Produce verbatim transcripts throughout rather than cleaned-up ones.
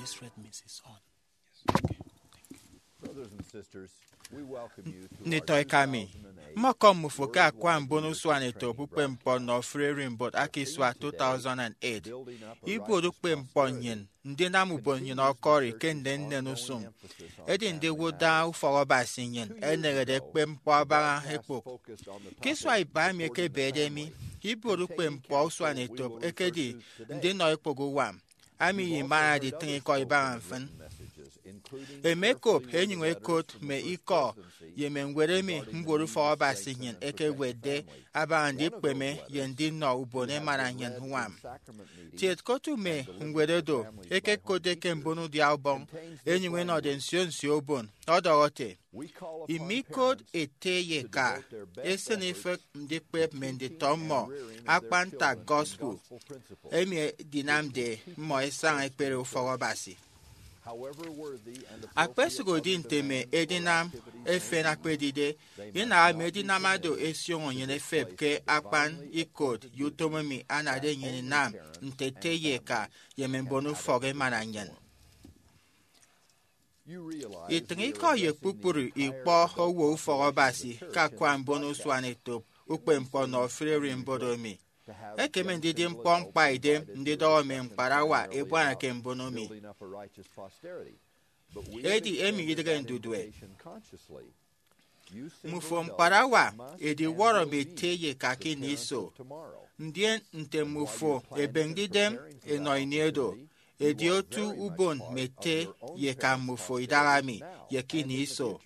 Let's read Missus Horn. Nditọ eka mi, mmọkọm mmufo ke akwa mbon usuanetop ukpepñkpọ nnọ Free Rimboat aka isua two thousand and eight. Ibuot ukpepñkpọ nnyịn ndinam ubon nnyịn ọkọri ke nnennen usụñ. Edi ndiwụt daña ufọk Abasi nnyịn enehede ekpep ñkpọ abaña ekpok. Ke isua iba emi ekebede mi, ibuot ukpepñkpọ usuanetop ekedi ndinọ ekpok uwam, ami ye imana editịñ ikọ ibaña mfịn. Emekop enyụñ ekot mme ikọ ye mme ñwed emi mbuot ufọk Abasi nnyịn ekewetde abaña ndikpeme ye ndinọ ubon emana nnyịn uñwam. Kiet ke otu mme ñwed oro ekekotde ke mbon udia ubọñ enyụñ ẹnọde nsio nsio ubon ọdọhọ ete, imi ikot ete ye eka, esịn ifịk ndikpep mme nditọ mmọ akpan ntak gospel emi edinamde mmọ ẹsaña ẹkpere ufọk Abasi. Akpesụk edi nte mme edinam efen akpedide, inaha mme edinam oro ẹsioño nnyịn ẹfep ke akpan ikot ye utom emi anade nnyịn inam nte ete ye eka ye mme mbon ufọk emana nnyịn. Itịñ ikọ ye kpukpru ikpọ owo ufọk Abasi ke akwa mbon usuanetop ukpepñkpọ nnọ Free Rimboat emi. Ekeme ndidi ñkpọ ñkpaidem ndidọhọ mme ñkparawa ebuana ke mbono mi. Edi emi idịghe ndudue. Mmufo ñkparawa ediwọrọ mme ete ye eka ke ini iso, ndien nte mmufo ebeñde idem enọ ini oro, edi otu ubon mme ete ye eka mmufo idaha mi ye ke ini iso.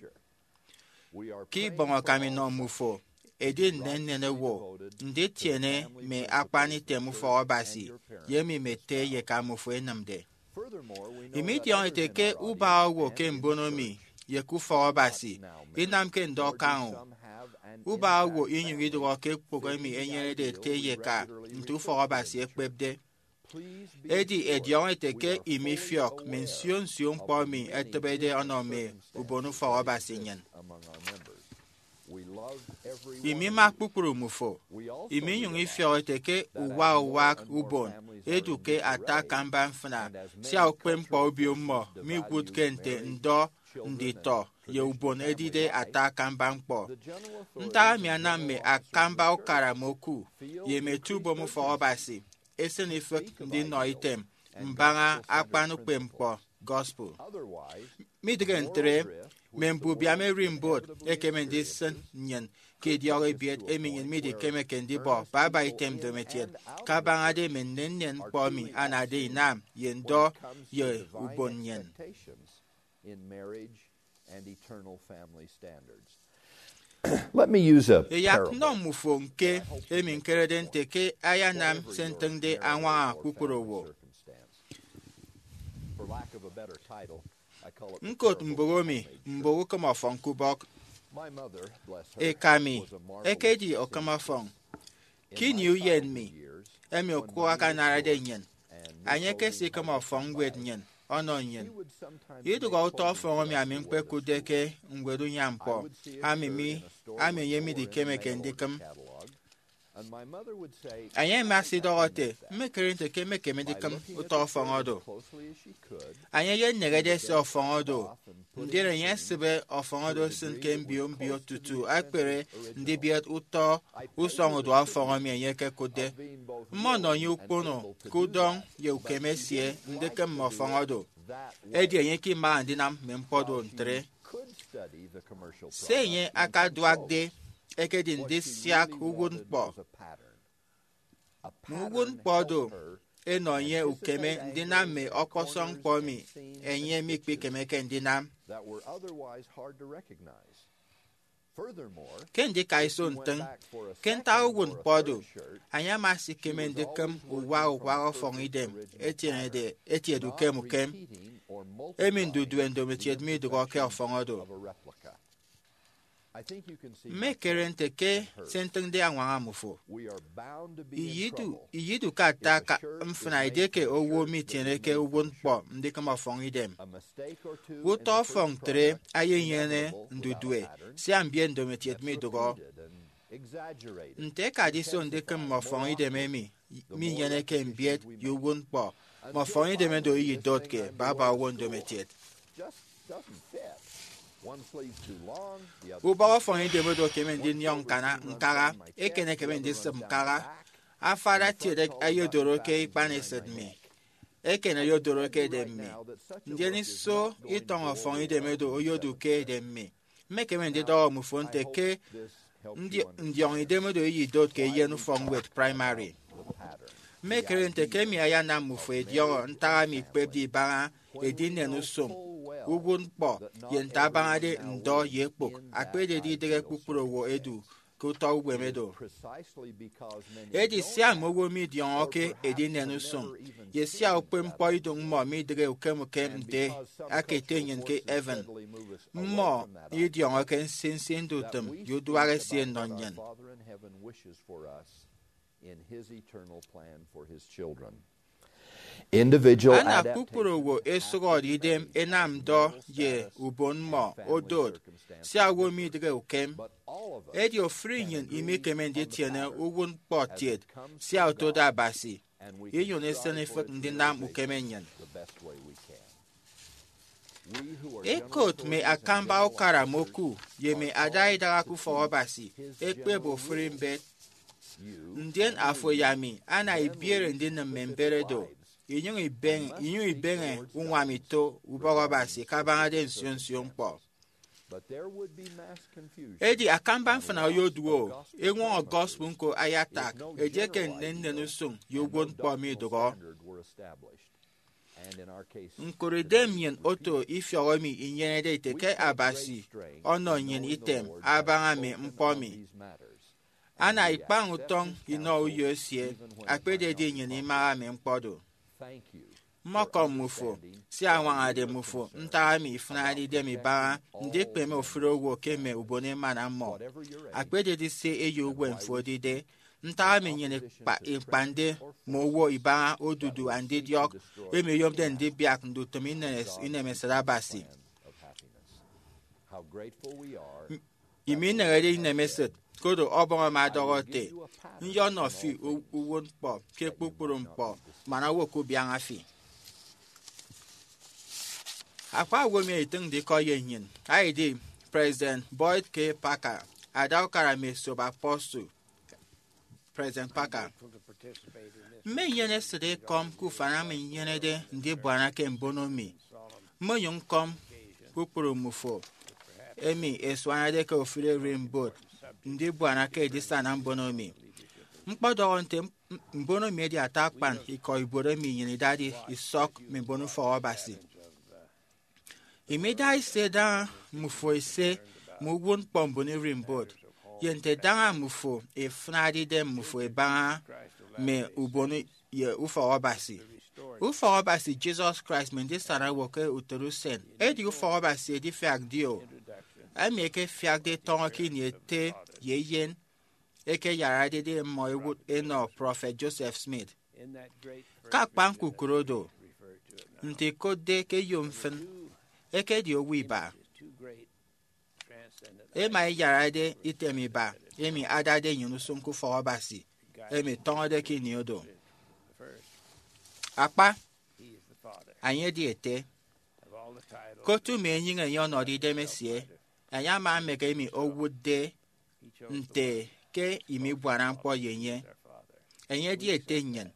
Ke ibọñ akam inọ mmufo, edi nnennen owo nditiene mme akpan item ufọk Abasi ye emi mme ete ye eka mmufo ẹnịmde. Imi idiọñọ ete ke ubak owo ke mbono mi ye ke ufọk Abasi inamke ndọ kaña o. Ubak owo inyụñ idụhọ ke ekpụk emi enyenede ete ye eka nte ufọk Abasi ekpepde. Edi ẹdiọñọ ete ke imi ifiọk mme nsio nsio ñkpọ emi ẹtịbede ọnọ mme ubon ufọk Abasi nnyịn. Imi ima kpukpru mmufo. Imi inyụñ ifiọk ete ke uwa uwak ubon edu ke ata akamba mfịna, sia ukpepñkpọ obio mmọ miwụtke nte ndọ nditọ ye ubon edide ata akamba ñkpọ. Ntak emi anam mme akamba ukara mme oku ye mme etubom ufọk Abasi esịn ifịk ndinọ item mbaña akpan ukpepñkpọ gospel. Midịghe ntre, mme mbubiam erimbot ẹkeme ndisịn nnyịn ke idiọk ebiet emi nnyịn midikemeke ndibọ baba item ndomokiet, kabañade mme nnennen ñkpọ emi anade inam ye ndọ ye ubon nnyịn. Let me use a Eyak parable. Nnọ mmufo ñke emi ñkerede nte ke ayanam se ntịñde añwaña kpukpru owo. Ñkot mbụk emi mbụk ukịm ọfọñ ke ubọk. Eka mi ekedi okịm ọfọñ. Ke ini uyen mi, emi okụk akanarade nnyịn, enye ekesikịm ọfọñ ñwed nnyịn ọnọ nnyịn. Idụhọ utọ ọfọñ emi ami ñkpekụtde ke ñwed unyaññkpọ, ami mi ami enye midikemeke ndikịm. Enye ama esidọhọ ete, mmekere nte ke mmekeme ndikịm utọ ọfọñ oro. Enye eyenehede ese ọfọñ oro, ndien enye esịbe ọfọñ oro esịn ke mbio mbio tutu ekpere ndibiet utọ usọñ uduak ọfọñ emi enye ekekụtde. Mmọnọ enye ukpono ke udọñ ye ukeme esie ndikịm mme ọfọñ oro. Edi enye ke imaha ndinam mme ñkpọ do ntre. Se enye akaduakde ekedi ndisiak uwụtñkpọ. Mme uwụtñkpọ do ẹnọ enye ukeme ndinam mme ọkpọsọñ ñkpọ emi enye mikpikemeke ndinam. Ke ndikaiso ntịñ, ke ntak uwụtñkpọ do, enye ama esikeme ndikịm uwa uwak ọfọñ idem etienede etiede ukem ukem, emi ndudue ndomokiet midụhọ ke ọfọñ oro. Mmekere nte ke se ntịñde añwaña mmufo. Iyidu, iyidu ke ata ka mfịna edieke owo mitieneke uwụtñkpọ ndikịm ọfọñ idem. Utọ ọfọñ ntre eyenyene ndudue, sia mbiet ndomokiet midụhọ. Nte ẹkade iso ndikịm mme ọfọñ idem emi minyeneke mbiet ye uwụtñkpọ, mme ọfọñidem edo iyidotke baba owo ndomotiet. Ubọk ọfọñidem edo ekeme ndinyọñ ñkana ñkaha, eken ekeme ndisịp ñkaha. Afara tiet ayodoro ke ikpanesịt mi, eken oyodoro ke edem mi. Ndien iso itọñ ọfọñidem edo oyodu ke edem mi. Mmekeme ndidọhọ mmufo nte ke ndi- ndiọñ idem edo iyidot ke eyen ufọkñwed praimari. Mmekere nte ke emi ayanam mmufo ẹdiọñọ ntak emi ikpepde ibaña edinen usụñ, uwụtñkpọ, ye nte abañade ndọ ye ekpụk, akpededi idịghe kpukpru owo ẹdu ke utọ uwem edo. Edi sia mme owo midiọñọke edinen usụñ, ye sia ukpepñkpọ ido mmọ midịghe ukem ukem nte aka ete nnyịn ke heaven, mmọ idiọñọke nsinsi ndutịm ye uduak esie nnọ nnyịn. Ana kpukpru owo ẹsụhọde idem ẹnam ndọ ye ubon mmọ odot, sia owo midịghe ukem. Edi ofụri nnyịn imekeme nditiene uwụtñkpọ kiet, sia otode Abasi, inyụñ isịn ifịk ndinam ukeme nnyịn. Ikot mme akamba ukara moku ye mme ada idaha ke ufọk Abasi ẹkpep ofụri mbet. Ndien afo ye ami ana ibiere ndinịm mme mbet edo, inyụñ ibeñe, inyụñ ibeñe uñwam ito ubọk Abasi kabañade nsio nsio ñkpọ. Edi akamba mfịna oyoduo eñwọñọ gospel ñko ayatak edieke nnennen usụñ ye uwụtñkpọ midụhọ. Ñkụre idem nnyịn oto ifiọk emi inyenede ite ke Abasi ọnọ nnyịn item abaña mme ñkpọ emi. Ana ikpañ utọñ inọ uyo esie, akpededi nnyịn imaha mme ñkpọ do. Mmọkọm mmufo, sia añwañade mmufo ntak emi ifịnade idem ibaña ndikpeme ofụri owo ke mme ubon emana mmọ. Akpededi se eyo uwem fo edide, ntak emi nnyịn ikpa- ikpañde mme owo ibaña odudu andidiọk emi oyomde ndibiak ndutịm inemes- inemesịt Abasi. Imi ineñede inemesịt, koro Ọbọñ ama ọdọhọ ete, nyọnọ fi u- uwụtñkpọ ke kpukpru ñkpọ, man owo kubiaña fi. Akpa owo emi ẹtịñde ikọ ye nnyịn, aidi President Boyd K. Packer, ada ukara mme esop apostle, President Packer. Mme nnyịn esịt ekọm ke ufan emi nnyenede ndibuana ke mbono mi. Mmonyụñ ñkọm kpukpru mmufo emi ẹsuanade ke ofụri ererimbot ndibuana ke edisana mbono mi. Ñkpọdọhọ nte m- mbono mi edi ata akpan ikọ ibuot emi nnyịn idade isọk mme mbon ufọk Abasi. Imi idaha ise daña mmufo ise mme uwụtñkpọ mbon ererimbot, ye nte daña mmufo ifịnade idem mmufo ibaña mme ubon ye ufọk Abasi. Ufọk Abasi Jesus Christ mme ndisana owo ke utoro usen edi ufọk Abasi edifiak dio, emi ekefiakde tọñọ ke ini ete ye eyen ekeyararede mmọ ẹwụt ẹnọ Prọfet Joseph Smith. Ke akpa ñkukụre do, nte ikotde ke eyo mfịn, ekedi owo iba. Ema iyarade item iba emi adade nnyịn usụñ ke ufọk Abasi, emi tọñọde ke ini odo. Akpa, enye edi ete. Ke otu mme enyịñ enye ọnọde idem esie, enye ama emek emi owụtde nte ke imibuana ñkpọ ye enye. Enye edi ete nnyịn.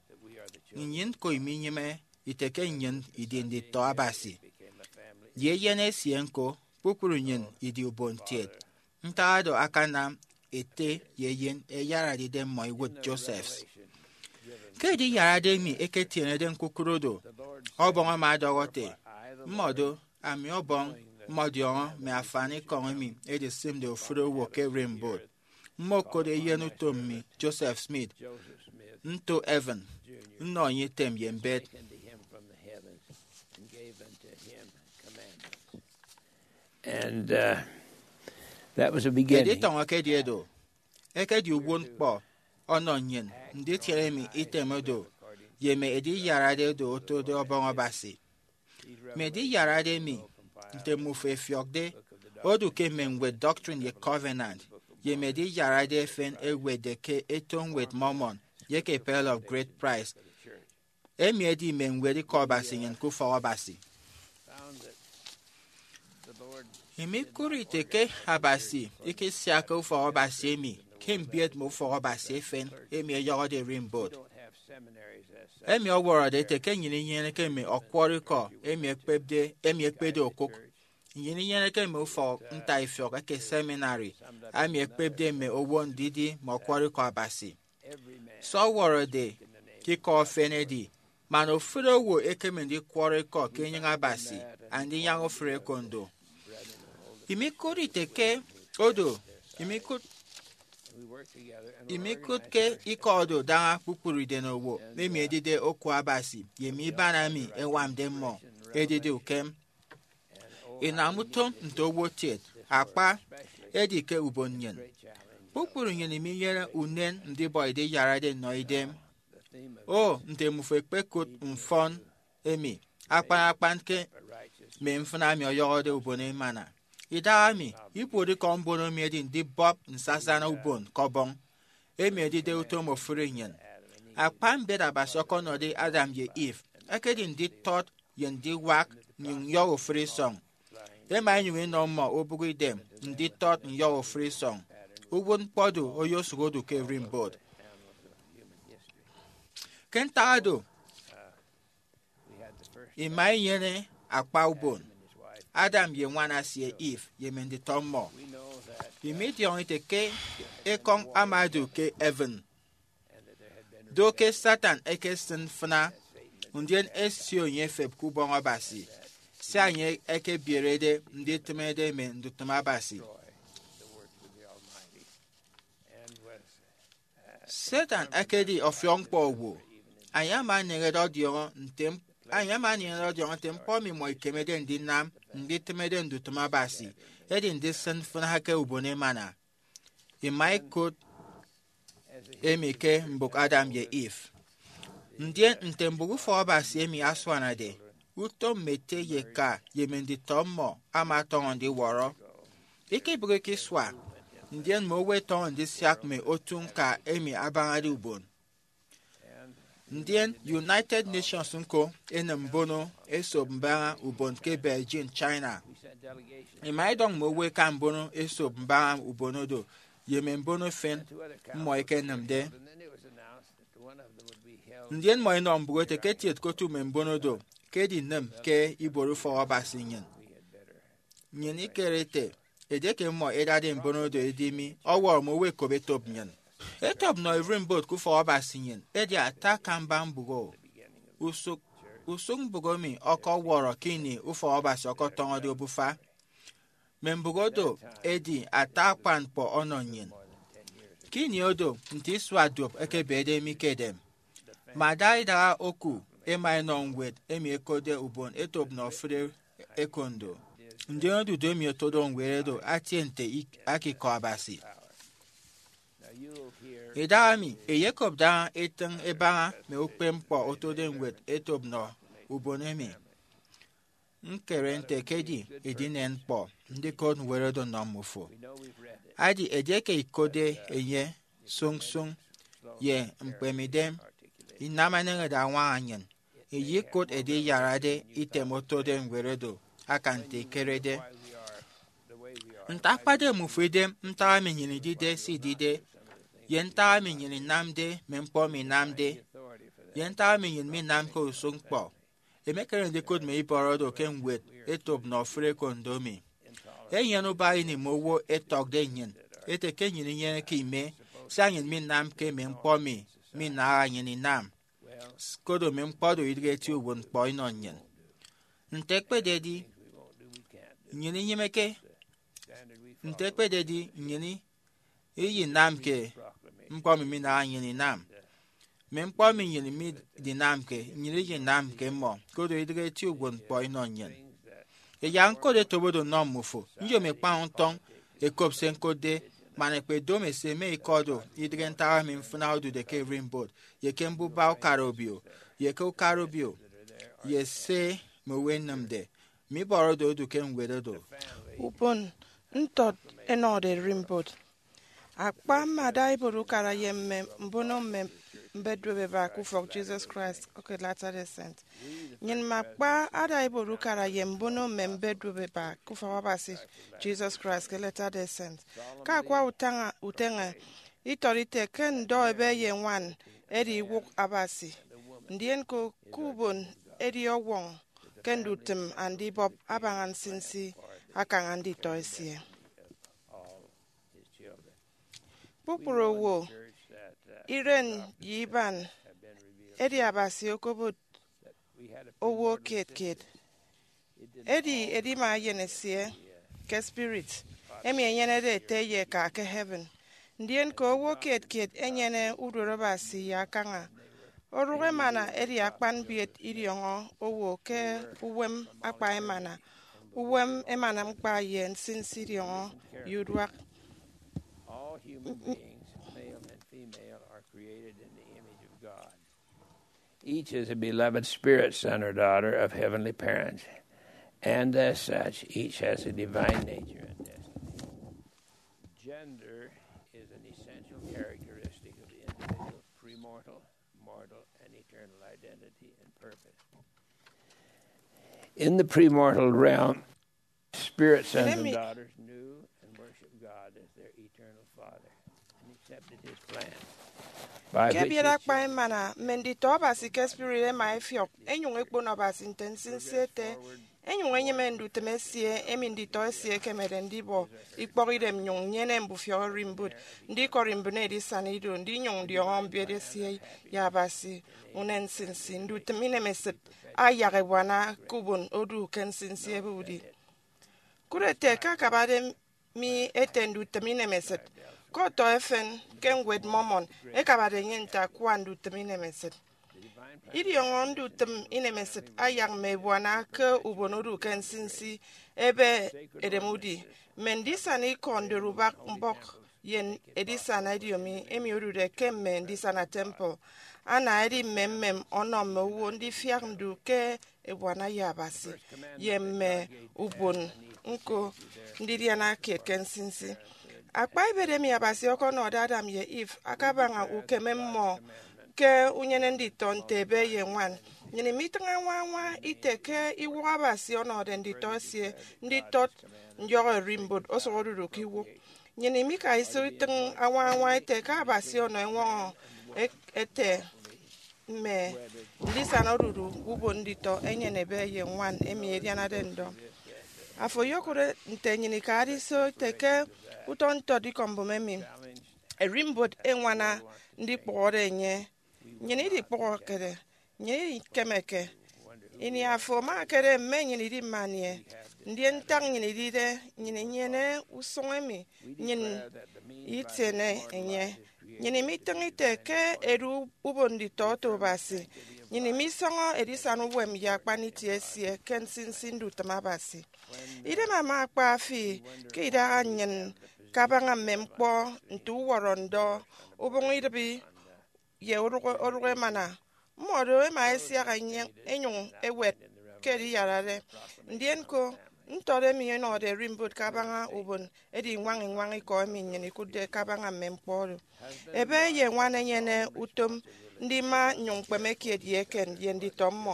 Nnyịn ñko iminyịme ite ke nnyịn idi nditọ Abasi. Ye eyen esie ñko, kpukpru nnyịn idi ubon kiet. Ntak oro akanam ete ye eyen ẹyararede mmọ ẹwụt Joseph. Ke ediyarade emi eketienede ñkukụre do, Ọbọñ ama ọdọhọ ete, mmọdo, ami Ọbọñ, mmọdiọñọ mme afanikọñ emi edisịmde ofụri owo ke ererimbot. Mmokot eyen utom mi, Joseph Smith, nto heaven, nnọ enye item ye mbet. And uh, that was a beginning. Editọñọ ke ediedo ekedi uwụtñkpọ ọnọ nnyịn nditiene emi item do ye mme ediyarade do otode Ọbọñ Abasi. Mme ediyarade emi, nte mmufo ẹfiọkde, odu ke mme ñwed Doctrine ye Covenant ye mme ediyarade efen ẹwetde ke eto ñwed Mormon ye ke Pearl of Great Price. Emi edi mme ñwed ikọ Abasi nnyịn ke ufọk Abasi. Emi ikụt ite ke Abasi ikisiakke ufọk Abasi emi ke mbiet mme ufọk Abasi efen emi ẹyọhọde ererimbot. Emi ọwọrọde ete ke nnyịn inyeneke mme ọkwọrọ ikọ emi ẹkpepde emi ẹkpede okụk. Nnyịn inyeneke mme ufọk ntaifiọk eke seminary emi ẹkpepde mme owo ndidi mme ọkwọrọ ikọ Abasi. Se ọwọrọde ke ikọ efen edi man ofụri owo ekeme ndikwọrọ ikọ ke enyịñ Abasi andinyaña ofụri ekondo. Emi ikụt ite ke odo emi ikụt emi ikụt ke ikọ odo daña kpukpru idenowo emi edide oku Abasi ye mme iban emi ẹñwamde mmọ edide ukem. Inam utom nte owo kiet, akpa, edi ke ubon nnyịn. Kpukpru nnyịn minyene unen ndibọ ediyarade nnọ idem. O, nte mmufo ẹkpekụt mfọn emi akpan akpan ke mme mfịna emi ọyọhọde ubon emana. Idahaemi, ibuotikọ mbono mi edi ndibọp nsasana ubon ke Ọbọñ, emi edide utom ofụri nnyịn. Akpa mbet Abasi ọkọnọde Adam ye Eve ekedi nditọt ye ndiwak nnyụñ nyọhọ ofụri isọñ. Ema inyụñ inọ mmọ obụk idem nditọt nyọhọ ofụri isọñ. Uwụtñkpọ do oyosụk odu ke ererimbot. Ke ntak do, ima inyene akpa ubon, Adam ye ñwan esie Eve ye mme nditọ mmọ. Ima idiọñọ ite ke ekọñ ama odu ke heaven. Do ke Satan ekesịn mfịna, ndien esio enye efep ke ubọñ Abasi, sia enye ekebierede nditịmede mme ndutịm Abasi. Satan ekedi ọfiọkñkpọ owo. Enye ama aneñede ọdiọñọ nte m- enye ama aneñede ọdiọñọ nte ñkpọ emi mmọ ikemede ndinam nditịmede ndutịm Abasi edi ndisịn mfịna ke ubon emana. Ima ikụt emi ke mbụk Adam ye Eve. Ndien nte mbụk ufọk Abasi emi asuanade, utom mme ete ye eka ye mme nditọ mmọ ama ọtọñọ ndiwọrọ. Ikebịghike isua, ndien mme owo ẹtọñọ ndisiak mme otu ñka emi abañade ubon. Ndien United Nations ñko enịm mbono esop mbaña ubon ke Beijing, China. Ima idọñ mme owo ẹka mbono esop mbaña ubon odo ye mme mbono efen mmọ ẹkenịmde. Ndien mmọ ẹnọ mbụk ete ke etiet ke otu mme mbono do ke edinịm ke ibuot ufọk Abasi nnyịn. Nnyịn ikere ete, edieke mmọ ẹdade mbono do ẹdi mi, ọwọrọ mme owo ẹkop etop nnyịn. Etop nnọ ererimbot ke ufọk Abasi nnyịn edi ata akamba mbụk o. Usụk, usụk mbụk emi ọkọwọrọ ke ini ufọk Abasi ọkọtọñọde obufa. Mme mbụk odo ẹdi ata akpan ñkpọ ọnọ nnyịn. Ke ini odo, nte isua duop ẹkebede mi ke edem, mada idaha oku ẹma ẹnọ ñwed emi ẹkotde ubon etop nnọ ofụri ekondo. Ndien odudu emi otode ñwed odo atie nte ik- aka ikọ Abasi. Idahaemi, eyekop daña etịñ ẹbaña mme ukpepñkpọ otode ñwed etop nnọ ubon emi. Ñkere nte ekedi edinen ñkpọ ndikot ñwed odo nnọ mmufo. Adi edieke ikotde enye sụñsụñ ye ñkpemidem, inam eneñede añwaña nnyịn, iyikụt ediyarade item otode ñwed odo akan nte ikerede. Nte akpade mmufo idem ntak emi nnyịn idide se idide, ye ntak emi nnyịn inamde mme ñkpọ emi inamde, ye ntak emi nnyịn minamke usụkñkpọ, emekere ndikụt mme ibọrọ do ke ñwed etop nnọ ofụri ekondo mi. Enyene ubak ini mme owo ẹtọkde nnyịn ete ke nnyịn inyeneke ime, sia nnyịn minamke mme ñkpọ emi minaha nnyịn inam. Koro mme ñkpọ do idịghe eti uwụtñkpọ inọ nnyịn. Nte ekpededi, nnyịn inyịmeke. Nte ekpededi, nnyịn iyinamke ñkpọ emi minaha nnyịn inam. Mme ñkpọ emi nnyịn midinamke, nnyịn iyinamke mmọ, koro idịghe eti uwụtñkpọ inọ nnyịn. Ẹyak ñkot etop odo nnọ mmufo, nyom ikpañ ntọñ ẹkop se ñkotde, man ẹkpedomo ẹse mme ikọ do, idịghe ntak emi mfịna odude ke ererimbot, ye ke mbuba ukara obio, ye ke ukara obio, ye se mme owo ẹnịmde, mme ibọrọ do odu ke ñwed odo. Ubon ntọt ẹnọde ererimbot. Akpa mmada ibuot ukara ye mme mbono mme mbet duopeba ke ufọk Jesus Christ ke Latter-day Saint. Nnyịn mme akpa ada ibuot ukara ye mbono mme mbet duopeba ke ufọk Abasi Jesus Christ ke Latter-day Saint. Ke akwa utaña uteñe, itọt ite ke ndọ ebe ye ñwan edi iwụk Abasi, ndien ke, ke ubon edi ọwọñ ke ndutịm andibọp abaña nsinsi akaña nditọ esie. Kpukpru owo, iren ye iban, edi Abasi okobot owo kiet kiet. Edi edima eyen esie ke spirit, emi enyenede ete ye eka ke heaven. Ndien ke owo kiet kiet enyene uduot Abasi ye akaña. Orụk emana edi akpan mbiet idiọñọ owo ke uwem akpa emana, uwem emana ñkpa ye nsinsi idiọñọ ye uduak. All human beings, male and female, are created in the image of God. Each is a beloved spirit son or daughter of heavenly parents, and as such, each has a divine nature and destiny. Gender is an essential characteristic of the individual's premortal, mortal, and eternal identity and purpose. In the premortal realm, spirits, sons and daughters knew and worshiped God as their eternal Father and accepted his plan. By ke which ebiet akpa emana, mme nditọ Abasi ke spirit ẹma ẹfiọk, ẹnyụñ ẹkpono Abasi nte nsinsi ete, ẹnyụñ ẹnyịme ndutịm esie emi nditọ esie ẹkemede ndibọ ikpọkidem nnyụñ nnyene mbufiọk erimbot ndikọri mbịne edisana ido, ndinyụñ ndiọñọ mbiet esie ye Abasi unen nsinsi. Ndutịm inemesịt ayak ẹbuana ke ubon odu ke nsinsi ebe udi. Kụt ete ke akabade mi ete ndutịm inemesịt, ke ọtọ efen ke ñwed Mormon ẹkabade enye nte akua ndutịm inemesịt. Idiọñọ ndutịm inemesịt ayak mme ebuana ke ubon odu ke nsinsi ebe edem udi, mme ndisana ikọ ndorubak mbọk ye edisana ediomi emi odude ke mme ndisana temple, ana edi mmemmem ọnọ mme owo ndifiak ndu ke ebuana ye Abasi ye mme ubon ñko ndidiana kiet ke nsinsi. Akpa ibet emi Abasi ọkọnọde Adam ye Eve akabaña ukeme mmọ ke unyene nditọ nte ebe ye ñwan. Nnyịn imitịñ añwañwa ite ke iwụk Abasi ọnọde nditọ esie nditọt ndiọk erimbot osụk odudu ke iwụk. Nnyịn imika iso itịñ añwañwa ete ke Abasi ọnọ eñwọñọ e- ete mme ndisana odudu ubon nditọ enyene ebe ye ñwan emi ẹdianade ndọ. Afo oyokụre nte nnyịn ikade iso ete ke utọ ntọt ikọ mbụme emi, erimbot eñwana ndikpụhọde enye. Nnyịn idikpụhọkede, nnyịn ikemeke. Ini afo ama ekere mme nnyịn idi mme anie, ndien ntak nnyịn idide, nnyịn inyene usụñ emi nnyịn itiene enye. Nnyịn imitịñ ite ke edu ubon nditọ oto Abasi. Nnyịn imisọñọ edisana uwem ye akpan itie esie ke nsinsi ndutịm Abasi. Idem ama akpa fi ke idaha nnyịn kabaña mme ñkpọ nte uwọrọ ndọ, ubụñ idịbi, ye orụk, orụk emana. Mmọdo ẹma ẹsiak ẹnyụñ ẹwet ke ediyarade. Ndien ñko, ntọt emi ẹnọde erimbot kabaña ubon edi iñwañ-iñwañ ikọ emi nnyịn ikụtde kabaña mme ñkpọ oro. Ebe ye ñwan ẹnyene utom ndima nnyụñ ñkpeme kiet ye eken ye nditọ mmọ.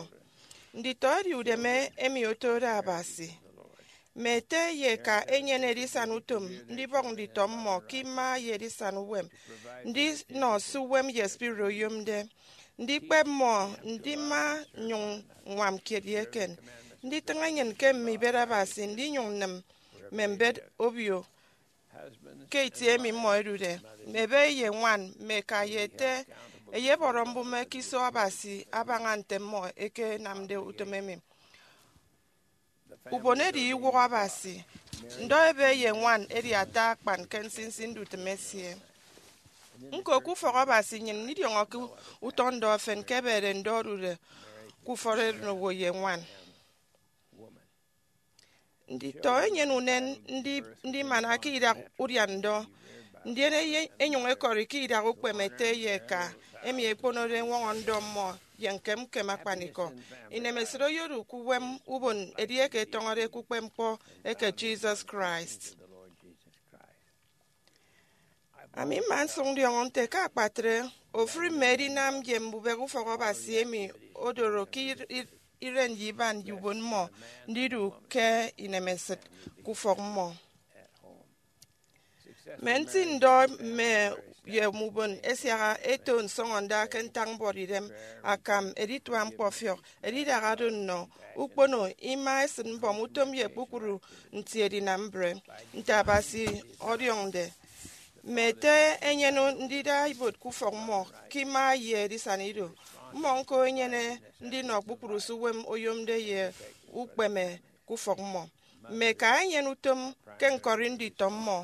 Nditọ edi udeme emi otode Abasi. Mme ete ye eka ẹnyene edisana utom ndibọk nditọ mmọ ke ima ye edisana uwem, ndinọ se uwem ye spirit oyomde, ndikpep mmọ ndima nnyụñ ññwam kiet ye eken, nditịñ enyịn ke mme ibet Abasi, ndinyụñ nnịm mme mbet obio ke itie emi mmọ ẹdude. Mme ebe ye ñwan, mme eka ye ete, ẹyebọrọ mbụme ke iso Abasi abaña nte mmọ ẹkenamde utom emi. Ubon edi iwụk Abasi. Ndọ ebe ye ñwan edi ata akpan ke nsinsi ndutịm esie. Ñko, ke ufọk Abasi, nnyịn idiọñọke utọ ndọ efen ke ẹbede ndọ odude ke ufọt erenowo ye ñwan. Nditọ enyene unen ndi-, ndimana ke idak udian ndọ, ndien eye-, enyụñ ekọri ke idak ukpeme ete ye eka emi ẹkponode eñwọñọ ndọ mmọ ye ñkem ñkem akpanikọ. Inemesịt oyodu ke uwem ubon edieke ẹtọñọde ke ukpepñkpọ eke Jesus Christ. Ami mma nsụk ndiọñọ nte ke akpatre ofụri mme edinam ye mbubịk ufọk Abasi emi odoro ke ir- ir- iren ye iban ye ubon mmọ ndidu ke inemesịt ke ufọk mmọ. Mme ntịñndọ mme ye ubon ẹsiaha ẹto nsọñọnda ke ntak mbuọtidem akam editua ñkpọfiọk, edidaha do nnọ ukpono ima esịt mbọm utom ye kpukpru nti edinam mbre, nte Abasi ọdiọñde. Mme ete ẹnyene ndida ibuot ke ufọk mmọ ke ima ye edisana ido. Mmọ ñko ẹnyene ndinọ kpukpru se uwem oyomde ye ukpeme ke ufọk mmọ. Mme eka ẹnyene utom ke ñkọri nditọ mmọ.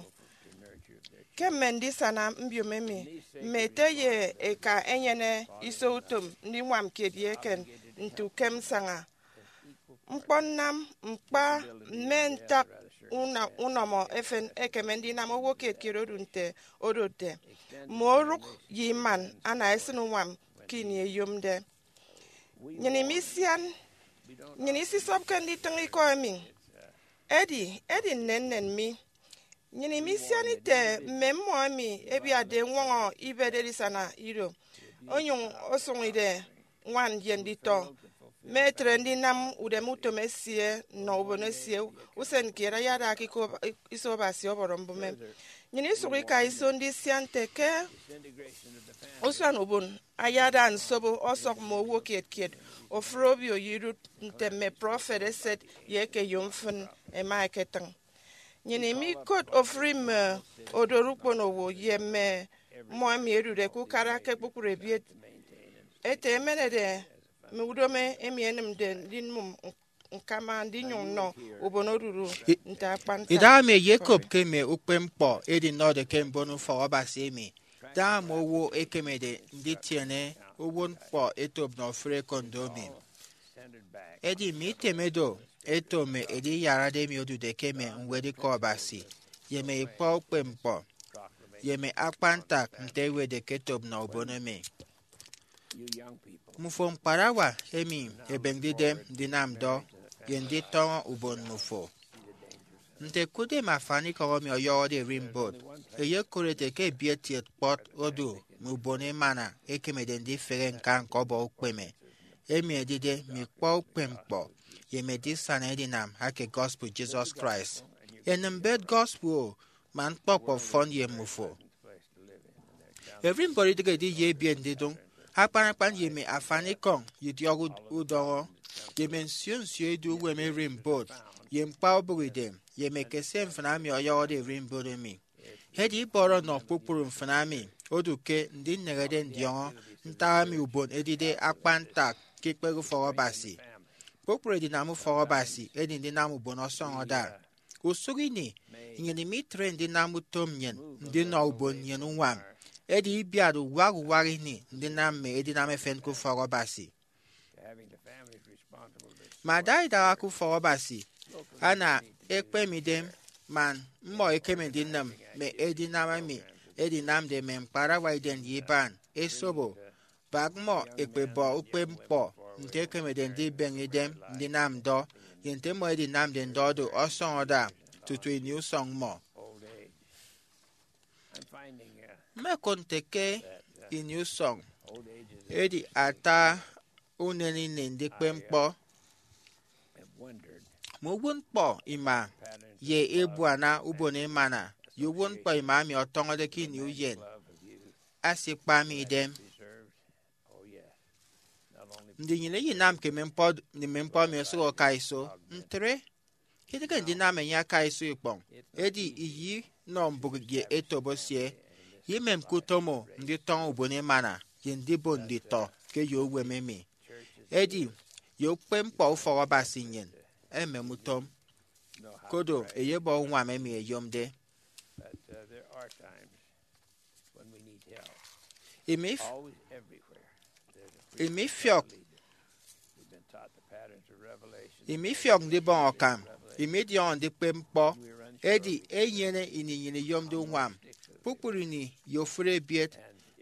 Ke mme ndisana mbiom emi, mme ete ye eka ẹnyene iso utom ndiñwam kiet ye eken nte ukem nsaña. Ñkpọ nnam ñkpa mme ntak una- unọmọ efen ekeme ndinam owo kiet kiet odu nte odotde. Mme orụk ye iman ana esịn uñwam ke ini eyomde. Nnyịn imisian, nnyịn isisọpke nditịñ ikọ emi. Edi, edi nnennen mi. Nnyịn imisian ite mme mmọ emi ẹbiatde ñwọñọ ibet edisana ido, onyụñ osụñide ñwan ye nditọ mme etre ndinam udeme utom esie nnọ ubon esie usen kiet ayada ke iko- iso Abasi ọbọrọ mbụme. Nnyịn isụk ika iso ndisian nte ke usuan ubon ayada nsobo ọsọk mme owo kiet kiet, ofụri obio ye idụt nte mme prọfet eset ye eke eyom mfịn ẹma ẹketịñ. Nnyịn imikot ofụri mme odoro ukpono owo ye mme mmọ emi ẹdude ke ukara ke kpukpru ebiet. Ete emenede mme udomo emi ẹnịmde ndinịm ñkama ndinyụñ nnọ ubon odudu nte akpan ntak. Idahaemi eyekop ke mme ukpepñkpọ edinọde ke mbon ufọk Abasi emi, daña mme owo ẹkemede nditiene uwụtñkpọ etop nnọ ofụri ekondo emi. Edi mme iteme do ẹto mme ediyarade emi odude ke mme ñwed Ikọ Abasi, ye mme ikpọ ukpepñkpọ, ye mme akpan ntak nte ẹwetde ke etop nnọ ubon emi. Mmufo ñkparawa emi ẹbeñde idem ndinam ndọ ye nditọñọ ubon mmufo. Nte kudem afanikọñ emi ọyọhọde ererimbot, eyekot ete ke ebiet kiet kpọt odu mme ubon emana ekemede ndifehe ñkañ ke ọbọ ukpeme, emi edide mme ikpọ ukpepñkpọ ye mme edisana edinam ake gospel Jesus Christ. Enịm mbet gospel o, man ñkpọkpọ fọn ye mmufo. Ererimbot idịghe ediye ebiet ndidụñ akpan akpan ye mme afanikọñ ye idiọk ud- udọñọ, ye mme nsio nsio edu uwem ererimbot, ye ñkpa ubụk idem, ye mme ekesie mfịna emi ọyọhọde ererimbot emi. Edi ibọrọ nọ kpukpru mfịna emi odu ke ndineñede ndiọñọ ntak emi ubon edide akpan ntak ke ikpehe ufọk Abasi. Kpukpru edinam ufọk Abasi edi ndinam ubon ọsọñọde. Usụk ini, nnyịn imitre ndinam utom nnyịn ndinọ ubon nnyịn uñwam, edi ibiat uwak uwak ini ndinam mme edinam efen ke ufọk Abasi. Mme adaidaha ke ufọk Abasi ana ekpeme idem man mmọ ẹkeme ndinịm mme edinam emi ẹdinamde mme ñkparawa idem ye iban esobo. Bak mmọ ẹkpebọ ukpepñkpọ nte ẹkemede ndibeñe idem ndinam ndọ, ye nte mmọ ẹdinamde ndọ do ọsọñọde tutu ini usọñ mmọ. Mmekụt nte ke ini usọñ edi ata unen ini ndikpe ñkpọ. Mme uwụtñkpọ ima ye ebuana ubon emana ye uwụtñkpọ ima emi ọtọñọde ke ini uyen asikpa mi idem. Ndi nnyịn iyinamke mme ñkpọ, mme ñkpọ emi osụk oka iso? Ntre, idịghe ndinam enye aka iso ikpọñ, edi iyinọ mbụk ye etop esie. Imemke utom o nditọñọ ubon emana ye ndibon nditọ ke ye uwem emi. Edi ye ukpepñkpọ ufọk Abasi nnyịn emem utom, kodo eyebọ uñwam emi eyomde. Imi f- imi fiọk imi fiọk ndibọñ akam, imi idiọñọ ndikpep ñkpọ. Edi enyene ini nnyịn iyomde uñwam kpukpru ini ye ofụri ebiet,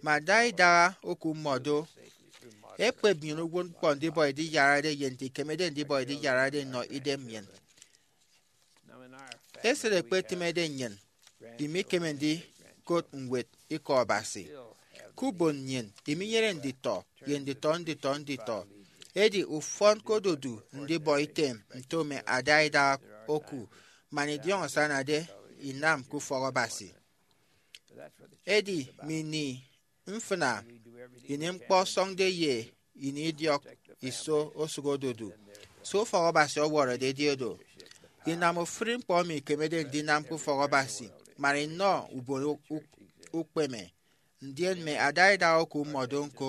mme adaidaha oku mmọ do. Ekpep nnyịn uwụtñkpọ ndibọ ediyarade ye nte ikemede ndibọ ediyarade nnọ idem nnyịn. Esịt ekpetịmede nnyịn, imikeme ndi kot ñwed Ikọ Abasi. Ke ubon nnyịn, iminyene nditọ ye nditọ nditọ nditọ. Edi ufọn ke odudu ndibọ item nto mme adaidaha oku man idiọñọ asanade inam ke ufọk Abasi. Edi mme ini mfịna, ini ñkpọ ọsọñde ye ini idiọk iso osụk odudu. Se ufọk Abasi ọwọrọde edi oro. Inam ofụri ñkpọ emi ikemede ndinam ke ufọk Abasi man inọ ubon u- ukpeme. Ndien mme adaidaha oku mmọdo ñko,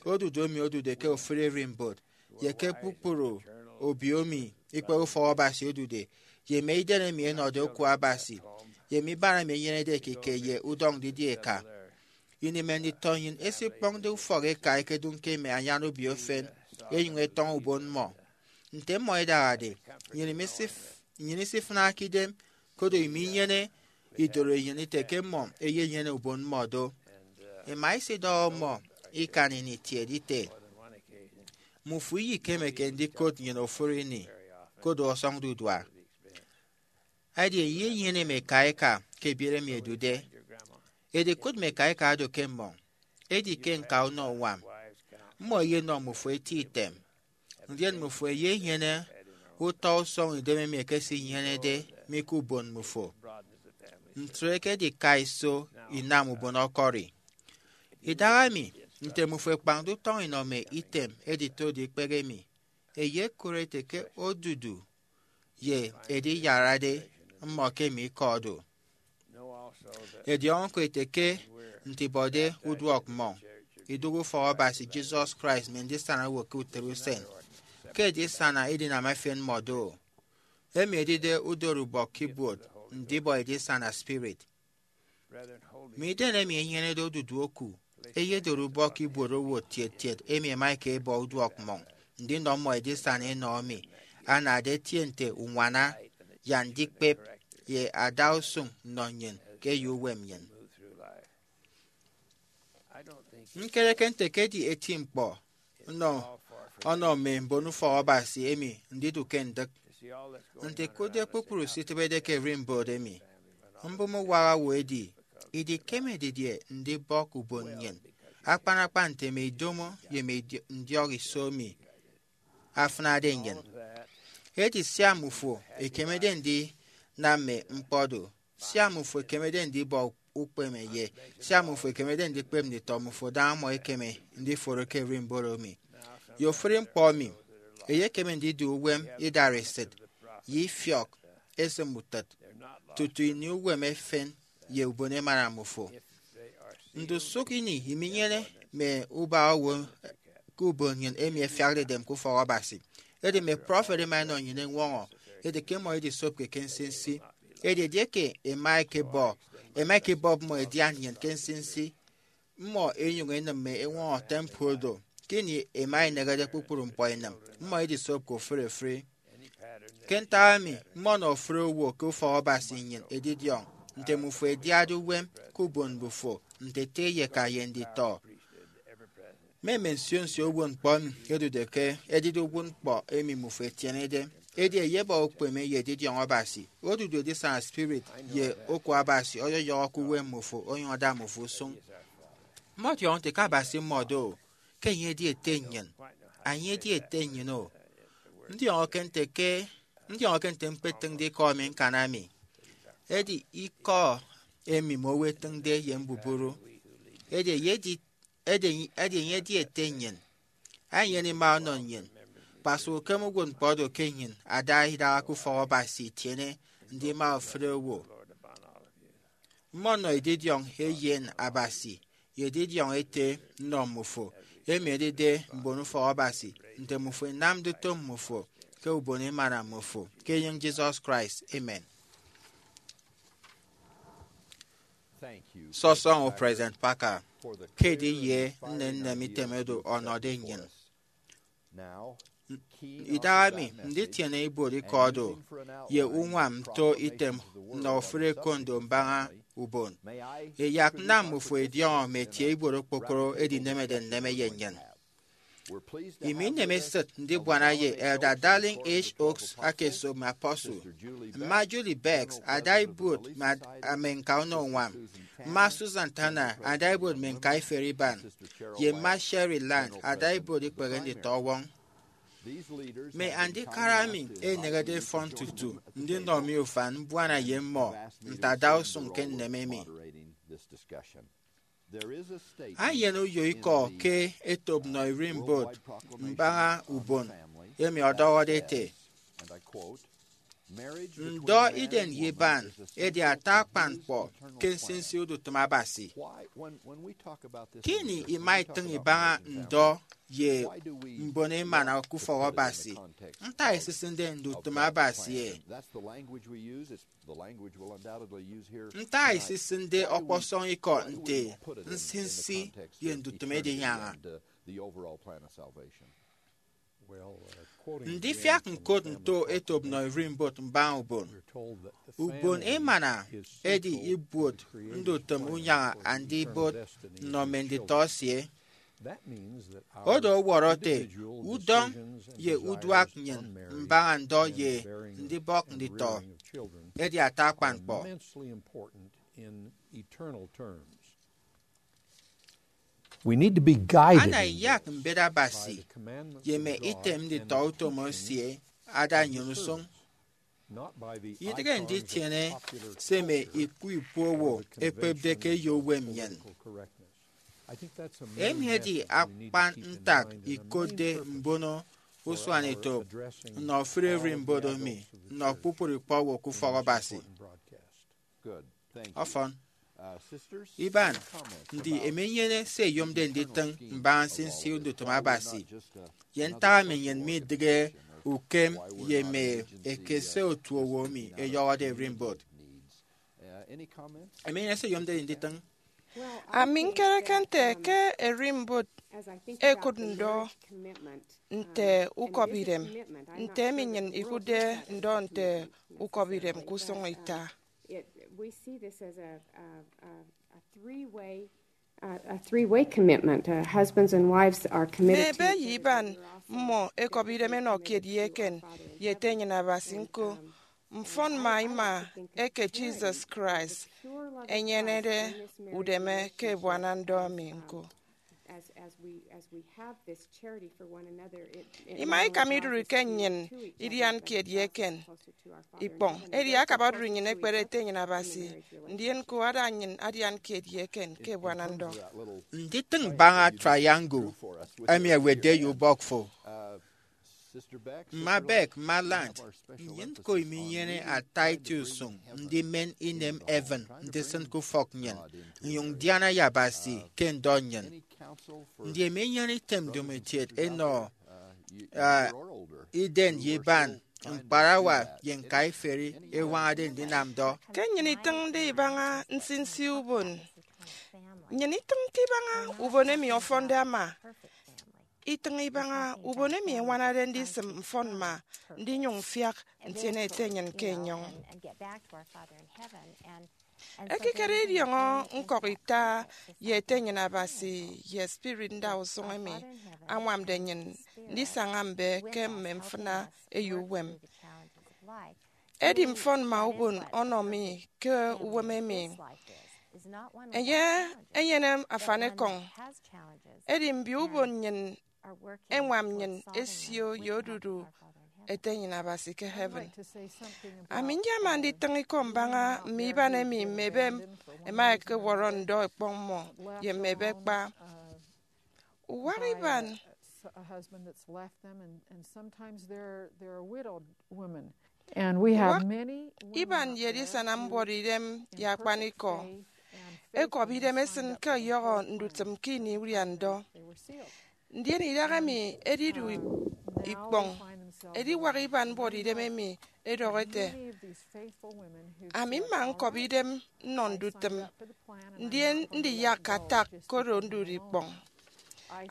odudu emi odude ke ofụri ererimbot, ye ke kpukpru obio emi ikpehe ufọk Abasi odude, ye mme idem emi ẹnọde oku Abasi, ye mme iban emi ẹnyenede ekike ye udọñ didie eka. Ini mme nditọ nnyịn ẹsikpọñde ufọk eka ẹkedụñ ke mme anyan obio efen, ẹnyụñ ẹtọñọ ubon mmọ. Nte mmọ ẹdahade, nnyịn imesif- nnyịn isifịnake idem, koro iminyene idoro enyịn ite ke mmọ ẹyenyene ubon mmọ do. Ẹma ẹsidọhọ mmọ ikan ini itiede ite, mmufo iyekemeke ndikot nnyịn ofụri ini, koro ọsọñde udua. Edi eyenyene mme eka eka ke ebiere emi ẹdude. Edi kụt mme eka eka oro ke mmọñ. Edi ke ñka unọ uñwam, mmọ ẹyenọ mmufo eti item, ndien mmufo ẹyenyene utọ usọñ idem emi ẹkesinyenede mi ke ubon mmufo. Ntre ke edika iso inam ubon ọkọri. Idahaemi, nte mmufo ẹkpañde utọñ inọ mme item editode ikpehe mi, eyekụre ete ke odudu ye ediyarade mmọ ke emi ikọ do. Ẹdiọñọ ñko ete ke nte ibọde uduọk mmọñ, idụhe ufọk Abasi, Jesus Christ, mme ndisana owo ke utịt usen, ke edisana edinam efen mmọ do, emi edide udorubọk ke ibuot ndibọ edisana spirit. Mme idem emi ẹnyenede odudu oku ẹyedori ubọk ibuot owo tiet tiet emi ẹma ẹkebọ uduọk mmọñ ndinọ mmọ edisana enọ emi anade etie nte uñwana ye andikpep ye adausụñ nnọ nnyịn ke eyo uwem nnyịn. Ñkereke nte ke edi eti ñkpọ nnọ ọnọ mme mbonufọk Abasi emi ndidu ke ndịk. Nte ikụtde kpukpru se itịbede ke ererimbot emi, mbụme uwaha owo edi idikeme didie ndibọk ubon nnyịn, akpan akpan nte mme idomo ye mme idi- ndiọk iso emi afịnade nnyịn. Edi sia mmufo ekemede ndinam mme ñkpọ do, sia mmufo ekemede ndibọ ukpeme ye sia mmufo ekemede ndikpep nditọ mmufo daña mmọ ẹkeme ndiforo ke ererimbot emi. Ye ofụri ñkpọ emi, eyekeme ndidu uwem idareset ye ifiọk esịm utịt tutu ini uwem efen ye ubon emana mmufo. Ndusụk ini iminyene mme ubaha owo ke ubon nnyịn emi ẹfiakde edem ke ufọk Abasi. Edi mme prọfet ẹma ẹnọ nnyịn eñwọñọ ete ke mmọ idisopke ke nsinsi. Edi edieke ẹma ẹkebọ ẹma ẹkebọp mmọ ẹdian nnyịn ke nsinsi, mmọ ẹnyụñ ẹnịm mme eñwọñọ temple do. Ke ini ẹma ẹnehede kpukpru ñkpọ ẹnịm, mmọ idisopke ofụri ofụri. Ke ntak emi, mmọnọ ofụri owo ke ufọk Abasi nnyịn edidiọñ nte mmufo ẹdiade uwem ke ubon mmufo nte ete ye eka ye nditọ. Mme mme nsio nsio uwụtñkpọ emi ẹdude ke edide uwụtñkpọ emi mmufo ẹtienede. Edi ẹyebọ ukpeme ye edidiọñ Abasi. Odudu edisana spirit ye oku Abasi ọyọyọhọ ke uwem mmufo onyụñ ada mmufo usụñ. Mmọdiọñọ nte ke Abasi mmọdo, ke enye edi ete nnyịn. Enye edi ete nnyịn o. Ndiọñọke nte ke ndiọñọke nte ñkpetịñde ikọ emi ñkana mi. Edi ikọ emi mme owo ẹtịñde ye mbubru. Edi enye edi edi enye edi ete nnyịn. Enyene ima ọnọ nnyịn. Kpasụk ukem uwụtñkpọ do ke nnyịn ada idaha ke ufọk Abasi itiene ndima ofụri owo. Mmọnọ edidiọñ eyen Abasi ye edidiọñ ete nnọ mmufo, emi edide mbonufọk Abasi, nte mmufo ẹnamde utom mmufo ke ubon emana mmufo, ke enyịñ Jesus Christ. Amen. Sọsọñọ President Parker ke ediye nnennen item oro ọnọde nnyịn. Idahaemi, nditiene ibuot ikọ do ye uñwam nto item nnọ ofụri ekondo mbaña ubon. Ẹyak nnam mmufo ẹdiọñọ mme etie ibuot okpokoro ẹdinemede nneme ye nnyịn. Imi inemesịt ndibuana ye Elder Dallin H. Oaks aka esop mme apostle, mma Julie Beggs ada ibuot mme ad- mme ñka unọ uñwam, mma Susan Tanner ada ibuot mme ñka iferi iban, ye mma Sherry Land ada ibuot ikpehe nditọwọñ. Mme andikara emi ẹneñede ẹfọn tutu ndinọ mi ufan mbuana ye mmọ nte adausụñ ke nneme emi. Eyen uyo ikọ ke etop nnọ ererimbot mbaña ubon emi ọdọhọde ete, ndọ iden ye iban edi ata akpan ñkpọ ke nsinsi udutịm Abasi. Ke ini ima itịñ ibaña ndọ ye mbon emana ke ufọk Abasi, ntak isisịnde ndutịm Abasi e? Ntak isisịnde ọkpọsọñ ikọ nte nsinsi ye ndutịm edinyaña? Ndifiak ñkot nto etop nnọ ererimbot mbaña ubon. Ubon emana edi ibuot ndutịm unyaña andibot nnọ mme nditọ esie. Odo ọwọrọ ete, udọñ ye uduak nnyịn mbaña ndọ ye ndibọk nditọ edi ata akpan ñkpọ. We need to be guided. Ana iyak mbet Abasi ye mme item nditọ utom esie ada nnyịn usụñ, idịghe nditiene se mme ikpu ikpu owo ẹkpepde ke eyo uwem nnyịn. Emi edi akpan ntak ikotde mbono usuanetop nnọ ofụri ererimbot emi nnọ kpukpru ikpọ owo ke ufọk Abasi. Ọfọn. Iban, ndi emenyene se ẹyomde nditịñ mbaña nsinsi ndutịm Abasi? Ye ntak emi nnyịn midịghe ukem ye mme ekese otuowo emi ẹyọhọde ererimbot? Emenyene se ẹyomde nditịñ? Ami ñkereke nte ke ererimbot ẹkụt ndọ nte ukọbidem, nte emi nnyịn ikụtde ndọ nte ukọbidem ke usụñ ita. We see this as a, a, a, a three-way, uh, a three-way commitment. Uh, husbands and wives are Mme committed ebe to ye iban mmọ ẹkọbi idem ẹnọ kiet ye eken ye ete enyịn Abasi ñko. Mfọn ma ima eke Jesus Christ enyenede udeme ke ebuana ndọ emi ñko. Ima ikam idụri ke nnyịn idian kiet ye eken ikpọñ, edi akabadụri nnyịn ekpere ete enyịn Abasi, ndien ñko ada nnyịn adian kiet ye eken ke ebuana ndọ. Nditịñ mbaña triangle emi ẹwetde ye ubọk fo. Mma Beck, mma Land, nnyịn ñko iminyene ata eti usụñ ndimen inem heaven ndisịn ke ufọk nnyịn, nnyụñ ndiana ye Abasi ke ndọ nnyịn. Ndi emenyene item ndomokiet ẹnọ iden ye iban, ñkparawa ye ñka iferi ẹwañade ndinam ndọ? Ke nnyịn itịñde ibaña nsinsi ubon, nnyịn itịñke ibaña ubon emi ọfọnde ama. Itịñ ibaña ubon emi ẹñwanade ndisịm mfọn mma ndinyụñ mfiak ntiene ete nnyịn ke enyọñ. Ekikere idiọñọ ñkọk ita ye ete nnyịn Abasi ye spirit ndausụñ emi añwamde nnyịn ndisaña mbe ke mme mfịna eyo uwem. Edi mfọn ma ubon ọnọ mi ke uwem emi. Enye enyene afanikọñ. Edi mbio ubon nnyịn ẹñwam nnyịn ẹsio ye odudu ete nnyịn Abasi ke heaven. Ami nyama nditịñ ikọ mbaña mme iban emi mme ebe ẹma ẹkewọrọ ndọ ẹkpọñ mmọ ye mme ebe kpa uwak iban. Uwak iban ye edisana mbuọtidem ye akpanikọ ẹkọbi idem ẹsịn ke ọyọhọ ndutịm ke ini udia ndọ. Ndien idahaemi edidu ikpọñ ediwak iban mbuọtidem emi edọhọ ete, ami mma ñkọbi idem nnọ ndutịm, ndien ndiyak atak koro ndudi ikpọñ.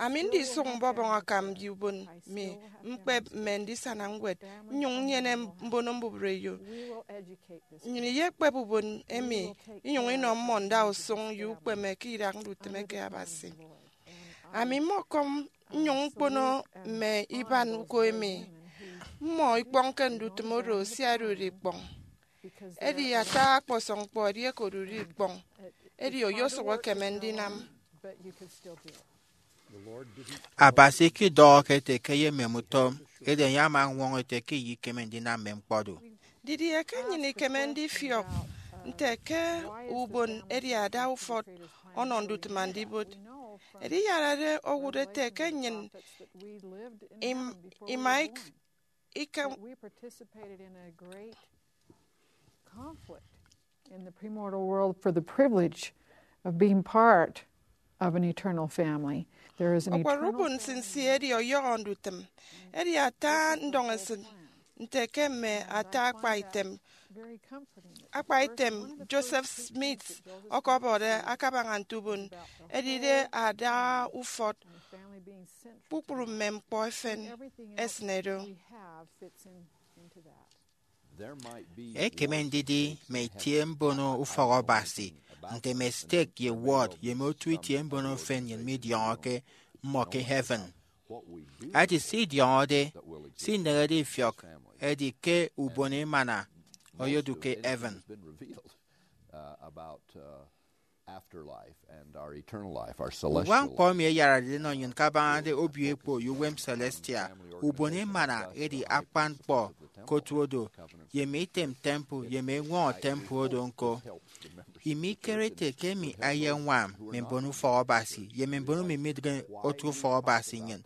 Ami ndisụk mbọbọñ akam ye ubon mi, ñkpep mme ndisana ñwed, nnyụñ nnyene mbono mbubreyo. Nnyịn iyekpep ubon emi inyụñ inọ mmọ ndausụñ ye ukpeme ke idak ndutịm eke Abasi. Ami mmọkọm nnyụñ ñkpono mme iban uko emi. Mmọ ikpọñke ndutịm oro sia ẹdụri ikpọñ. Edi ata ọkpọsọñ ñkpọ edi eke odụri ikpọñ, edi oyosụk ekeme ndinam. Abasi ikidọhọke ete ke eyemem utom, edi enye ama ọñwọñọ ete ke iyikeme ndinam mme ñkpọ do. Didie ke nnyịn ikeme ndifiọk nte ke ubon edi ada ufọt ọnọ ndutịm andibot? Ediyarade owụt ete ke nnyịn im- ima ik- ikam. We participated in a great conflict in the premortal world for the privilege of being part of an eternal family. There is an Ọkwọrọ eternal ubon nsinsi edi ọyọhọ ndutịm. Edi ata ndọñesịt nte ke mme ata akpa item very comforting. akpa item Joseph Smith ọkọbọde akabaña nte ubon edide ada ufọt. Family being central. Kpukpru mme ñkpọ efen Everything else esịne do. We have fits in, into that. Ekeme ndidi mme itie mbono ufọk Abasi, nte mme stek ye ward ye mme otu itie mbono efen nnyịn midiọñọke mmọ ke heaven. Ati se idiọñọde, se inehede ifiọk, edi ke ubon emana oyodu ke heaven. About uh, afterlife and our eternal life, our Uwa celestial ñkpọ emi eyaradide nọ nnyịn kabañade obio ekpo ye uwem celestial, ubon emana edi akpan ñkpọ ke otu odo, ye mme item temple ye mme eñwọñọ temple odo ñko. Imi ikerete ke emi eyeñwam mme mbon ufọk Abasi ye mme mbon emi midịghe otu ufọk Abasi nnyịn.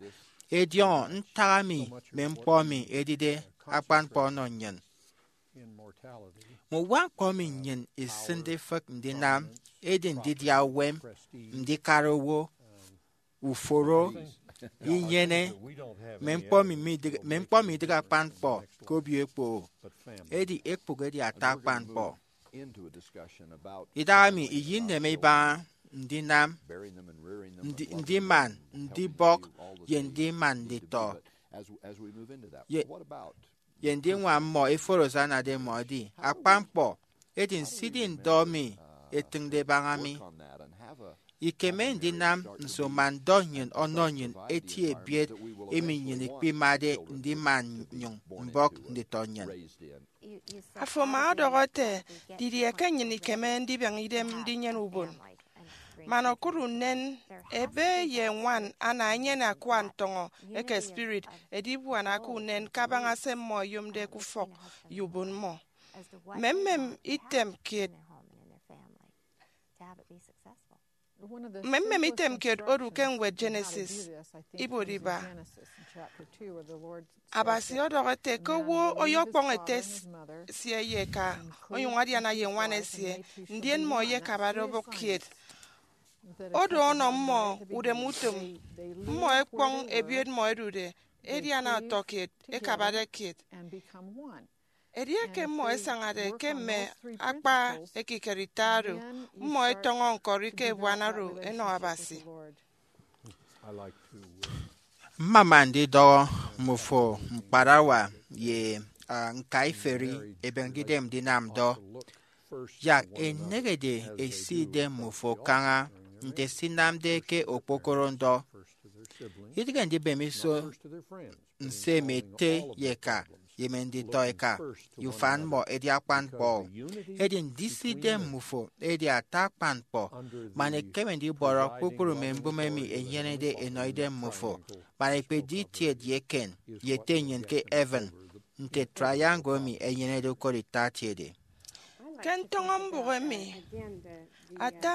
Ediọñọ ntak emi mme ñkpọ emi edide akpan ñkpọ ọnọ nnyịn. Mme uwa ñkpọ emi nnyịn isịnde ifịk ndinam edi ndidia uwem, ndikara owo, uforo, inyene, mme ñkpọ emi midịghe- mme ñkpọ midịghe akpan ñkpọ ke obio ekpo. Edi ekpụk edi ata akpan ñkpọ. Idahaemi iyineme ibaña ndinam, ndi- ndiman ndibọk, ye ndiman nditọ. Ye- ye ndiñwam mmọ eforo se anade mmọ edi akpan ñkpọ. Edi nsidi ndọ mi etịñde ebaña mi. Ikeme ndinam nso man ndọ nnyịn ọnọ nnyịn eti ebiet emi nnyịn ikpimade ndiman nnyụñ mbọk nditọ nnyịn? Afo ama ọdọhọ ete, didie ke nnyịn ikeme ndibiaña idem ndinyene ubon? Man okụt unen, ebe ye ñwan ana enyene akua ntọñọ eke spirit, edibuana ke unen kabaña se mmọ ẹyomde ke ufọk ye ubon mmọ. Mmemmem item kiet mmemmem item kiet odu ke ñwed Genesis. Ibuot iba, Abasi ọdọhọ ete ke owo ọyọkpọñ ete esie ye eka, onyụñ adiana ye ñwan esie, ndien mmọ ẹyekabade obụk kiet. Odo ọnọ mmọ udem utom. Mmọ ẹkpọñ ebiet mmọ ẹdude, ẹdiana ọtọkiet, ẹkabade kiet. Edieke mmọ ẹsañade ke mme akpa ekikere ita oro, mmọ ẹtọñọ ñkọri ke ebuana oro ẹnọ Abasi. Mmama ndidọhọ mmufo ñkparawa ye ñkaiferi ẹbeñede idem ndinam ndọ. Yak enehede esi idem mmufo kaña nte se inamde ke okpokoro ndọ. Idịghe ndibem iso nse mme ete ye eka ye mme nditọ eka ye ufan mmọ edi akpan ñkpọ. Edi ndise idem mmufo edi ata akpan ñkpọ, man ẹkeme ndibọrọ kpukpru mme mbụme emi ẹnyenede ẹnọ idem mmufo, man ẹkpedi itiet ye eken ye ete nnyịn ke heaven, nte triangle emi ẹnyenede okot ita etiede. Ke ntọñọ mbụk emi, ata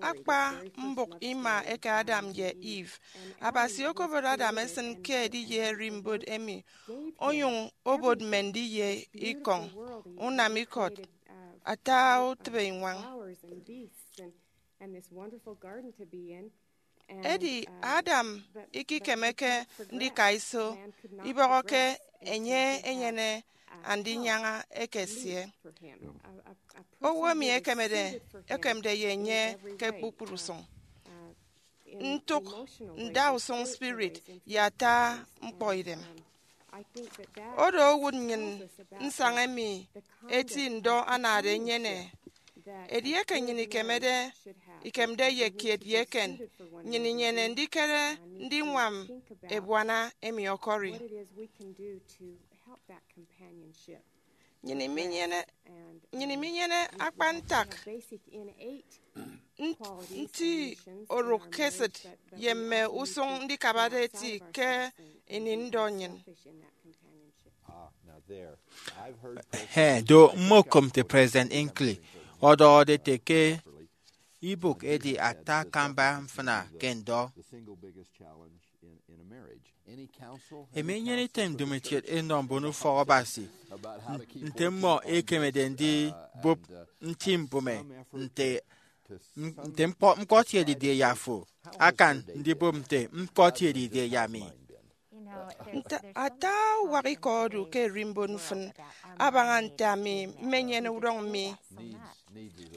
akpa mbụk ima eke Adam ye Eve. Abasi okobot Adam esịn ke ediye ererimbot emi, onyụñ obot mme ndiye ikọñ, unam ikọt, ata utịbe iñwañ. Edi Adam ikikemeke ndika iso, ibọhọke enye enyene andinyaña eke esie. Owo emi ekemede ekemde ye enye ke kpukpru usụñ, ntụk, ndausụñ spirit, ye ata ñkpọidem. Oro owụt nnyịn nsaña emi eti ndọ anade enyene. Edieke nnyịn ikemede ikemde ye kiet ye eken, nnyịn inyene ndikere ndiñwam ebuana emi ọkọri. Nnyịn iminyene, nnyịn iminyene akpan ntak nti orụk ke esịt ye mme usụñ ndikabade eti ke ini ndọ nnyịn. He do mmokom nte President Hinckley ọdọhọde ete ke ibụk edi ata akamba mfịna ke ndọ. Emi enyene item ndomokiet enọ mbon ufọk Abasi nte mmọ ekemede ndibụp nti mbụme nte nte ñkpọt ye didie ye afo akan ndibụp nte ñkpọt ye didie ye ami. Nte ata uwak ikọ odu ke erimbot mfịn abaña nte ami mmenyene udọñ mi.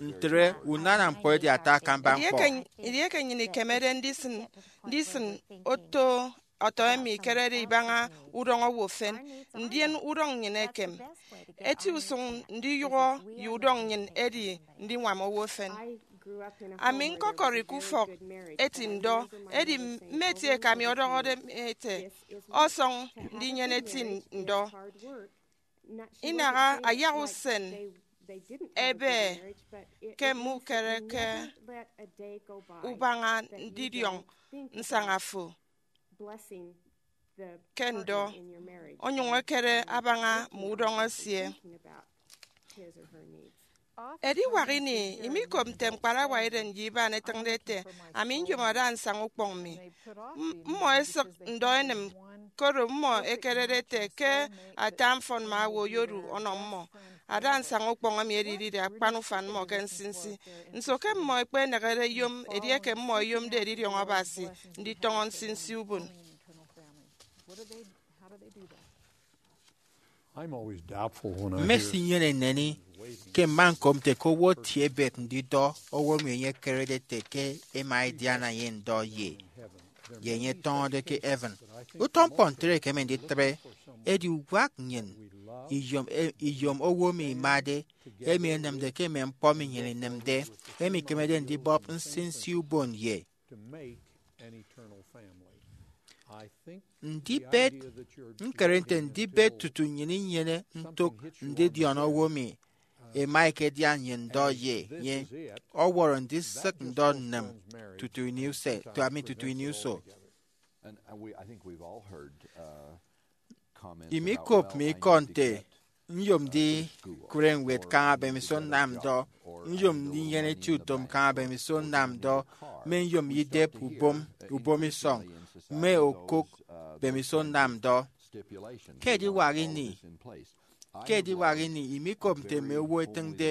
Ntre unana ñkpọ edi ata akamba ñkpọ. Edieke nnyịn ikemede ndisịn ndisịn oto ọtọ emi ikerede ibaña udọñ owo efen, ndien udọñ nnyịn ekem. Eti usụñ ndiyụhọ ye udọñ nnyịn edi ndiñwam owo efen. Ami ñkọkọri ke ufọk eti ndọ, edi mme eti eke ami ọdọhọde mi ete, ọsọñ ndinyene eti ndọ. Inaha ayak usen ebe ke mme ukere ke ubaña ndidiọñ nsaña fo ke ndọ, onyụñ ekere abaña mme udọñ esie. Ediwak ini, imikop nte ñkparawa eren ye iban etịñde ete, ami nyom ada nsaña ukpọñ mi. Mmọ esịk ndọ enịm, koro mmọ ekerede ete ke ata mfọnmma owo oyodu ọnọ mmọ. Ada nsaña ukpọñ emi edidide akpan ufan mmọ ke nsinsi. Nso ke mmọ ẹkpenịkde ẹyom edieke mmọ ẹyomde edidiọñ Abasi nditọñọ nsinsi ubon? Mmesinyene nneni ke mma ñkop nte ke owo etie ebet ndidọ owo emi enye ekerede ete ke ema ediana ye ndọ ye ye enye etọñọde ke heaven. Utọ ñkpọ ntre ekeme nditre edi uwak nnyịn iyom iyom owo emi imade, emi enịmde ke mme ñkpọ emi nnyịn inịmde, emi ikemede ndibọp nsinsi ubon ye ndibet. Ñkere nte ndibet tutu nnyịn inyene ntụk ndidiọñ owo emi ema ekedian ye ndọ ye enye ọwọrọ ndisịk ndọ nnịm tutu ini use tuami tutu ini uso. Imikop mi ikọ nte nyom ndikụre ñwed kaña bemiso nnam ndọ, nyom ndinyene eti utom kaña bemiso nnam ndọ, mme nyom idep ubom ubom isọñ mme okụk bemiso nnam ndọ. Ke ediwak ini ke ediwak ini imikop nte mme owo ẹtịñde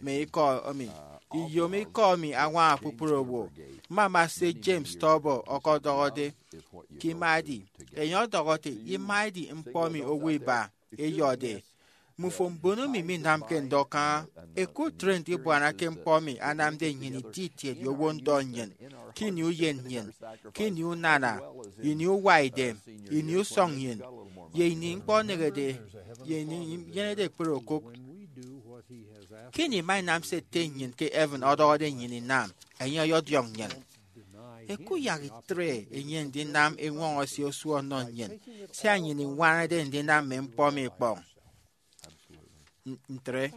mme ikọ emi. Iyom ikọ emi añwaña kpukpru owo. Mmama se James Tauber ọkọdọhọde ke imaedi. Enye ọdọhọ ete imaedi ñkpọ emi owo iba eyọde. Mmufo mbon emi minamke ndọ kaña, ẹkụt ntre ndibuana ke ñkpọ emi anamde nnyịn iti itiet ye owo ndọ nnyịn, ke ini uyen nnyịn, ke ini unana, ini uwaidem, ini usọñ nnyịn, ye ini ñkpọ enehede, ye ini inyenede ekpere okụk. Ke ini ima inam se Ete nnyịn ke heaven ọdọhọde nnyịn inam, enye ọyọdiọñ nnyịn. Ẹkuyak itre enye ndinam eñwọñọ esie osu ọnọ nnyịn, sia nnyịn iñwañade ndinam mme ñkpọ emi ikpọñ. Ntre,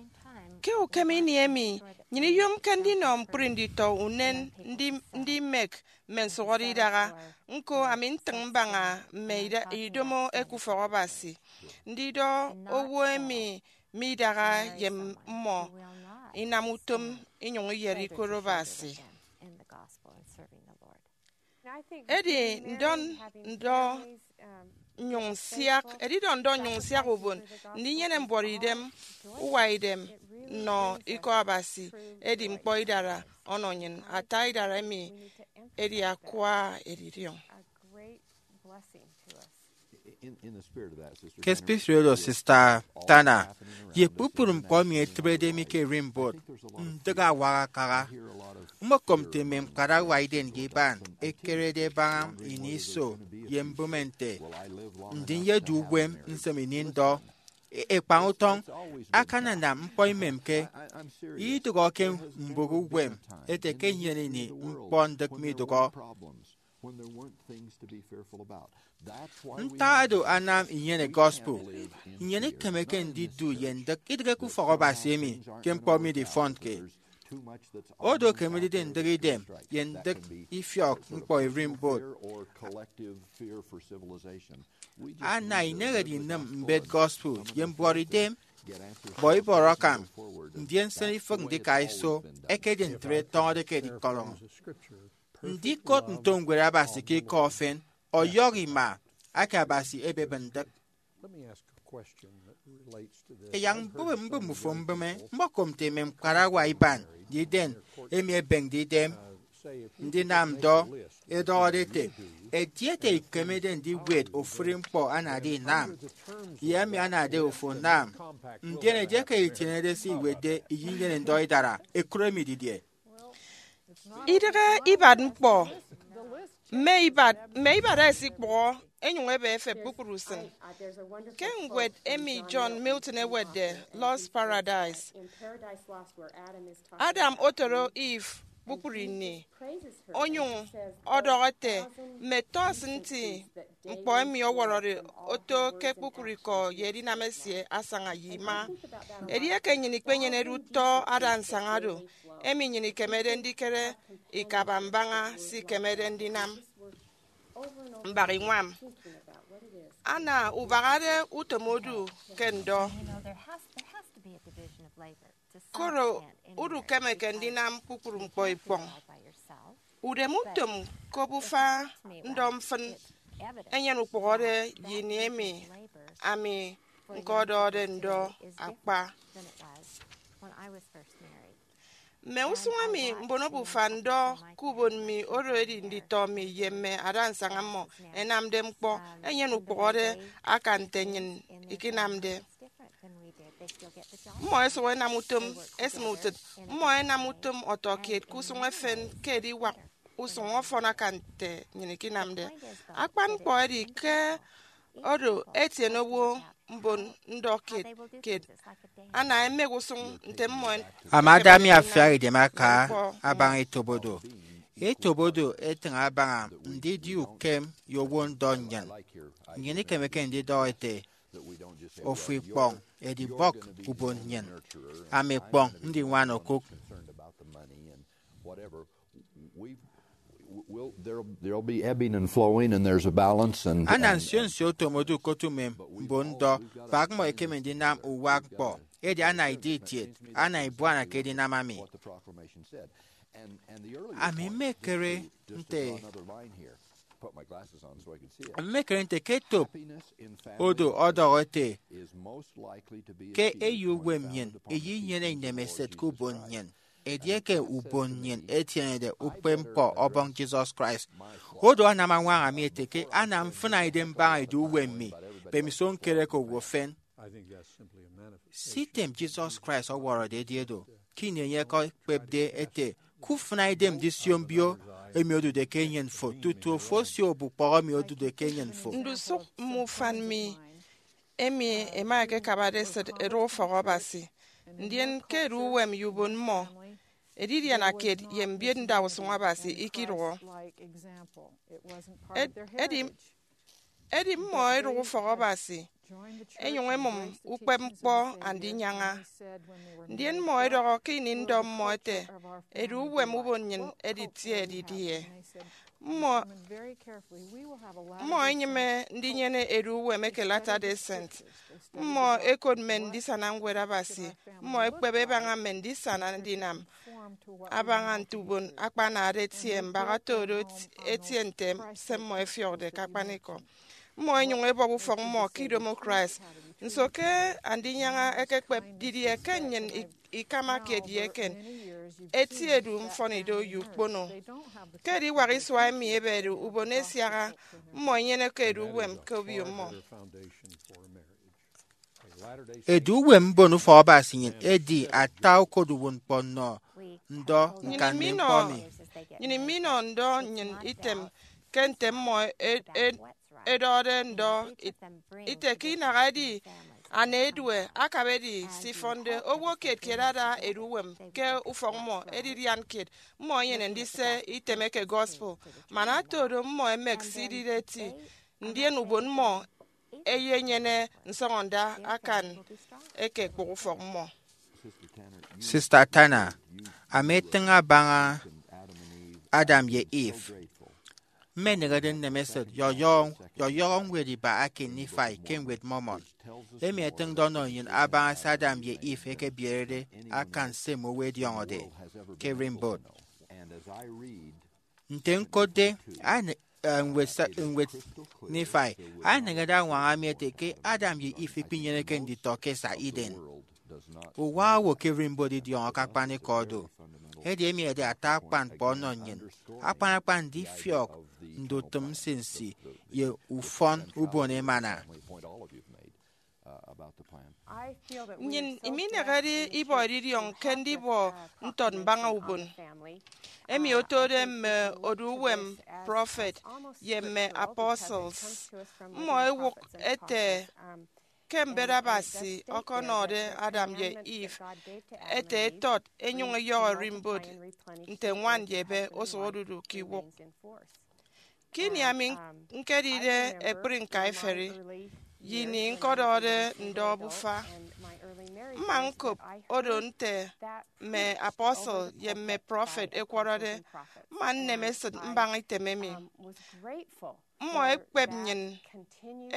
ke ukem ini emi, nnyịn iyomke ndinọ ñkpri nditọ unen ndimek mme nsụhọde idaha. Ñko, ami ntịñ mbaña mme idomo eke ufọk Abasi, ndidọ owo emi midaha ye mmọ inam utom inyụñ iyere ikot Abasi. Edi ndọ ndọ nnyụñ nsiak, edidọ ndọ nnyụñ nsiak ubon ndinyene mbuọtidem, uwaidem nnọ ikọ Abasi edi ñkpọ idara ọnọ nnyịn. Ata idara emi edi akwa edidiọñ. Ke spirit oro Sista Tanner ye kpukpru ñkpọ emi etịbede mi ke erimbot, ndịk awak akaha. Mmokom nte mme ñkparawa iden ye iban ẹkerede ẹbaña ini iso ye mbụme nte, ndi nyedu uwem nsem ini ndọ? ekpañ utọñ akananam ñkpọ imemke. Idụhọ ke mbụk uwem ete ke enyene ini ñkpọ ndịk midụhọ. Ntak do anam inyene gospel? Nnyịn ikemeke ndidu ye ndịk idịghe ke ufọk Abasi emi ke ñkpọ midifọnke. Odo ke midide ndịk idem ye ndịk ifiọk ñkpọ ererimbot. Ana inehede inịm mbet gospel ye mbuọtidem, bọ ibọrọ akam, ndien sịn ifịk ndika iso. Ekedi ntre tọñọde ke edikọrọñọ. Ndikot nto ñwed Abasi ke ikọ efen ọyọhọ ima aka Abasi ebebe ndịk. Eyak mbụme mbụme ufo mbụme, mbokomte mme ñkparawa iban ndiden emi ẹbeñde idem ndinam ndọ, ẹdọhọde ẹte, edi ete ikemede ndiwet ofụri ñkpọ anade inam, ye emi anade ofo onam, ndien edieke itienede se iwetde iyinyene ndọ idara, ekụt emi didie? Idịghe ibat ñkpọ, mme ibat, mme ibat ẹsikpụhọ ẹnyụñ ẹbe ẹfep kpukpru usịn. Ke ñwed emi John Milton ewetde, Lost Paradise, Adam otoro Eve kpukpru ini, onyụñ ọdọhọ ete, mme tọs nti ñkpọ emi ọwọrọde oto ke kpukpru ikọ ye edinam esie asaña ye ima. Edieke nnyịn ikpenyenede utọ adañsaña do, emi nnyịn ikemede ndikere ikaba mbaña se ikemede ndinam mbak iñwam. Ana ubahade utom odu ke ndọ. Koro udu kemeke ndinam kpukpru ñkpọ ikpọñ. Udem utom ke obufa ndọ mfịn enyene ukpụhọde ye ini emi ami ñkọdọhọde ndọ akpa. Mme usụñ emi mbon obufa ndọ ke ubon mi oro edi nditọ mi ye mme adansaña mmọ ẹnamde ñkpọ enyene ukpụhọde aka nte nnyịn ikinamde. Mmọ ẹsụk ẹnam utom esịm utịt. Mmọ ẹnam utom ọtọkiet ke usụñ efen ke ediwak usụñ ọfọn aka nte nnyịn ikinamde. Akpan ñkpọ edi ke odo etiene owo mbon ndọ kiet kiet ana ẹmek usụñ nte mmọ. Amada mi afiak idem aka abaña etop odo. Etop odo etịñ abaña ndidi ukem ye owo ndọ nnyịn. Nnyịn ikemeke ndidọhọ ete, ofo ikpọñ, edi bọk ubon nnyịn. Ami ikpọñ ndiñwana okụk. We've, we'll, there'll, there'll be ebbing and flowing, and there's a balance. And, ana and, nsio nsio otomode ukot umem mbon ndọ, bak mmọ ekeme ndinam uwa ñkpọ, edi ana idi itiet, ana ibuana ke edinam ami. What the proclamation said. And, and the earlier ami point, mmekere just to nte draw another line here, put my glasses on so I can see it. Mmekere nte ke etop odo ọdọhọ ete, ke eyo uwem nnyịn eyinyene inemesịt ke ubon nnyịn. Edieke ubon nnyịn etienede ukpepñkpọ Ọbọñ Jesus Christ, odo anam añwaña mi ete ke ana mfịna idem mbaña edu uwem mi, mbemiso ñkere ke owo efen. Sitem Jesus Christ ọwọrọde edi edo, ke ini enye ekekpepde ete, kufịna idem ndisio mbio emi odude ke enyịn fo tutu ofo osio obukpọhọ emi odude ke enyịn fo. Ndusụk mme ufan mi emi ẹma ẹkekabade esịt ẹdọhọ ufọk Abasi, ndien ke edu uwem ye ubon mmọ, edidianakiet ye mbiet ndausụñ Abasi ikidụhọ. Ed- edi, edi mmọ ẹdụk ufọk Abasi, ẹnyụñ ẹmụm ukpepñkpọ Andinyaña. Ndien mmọ ẹdọhọ ke ini ndọ mmọ ẹte, edu uwem ubon nnyịn editie didie? Mmọ, mmọ ẹnyịme ndinyene edu uwem eke Latter-day Saint. Mmọ ẹkot mme ndisana Ñwed Abasi. Mmọ ẹkpep ẹbaña mme ndisana ndinam abaña nte ubon akpanade etie mbak otodo etie nte se mmọ ẹfiọkde ke akpanikọ. Mmọ ẹnyụñ ẹbọp ufọk mmọ ke idomo Christ. Nso ke Andinyaña ekekpep? Didie ke nnyịn i- ikamakiet ye eken? Eti edu mfọnido ye ukpono. Ke ediwak isua emi ebede ubon esiaha, mmọ inyeneke edu uwem ke obio mmọ. Edu uwem mbon ufọk Abasi nnyịn edi ata okoduwụt ñkpọ nnọ ndọ ñkan mme ñkpọ mi. Nnyịn iminọ ndọ nnyịn item ke nte mmọ e- e- edọhọde ndọ it- ite ke inaha edi Ana edue akabade se ifọnde, owo kiet kiet ada edu uwem ke ufọk mmọ, edidian kiet mmọ enyene ndise item eke gospel. Man ata oro, mmọ emek se idide eti, ndien ubon mmọ eyenyene nsọñọnda akan eke ekpụk ufọk mmọ. Sista Tanner, ami etịñ abaña Adam ye Eve. Mmenịghede nnemesịt yọyọhọ, yọyọhọ ñwed iba eke Nifai ke Ñwed Mormon, emi etịñde ọnọ nnyịn abaña se Adam ye Eve ẹkebierede akan se mme owo ẹdiọñọde ke ererimbot. Nte ñkotde, ane-, eh, ñwed sa-, ñwed Nifai aneñede añwaña mi ete ke Adam ye Eve ikpinyeneke nditọ ke esa Eden. Uwa owo ke ererimbot idiọñọ ke akpanikọ do. Edi emi edi ata akpan ñkpọ ọnọ nnyịn, akpan akpan ndifiọk ndutịm nsinsi ye ufọn ubon emana. Nnyịn iminehede ibọ edidiọñ ke ndibọ ntọt mbaña ubon emi otode mme odu uwem prọfet ye mme apostles. Mmọ ewụk ete ke mbet Abasi ọkọnọde Adam ye Eve ete etọt enyụñ eyọhọ ererimbot nte ñwan ye ebe osụk odudu ke iwụk. Ke ini ami ñkedide ekpri ñkaiferi, ye ini ñkọdọhọde ndọ obufa, mma ñkop odo nte mme apostle ye mme prọfet ẹkwọrọde. Mma nnem esịt mbaña item emi. Mmọ ẹkpep nnyịn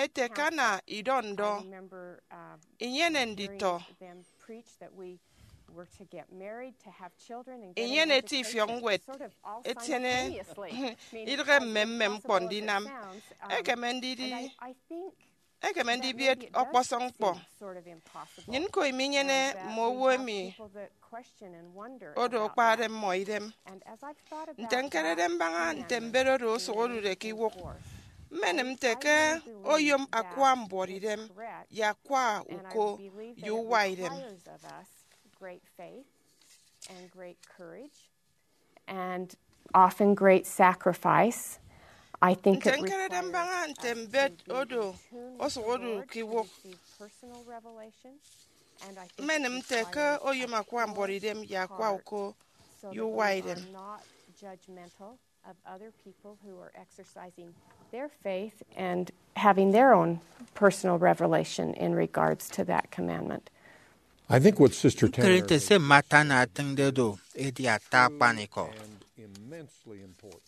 ete ke ana idọ ndọ, inyene nditọ, inyene eti ifiọk ñwed, etiene idịghe mme mme ñkpọ ndinam. Ekeme ndidi, ekeme ndibiet ọkpọsọñ ñkpọ. Nnyịn ñko iminyene mme owo emi odo akpade mmọ idem. Nte ñkerede mbaña nte mbet odo osụk odude ke iwụk, mmenịm nte ke oyom akwa mbuọtidem ye akwa uko ye uwa idem. And often great sacrifice. I think nte it ñkerede requires mbaña nte us mbet to be odo tuned osụk odu in ke iwụk, personal revelation, and I think it mmenịm nte ke requires oyom akwa mbuọtidem ye akwa heart uko so ye that uwa we idem. Are not judgmental of other people who are exercising their faith and having their own personal revelation in regards to that commandment. I think what Sister Tanner Ñkere nte se Mma Tanner atịñde do edi ata akpanikọ. And immensely important.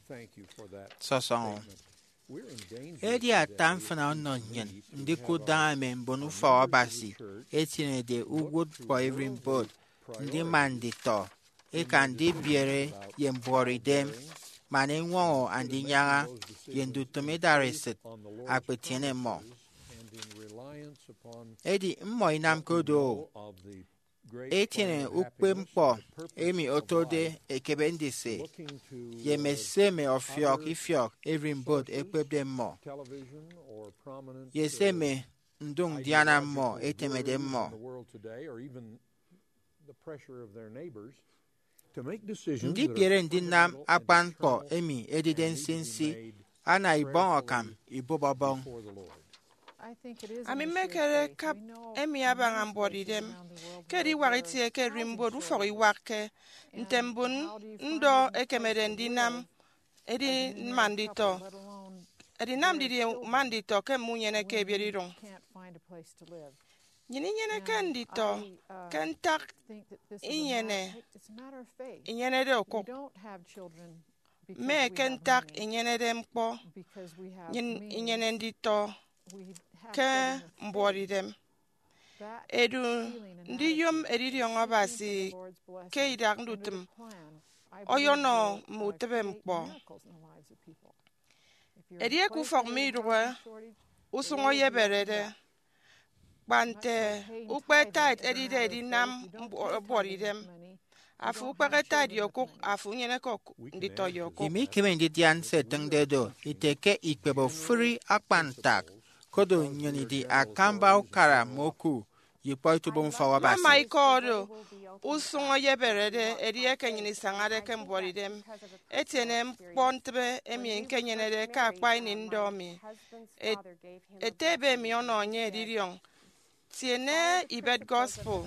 Thank you for that Sọsọñọ. Statement. We're in danger Edi ata today mfịna ọnọ nnyịn ndikụt daña mme mbon ufọk Abasi ẹtienede uwụtñkpọ ererimbot, ndima nditọ, eka ndibiere ye mbuọtidem, man eñwọñọ andinyaña ye ndutịm idaresịt akpetiene mmọ. Edi mmọ inamke do, etiene ukpepñkpọ emi otode ekebe ndise, ye mme se mme ọfiọk ifiọk ererimbot ẹkpepde mmọ, ye se mme ndụñ ndiana mmọ etemede mmọ. Ndibiere ndinam akpan ñkpọ emi edide nsinsi ana ibọñ akam ibụp ọbọñ. Ami mmekere kap emi abaña mbuọtidem ke ediwak itie ke ererimbot ufọk iwakke nte mbon ndọ ẹkemede ndinam. Edi mma nditọ, edinam didie mma nditọ ke mme unyeneke ebiet iduñ? Nnyịn inyeneke nditọ ke ntak inyene, inyenede okụk, mme ke ntak inyenede ñkpọ. Nnyịn inyene nditọ ke mbuọtidem. Edu, ndiyom edidiọñ Abasi ke idak ndutịm ọyọnọ mme utịbe ñkpọ. Edieke ufọk midụhe, usụñ oyeberede, kpa nte ukpe tithe edide edinam mbuọ-, mbuọtidem, afo ukpehe tithe ye okụk, afo unyeneke ok-, nditọ ye okụk. Imikeme ndidian se ẹtịñde do ite ke ikpep ofụri akpan ntak, koro nnyịn idi akamba ukara mme oku ye ikpọ etubom ufọk Abasi. Mama ikọ oro usụñ oyeberede edieke nnyịn isañade ke mbuọtidem. Etiene ñkpọ ntịbe emi ñkenyenede ke akpa ini ndọ mi. Et-, ete ebe mi ọnọ enye edidiọñ Tiene ibet gospel.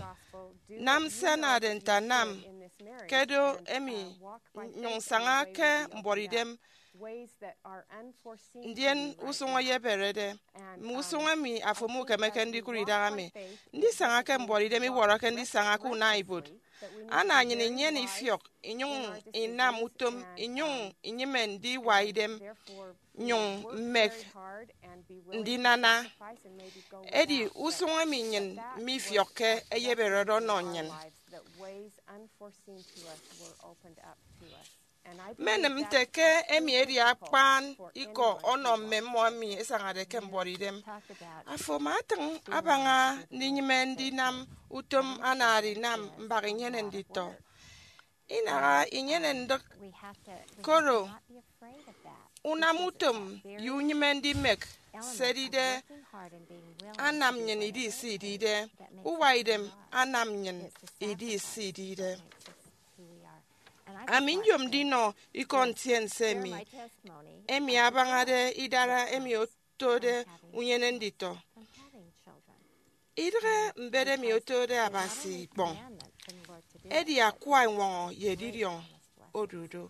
Nam se anade nte anam ke do emi, nyụñ saña ke mbuọtidem. Ndien usụñ eyeberede, mme usụñ emi afo mukemeke ndikụt idaha mi. Ndisaña ke mbuọtidem iwọrọke ndisaña ke unana ibuot. Ana nnyịn inyene ifiọk, inyụñ inam utom, inyụñ inyịme ndiwa idem, nyụñ mmek ndinana. Edi usụñ emi nnyịn mifiọkke eyeberede ọnọ nnyịn. Mmenịm nte ke emi edi akpan ikọ ọnọ mme mmọ emi ẹsañade ke mbuọtidem. Afo ama atịñ abaña ndinyịme ndinam utom anade inam mbak inyene nditọ. Inaha inyene ndịk, koro unam utom ye unyịme ndimek se edide anam nnyịn idi se idide, uwa idem anam nnyịn idi se idide. Ami nyom ndinọ ikọ ntiense emi, emi abañade idara emi otode unyene nditọ. Idịghe mbet emi otode Abasi ikpọñ, edi akwa eñwọñọ ye edidiọñ odu do.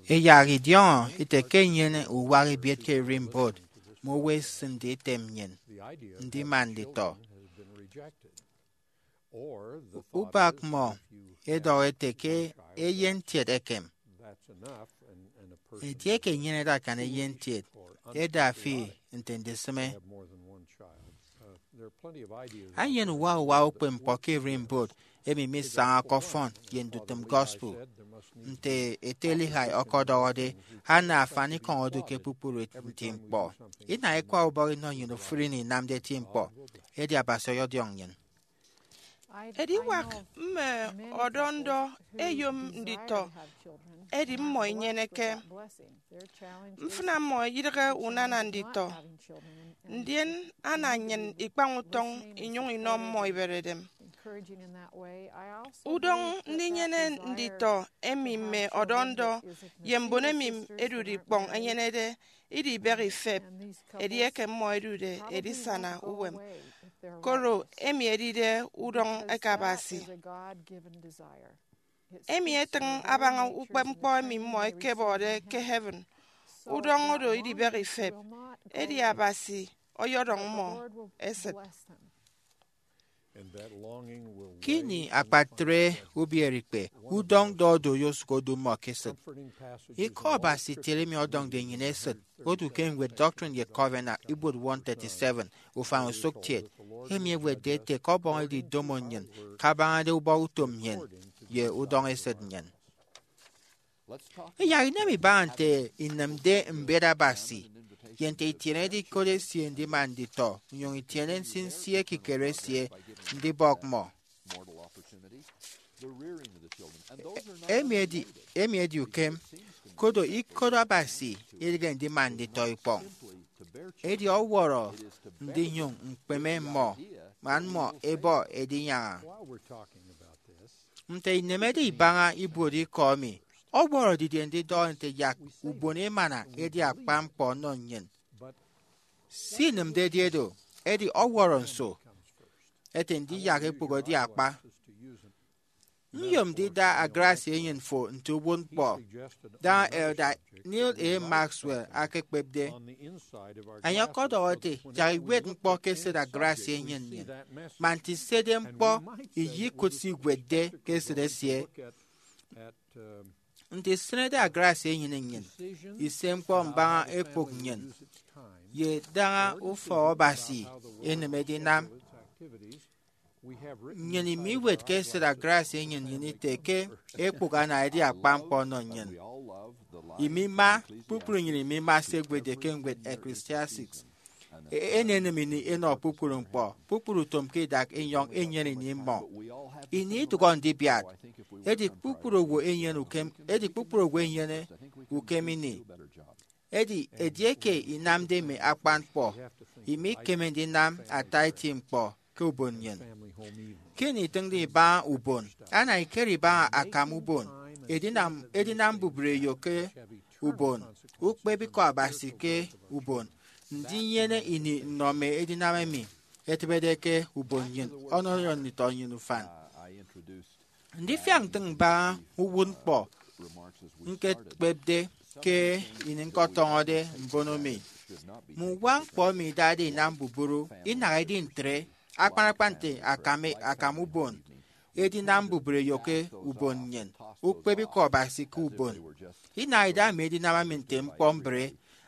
Iyak idiọñọ ite ke nnyene uwak ebiet ke ererimbot mme owo ẹsịnde item nnyịn ndima nditọ. Ubak mmọ ẹdọhọ ẹte ke eyentiet ekem. Edieke inyenede akan eyentiet, eda fi nte ndisịme. Enyene uwa uwa ukpepñkpọ ke ererimbot emi misaña ke ọfọn ye ndutịm gospel. Nte ete Lehi ọkọdọhọde, ana afanikọñ odu ke kpukpru nti ñkpọ. Inaha ikwaubọk inọ nnyịn ofụri ini inamde eti ñkpọ, edi Abasi ọyọdiọñ nnyịn. Ediwak mme ọdọ ndọ ẹyom nditọ, edi mmọ inyeneke. Mfịna mmọ idịghe unana nditọ, ndien ana nnyịn ikpañ utọñ inyụñ inọ mmọ iberedem. Udọñ ndinyene nditọ emi mme ọdọ ndọ ye mbon emi ẹdude ikpọñ ẹnyenede idibịghi ifep edieke mmọ ẹdude edisana uwem, koro emi edide udọñ eke Abasi. Emi etịñ abaña ukpepñkpọ emi mmọ ẹkebọde ke heaven. Udọñ oro idibịghi ifep, edi Abasi ọyọdọñ mmọ esịt. Ke ini akpatre ubierikpe, udọñ ndọ odu oyosụk odu mmọ ke esịt. Ikọ Abasi itiere emi ọdọñde nnyịn esịt odu ke ñwed Doctrine and Covenants ibuot one thirty-seven, ufañ osụk kiet, emi ewetde ete ke Ọbọñ edi idomo nnyịn kabañade ubọk utom nnyịn ye udọñ esịt nnyịn. Iyak inam ibaña nte inịmde mbet Abasi ye nte itienede ikot esie ndima nditọ, inyụñ itiene nsinsi ekikere esie ndibọk mmọ. Emi edi, emi edi ukem, kodo ikot Abasi idịghe ndima nditọ ikpọñ. Edi ọwọrọ ndinyụñ ñkpeme mmọ, man mmọ ẹbọ edinyaña. Nte inemede ibaña ibuot ikọ emi, ọwọrọ didie ndidọhọ nte yak ubon emana edi akpa ñkpọ ọnọ nnyịn. Se inịmde edi edo, edi ọwọrọ nso ete ndiyak ekpụk edi akpa? Nyom ndida agrasia enyịn fo nte uwụtñkpọ, daña Elder Neal A. Maxwell akekpepde. Enye ọkọdọhọ ete, yak iwet ñkpọ ke esịt agrasia enyịn nnyịn, man nte isede ñkpọ, iyikụt se iwetde ke esịt esie. Nte isịnede agrasia enyịn nnyịn, ise ñkpọ mbaña ekpụk nnyịn, ye daña ufọk Abasi enịm edinam. Nnyịn imiwet ke esịt agrasia enyịn nnyịn ite ke ekpụk ana edi akpa ñkpọ ọnọ nnyịn. Imima, kpukpru nnyịn imima se ẹwetde ke ñwed Ecclesiastes. E- enenịm ini enọ kpukpru ñkpọ, kpukpru utom ke idak enyọñ enyene ini mmọ. Ini idụhọ ndibiat, edi kpukpru owo enyene ukem, edi kpukpru owo enyene ukem ini. Edi edieke inamde mme akpan ñkpọ, imikeme ndinam ata eti ñkpọ ke ubon nnyịn. Ke ini itịñde ibaña ubon, ana ikere ibaña akam ubon, edinam, edinam mbubreyo ke ubon, ukpep ikọ Abasi ke ubon, ndinyene ini nnọ mme edinam emi etịbede ke ubon nnyịn ọnọde nditọ nnyịn ufan. Ndifiak ntịñ mbaña uwụtñkpọ ñkekpepde ke ini ñkọtọñọde mbono mi. Mme uwakñkpọ emi idade inam mbubru inaha edi ntre, akpan akpan nte akam, akam ubon edinam mbubreyo ke ubon nnyịn, ukpep Ikọ Abasi ke ubon. Inaha idaha mme edinam emi nte ñkpọ mbre,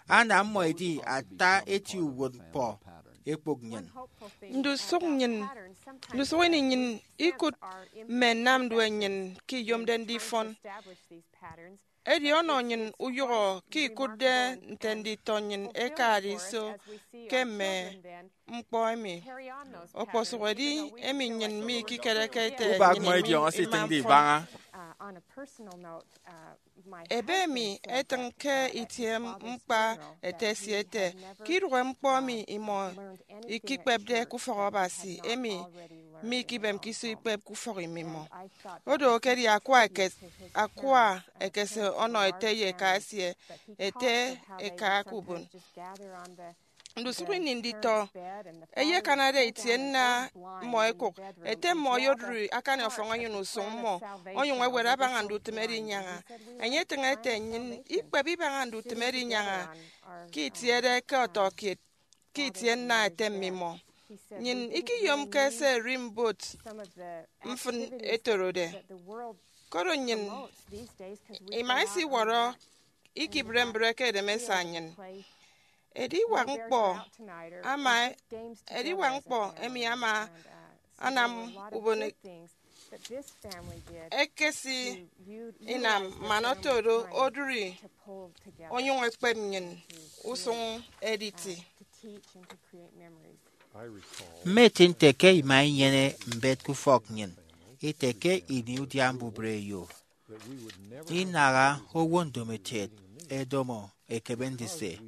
ana mmọ ẹdi ata eti uwụtñkpọ ekpok nnyịn. Ndusụk nnyịn, ndusụk ini nnyịn ikụt mme nnamdue nnyịn ke iyomde ndifọn. Edi ọnọ nnyịn uyụhọ ke ikụtde nte nditọ nnyịn ẹkade iso ke mme ñkpọ emi. Okposụkedi emi nnyịn mikikereke ete ubak nnyịn mmọ idiọñọ se ima itịñde mfọn ibaña. Ebe emi etịñ ke itie ñkpa ete esie ete, ke idụhe ñkpọ emi imọ ikikpepde ke ufọk Abasi, emi mikibemke iso ikpep ke ufọk imimọ. Odo ekedi akwa eke-, akwa ekese ọnọ ete ye eka esie, ete eka ke ubon. Ndusụk ini nditọ ẹyekanade itie nna mmọ ẹkụk, ete mmọ oyodụri akani ọfọñ enyịn usụñ mmọ, onyụñ ewet abaña ndutịm erinyaña. Enye etịñ ete, nnyịn ikpep ibaña ndutịm erinyaña ke itiede ke ọtọ kiet ke itie nna ete mmimọ. Nnyịn ikiyomke se ererimbot mfịn etorode. Koro nnyịn ima isiwọrọ ikibre mbre ke edem esa nnyịn. Ediwak ñkpọ ama, ediwak ñkpọ emi ama anam ubon ekesi inam man oto do odụri onyụñ ekpep nnyịn usụñ editi. Mmeti nte ke ima inyene mbet ke ufọk nnyịn ite ke ini udia mbubreyo inaha owo ndomokiet ẹdomo ekebe ndise,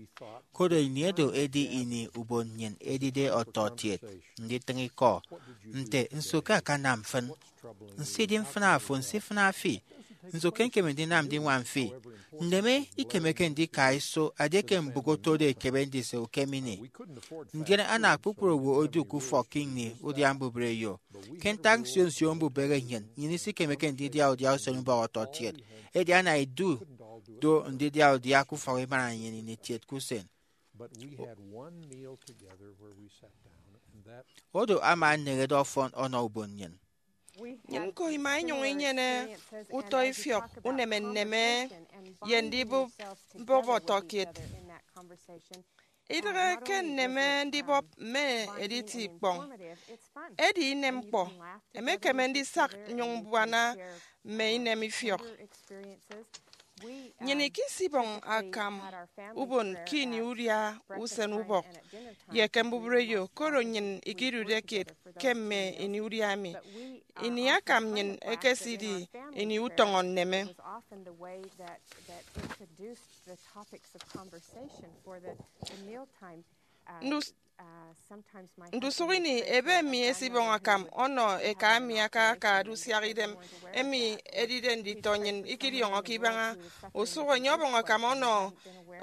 koro ini edo edi ini ubon nnyịn edide ọtọkiet nditịñ ikọ. Nte nso ke akanam mfịn? Nsidi mfịna afo, nsifịna fi. Nso ke ñkeme ndinam ndiñwam fi? Nneme ikemeke ndika iso, edieke mbụk otode ekebe ndise ukem ini. Ndien ana kpukpru owo odu ke ufọk ke ini udia mbubreyo. Ke ntak nsio nsio mbubehe nnyịn, nnyịn isikemeke ndidia udia usenubọk ọtọkiet. Edi ana idu do ndidia udia ke ufọk ibaña nnyịn ini kiet ke usen. Odo ama eneñede ọfọn ọnọ ubon nnyịn. Nnyịn ñko ima inyụñ inyene utọ ifiọk uneme nneme ye ndibụp mbọp ọtọkiet. Idịghe ke nneme ndibọp mme editi ikpọñ. Edi inem ñkpọ, emekeme ndisak nnyụñ mbuana mme inem ifiọk. Nnyịn ikisibọñ akam ubon ke ini udia usen ubọk ye ke mbubreyo, koro nnyịn ikidude kiet ke mme ini udia emi. Ini akam nnyịn ekesidi ini utọñọ nneme. Ndus- Ndusụk ini, ebe mi esibọñ akam ọnọ eka mi aka aka ada usiak idem emi edide nditọ nnyịn ikidiọñọke ibaña. Usụk enye ọbọñ akam ọnọ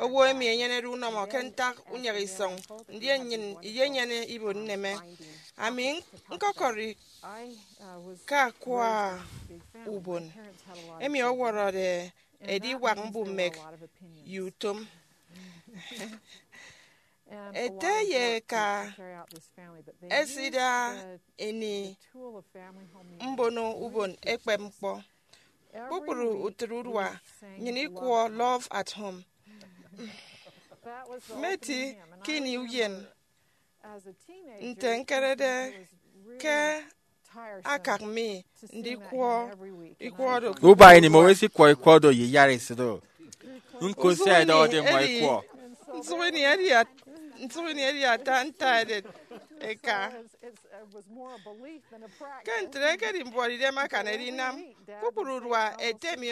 owo emi enyenede unọmọ ke ntak unyịghe isọñ, ndien nnyịn iyenyene ibuot nneme. Ami ñkọkọri ke akwa ubon emi ọwọrọde ediwak mbumek ye utom. Ete ye eka ẹsida ini mbono ubon ẹkpep ñkpọ. Kpukpru utịt urua nnyịn ikwọ Love at Home. Mmeti ke ini uyen nte ñkerede ke akak mi ndikwọ ikwọ do. Uba ini mmọ esikwọ ikwọ do ye iyara esịt o. Ñko sia ẹdọhọde mmọ ikwọ. Nsụk ini edi at- nsụk ini edi ata nta edet eka. Ke ntre ekedi mbuọtidem akan edinam. Kpukpru urua ete mi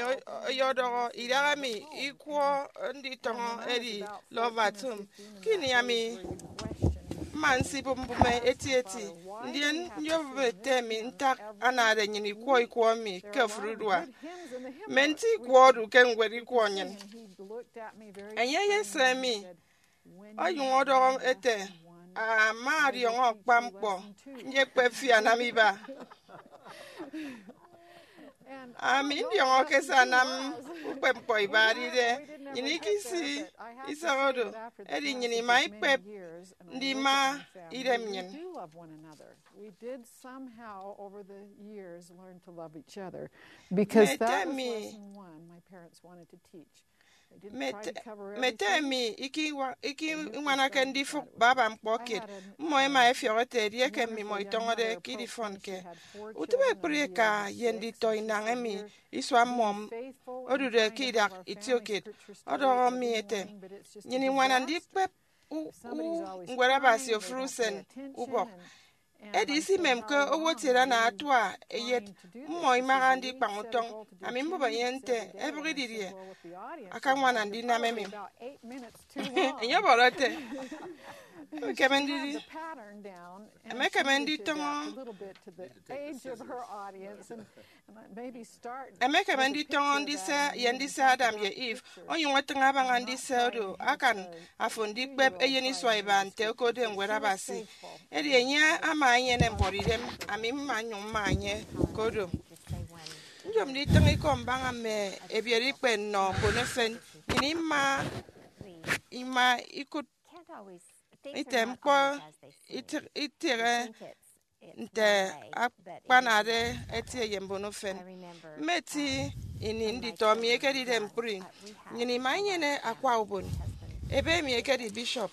ọyọdọhọ idaha mi ikwọ nditọñọ edi Love at Home. Ke ini ami mma nsibụp mbụme etieti, ndien nyobụp ete mi ntak anade nnyịn ikwọ ikwọ emi ke ofụri urua. Mme nti ikwọ odu ke ñwed ikwọ nnyịn. Enye eyese mi onyụñ ọdọhọ ete, "Ama adiọñọ akpa ñkpọ, nyekpep fi anam iba." Ami ndiọñọke se anam ukpep ñkpọ iba edide nnyịn ikisi isọñ oro, edi nnyịn ima ikpep ndima idem nnyịn. Mme ete mi, mme ete mi ikiñwanake ndifụk baba ñkpọ kiet. Mmọ ẹma ẹfiọk ẹte edieke mmimọ itọñọde ke idifọnke utịp ekpri eka ye nditọ inañ emi isua mmọ odude ke idak itiokiet, ọdọhọ mi ete, "Nnyịn iñwana ndikpep u- u- ñwed Abasi ofụri usen ubọk." Edi isimemke owo etiede ana atua eyet, mmọ imaha ndikpañ utọñ. Ami mbọbọ enye nte, "Ebịghi didie akañwana ndinam emi?" Enye ọbọrọ ete, "Emekeme ndidi, emekeme nditọñọ, emekeme nditọñọ ndise ye ndise Adam ye Eve, onyụñ etịñ abaña ndise oro akan afo ndikpep eyen isua iba nte okode Ñwed Abasi." Edi enye ama enyene mbuọtidem, ami mma nnyụñ mma enye ke odo. Nyom nditịñ ikọ mbaña mme ebiereikpe nnọ mbon efen. Nnyịn ima, ima ikụt ite ñkpọ iti- itịghe nte akpanade etie ye mbon efen. Mmeti ini nditọ mi ekedide ñkpri, nnyịn ima inyene akwa ubon. Ebe mi ekedi bishop.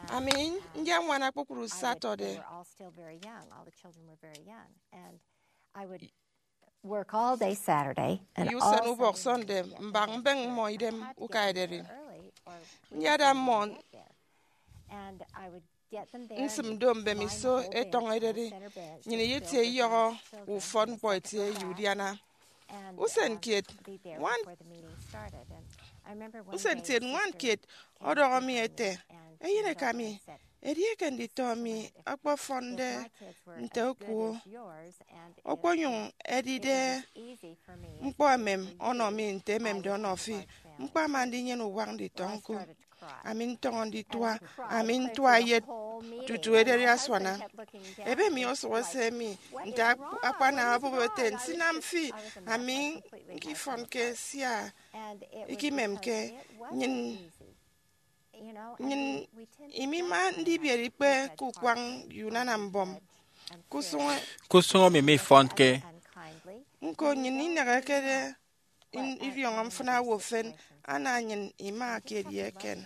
Ami ndiañwana kpukpru Saturday. Work all day Saturday and ye usen all ubọk Sunday, mbak mbeñ mmọ idem uka ederi. Nyada mmọ nsịm do mbemiso etọñ ederi, nnyịn iyetie iyọhọ ufọt ñkpọ etie ye udiana. Usen kiet, ñwan, usen kiet, ñwan kiet ọdọhọ mi ete, "Eyeneka mi, edieke nditọ mi ọkpọfọnde nte okuo, okponyụñ edide ñkpọ emem ọnọ mi nte ememde ọnọ fi, ñkpama ndinyene uwak nditọ ñko." Ami ntọñọ nditua, ami ntua eyet tutu ederi asuana. Ebe mi osụhọ ese mi nte akp- akpana obụp ete, "Nsinam fi, ami ñkifọnke sia ikimemke." Nnyịn, nnyịn imima ndibiere ikpe ke ukwañ ye unana mbọm. Kusụñ, kusụñ emi mifọnke. Ñko, nnyịn inehekede in- idiọñọ mfịna owo efen, ana nnyịn ima kiet ye eken.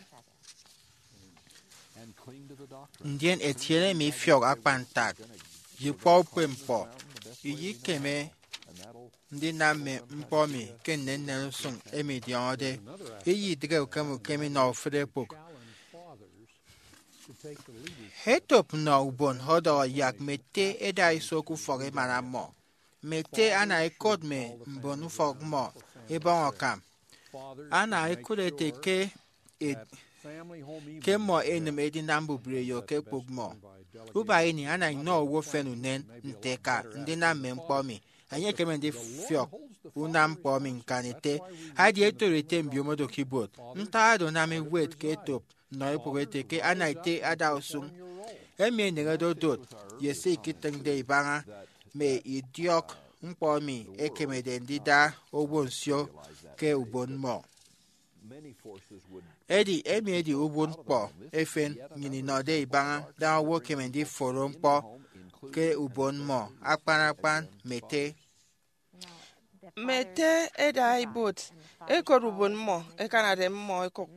Ndien etiene mi ifiọk akpan ntak ye ukpọukpep ñkpọ. Iyikeme ndinam mme ñkpọ mi ke nnennen usụñ emi idiọñọde. Iyidịghe ukem ukem inọ ofụri ekpụk. Etop nnọ ubon ọdọhọ yak mme ete ẹda iso ke ufọk emana mmọ. Mme ete ana ẹkot mme mbon ufọk mmọ ẹbọñ akam. Ana ẹkụt ete ke e- ke mmọ ẹnịm edinam mbubreyo ke ekpụk mmọ. Uba ini ana inọ owo efen unen nte ka ndinam mme ñkpọ emi. Enye ekeme ndifiọk unam ñkpọ emi ñkan ete, adi etoro ete mbiomo do ke ibuot. Ntak oro anam ewet ke etop nnọ ekpụk ete ke ana ete ada usụñ. Emi eneñede odot ye se iketịñde ibaña mme idiọk ñkpọ emi ekemede ndida owo nsio ke ubon mmọ. Edi emi edi ubon ñkpọ efen nnyịn inọde ibaña daña owo ekeme ndiforo ñkpọ ke ubon mmọ, akpan akpan mme ete. Mme ete ẹda ibuot ẹkot ubon mmọ ẹkanade mmọ ẹkụk.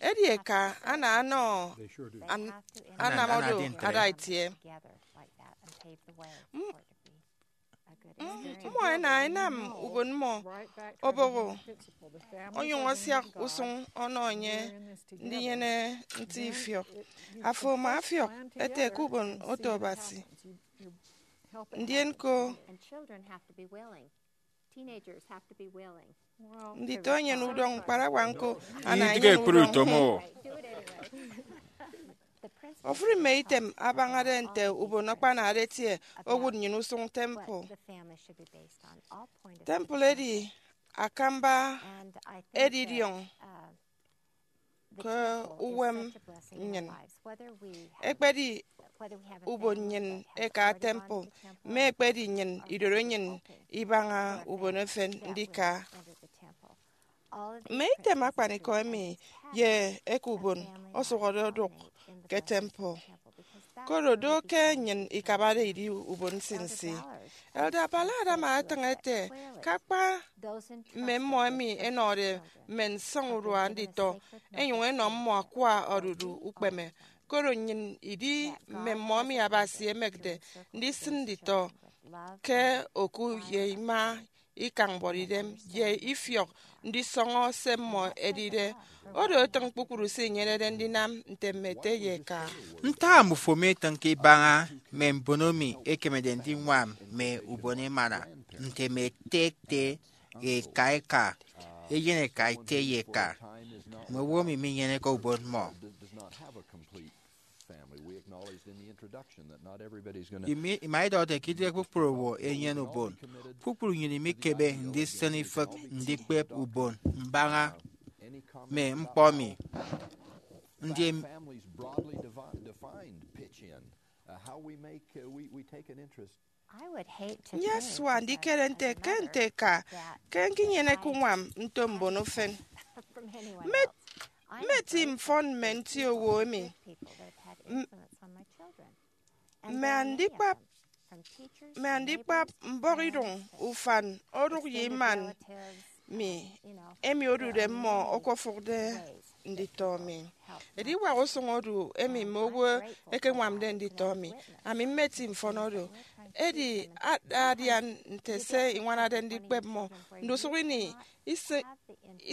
Edi eka ana anọ an- anam oro ada itie. M- mmọ ẹna ẹnam ubon mmọ oboho, onyụñ asiak usụñ ọnọ enye ndinyene nti ifiọk. Afo ama afiọk ete ke ubon oto Abasi. Ndien ko, nditọ enyene udọñ, ñkparawa ñko ana enyene udọñ. Ofụri mme item abañade nte ubon akpanade etie owụt nnyịn usụñ temple. Temple edi akamba edidiọñ ke uwem nnyịn, ekpedi ubon nnyịn eka temple, mme ekpedi nnyịn idoro nnyịn ibaña ubon efen ndika. Mme item akpanikọ emi ye eke ubon ọsụhọde odụk ke temple, koro do ke nnyịn ikabade idi ubon nsinsi. Elder Ballard ama etịñ ete ke akpa mme mmọ emi ẹnọde mme nsọñurua nditọ ẹnyụñ ẹnọ mmọ akwa odudu ukpeme, koro nnyịn idi mme mmọ emi Abasi emekde ndisịn nditọ ke oku ye ima ikañ mbuọtidem ye ifiọk ndisọñọ se mmọ ẹdide. Oro etịñ kpukpru se inyenede ndinam nte mme ete ye eka. Ntak mmufo mitịñke ibaña mme mbon emi ẹkemede ndiñwam mme ubon emana nte mme ete ete, eka eka, eyen eka ete ye eka, mme owo emi minyeneke ubon mmọ? Ima idọhọde ke idịghe kpukpru owo enyene ubon. Kpukpru nnyịn imikeme ndisịn ifịk ndikpep ubon mbaña mme ñkpọ emi. Ndien nyesua ndikere nte ke nte eka ke ñkinyeneke uñwam nto mbon ufen. Mmeti mfọn mme nti owo emi. Mme andikpap mme andikpap mbọhọidụñ ufan odụk ye iman mi emi odude mmọ okofụkde nditọ mi. Ediwak usụñ odu emi mme owo ẹkeñwamde nditọ mi. Ami mmeti mfọn oro. Edi ada adian nte se iñwanade ndikpep mmọ. Ndusụk ini, isi-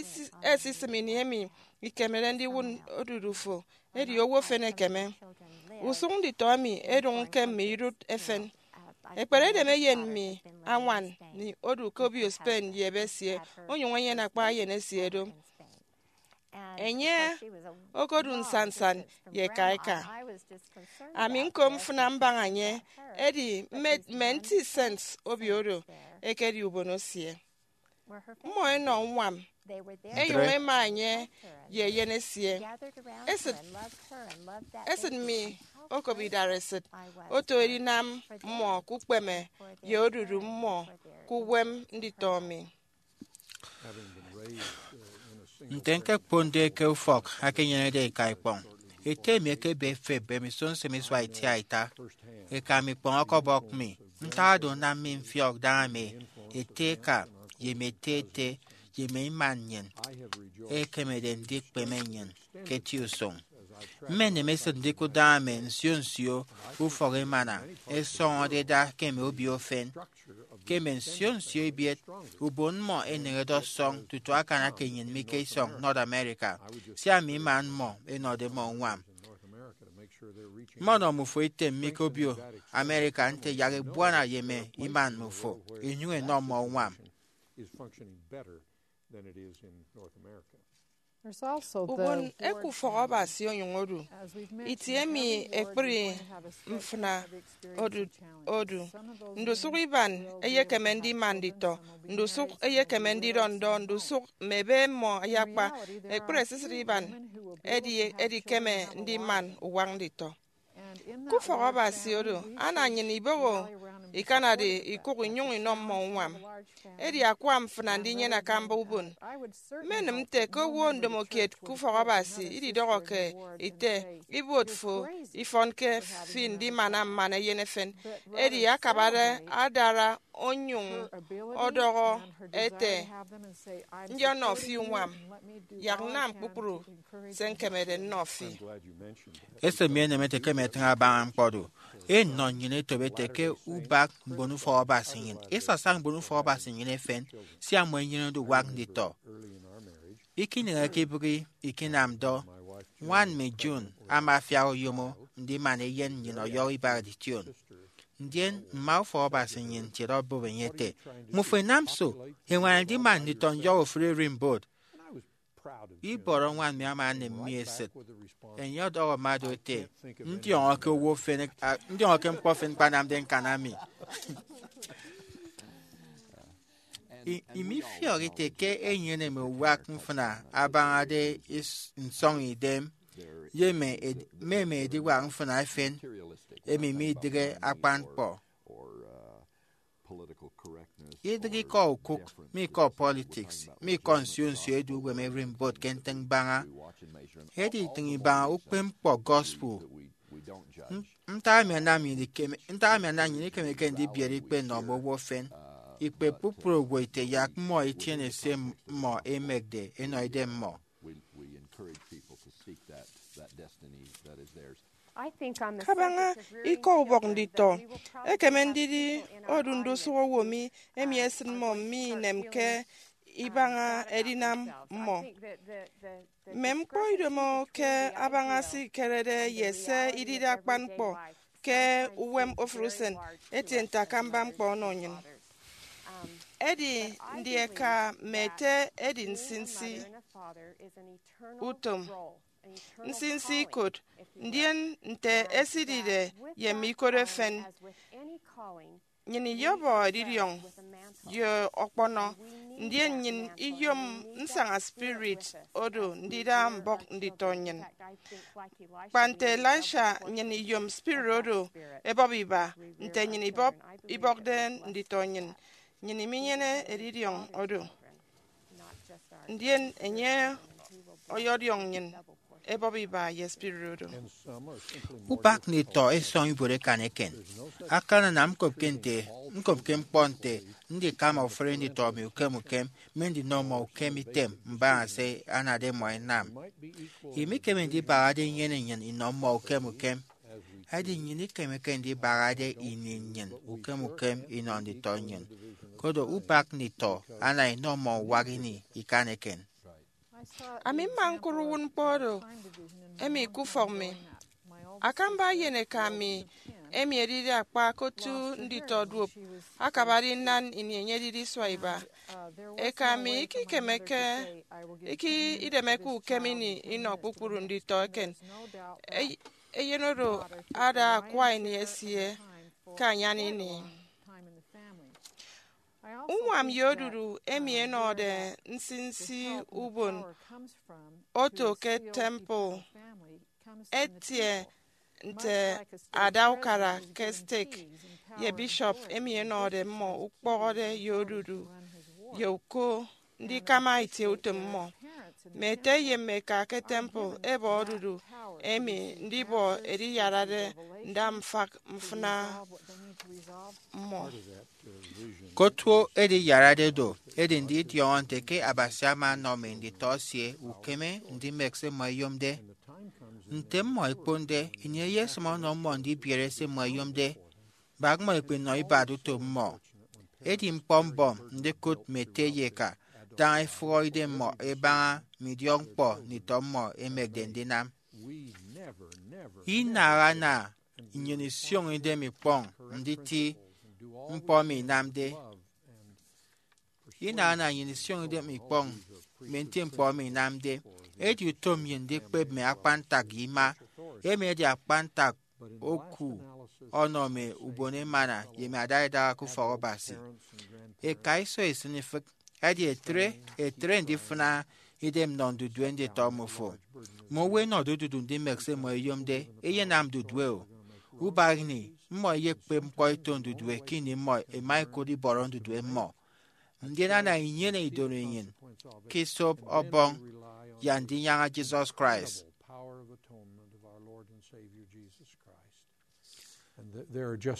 isi- esisịm ini emi ikemede ndiwụt odudu fo, edi owo efen ekeme. Usụñ nditọ emi ẹdụñ ke mme idụt efen. Ekpere edem eyen mi añwan mi odu ke obio Spain ye ebe esie, onyụñ enyene akpa eyen esie do. Enye okodu nsannsan ye eka eka. Ami ñko mfịna mbaña enye, edi mme mme nti cents obio oro ekedi ubon esie. Mmọ ẹnọ uñwam, ẹnyụñ ẹma enye ye eyen esie. Esịt esịt mi okop idareesịt oto edinam mmọ ke ukpeme ye odudu mmọ ke uwem nditọ mi. Nte ñkekponde ke ufọk akenyenede eka ikpọñ, ete mi ekebe efep mbemiso nsịm isua itiaita. Eka mi ikpọñ ọkọbọk mi. Ntak oro anam mi mfiọk daña mme ete eka ye mme ete ete ye mme iman nnyịn ẹkemede ndikpeme nnyịn ke eti usụñ. Mmenịm esịt ndikụt daña mme nsio nsio ufọk emana ẹsọñọde ẹda ke mme obio efen. Ke mme nsio nsio ebiet, ubon mmọ eneñede ọsọñ tutu akana ke nnyịn mi ke isọñ North America, sia mme iman mmọ ẹnọde mmọ uñwam. Mmọnọ mmufo item mi ke obio America nte yak ebuana ye mme iman mmufo, inyụñ ẹnọ mmọ uñwam. Ubon eke ufọk Abasi onyụñ odu. Itie emi ekpri mfịna odu odu. Ndusụk iban eyekeme ndima nditọ, ndusụk eyekeme ndidọ ndọ, ndusụk mme ebe mmọ ayakpa. Ekpri esisịt iban edi edikeme ndiman uwak nditọ. Ke ufọk Abasi oro, ana nnyịn iboho ikanade ikụk inyụñ inọ mmọ uñwam. Edi akwa mfịna ndinyene akamba ubon. Mmenịm nte ke owo ndomokiet ke ufọk Abasi ididọhọke ite, ibuot fo ifọnke fi ndimana mmana eyen efen. Edi akabade adara onyụñ ọdọhọ ete, Ndi ọnọ fi uñwam? Yak nnam kpukpru se ñkemede nnọ fi. Esịt mi enemete ke ẹmetịñ abaña ñkpọ do. Enọ nnyịn etop ete ke ubak mbon ufọk Abasi nnyịn, esasaña mbon ufọk Abasi nnyịn efen, sia mmọ ẹnyenede uwak nditọ. Ikineñeke ibịghi ikinam do. Ñwan mi June ama afiak oyomo ndiman eyen nnyịn ọyọhọ iba edition. Ndien mma ufọk Abasi nnyịn kiet obụp enye ete, Mmufo ẹnam so ẹñwana ndiman nditọ nyọhọ ofụri ererimbot? Ibọrọ ñwan mi ama anịm mi esịt. Enye ọdọhọ mma do ete, Ndiọñọke owo efen, a, ndiọñọke ñkpọ efen ñkpanamde ñkana mi. I- imifiọk ite ke enyene mme uwak mfịna abañade is- nsọñ idem ye mme ed- mme mme ediwak mfịna efen emi midịghe akpan ñkpọ. Idịghe ikọ okụk, mi ikọ politiks, mi ikọ nsio nsio edu uwem ererimbot ke ntịñ mbaña. Edi itịñ ibaña ukpepñkpọ gospel. Ntak emi anam nnyịn ikeme- ntak emi anam nnyịn ikemeke ndibiere ikpe nnọ mme owo efen? Ikpe kpukpru owo ite yak mmọ itiene se mmọ emekde enọ idem mmọ. Kabaña ikọ ubọk nditọ, ekeme ndidi odu ndusụk owo mi emi esịn mmọ mme inem ke ibaña edinam mmọ. Mme ñkpọ idomo ke abaña se ikerede ye se idide akpan ñkpọ ke uwem ofụri usen etie nte akamba ñkpọ ọnọ nnyịn. Edi ndi eka mme ete edi nsinsi utom, nsinsi ikot, ndien nte esidide ye mme ikot efen? Nnyịn iyọbọ edidiọñ ye ọkpọnọ, ndien nnyịn iyom nsaña spirit odo ndida mbọk nditọ nnyịn. Kpa nte Elisha, nnyịn iyom spirit odo ebọp iba nte nnyịn ibọp- ibọkde nditọ nnyịn. Nnyịn iminyene edidiọñ odo, ndien enye ọyọdiọñ nnyịn ebọp iba ye spirit odo. Ubak nditọ isọñ ibuot ekan eken. Akananam ñkopke nte ñkopke ñkpọ nte ndikama ofụri nditọ mi ukem ukem, mme ndinọ mmọ ukem item mbaña se anade mmọ ẹnam. Imikeme ndibahade inyene nnyịn inọ mmọ ukem ukem. Edi nnyịn ikemeke ndibahade ini nnyịn ukem ukem inọ nditọ nnyịn. Koro ubak nditọ ana inọ mmọ uwak ini ikan eken. Ami mma ñkụt uwụtñkpọ oro emi ke ufọk mi. Akamba eyeneka mi emi edide akpa ke otu nditọ duop akabade inan ini enye edide isua iba. Eka mi ikikemeke, iki- idemeke ukem ini inọ kpukpru nditọ eken. Ey- eyen oro ada akwa ini esie ke anyan ini. Uñwam ye odudu emi ẹnọde nsinsi ubon oto ke temple etie nte ada ukara ke stake ye bishop emi ẹnọde mmọ ukpọhọde ye odudu ye uko ndikama itieutom mmọ. Mme ete ye mme eka ke temple ẹbọ odudu emi ndibọ ediyarade nda mfak mfịna mmọ. Ke otu ediyarade do, edi ndidiọñọ nte ke Abasi ama ọnọ mme nditọ esie ukeme ndimek se mmọ ẹyomde. Nte mmọ ẹkponde, ini eyesịm ọnọ mmọ ndibiere se mmọ ẹyomde. Bak mmọ ẹkpenọ ibat utom mmọ. Edi ñkpọ mbọm ndikụt mme ete ye eka daña ẹfụhọ idemmọ ẹbaña mme idiọkñkpọ nditọ mmọ ẹmekde ndinam. Inaha ana nnyịn isioño idem ikpọñ nditi ñkpọ emi inamde. Inaha ana nnyịn isioño idem ikpọñ mme nti ñkpọ emi inamde. Edi utom nnyịn ndikpep mme akpantak ye ima. Emi edi akpantak oku ọnọ mme ubon emana ye mme adaidaha ke ufọk Abasi. Eka iso isịn ifịk, edi etre etre ndifịna idem nnọ ndudue nditọ mmofo. Mme owo ẹnọde odudu ndimek se mmọ ẹyomde, ẹyenam ndudue-o. Ubak ini, mmọ ẹyekpep ñkpọ ito ndudue ke ini mmọ ẹma ẹkot ibọrọ ndudue mmọ. Ndien ana inyene idorenyin ke isop Ọbọñ ye Andinyaña Jesus Christ.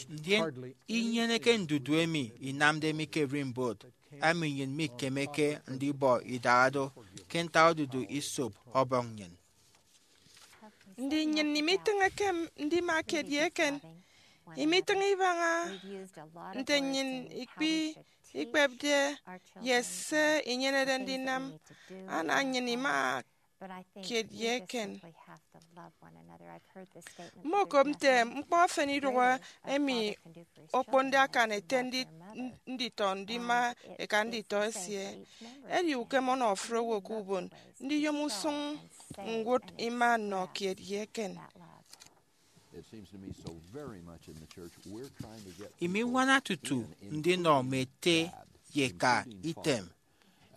Ndien inyeneke ndudue emi inamde mi ke ererimbot, emi nnyịn mikemeke ndibọ idaha do ke ntak odudu isop Ọbọñ nnyịn. Ndi nnyịn imitịñeke ndima kiet ye eken? Imitịñ ibaña nte nnyịn ikpi ikpepde ye se inyenede ndinam? Ana nnyịn ima kiet ye eken. Mmokop nte ñkpọ efen idụhe emi okponde akan ete ndi- nditọ ndima eka nditọ esie. Edi ukem ọnọ ofụri owo ke ubon ndiyom usụñ ñwụt ima nnọ kiet ye eken. Imiñwana tutu ndinọ mme ete ye eka item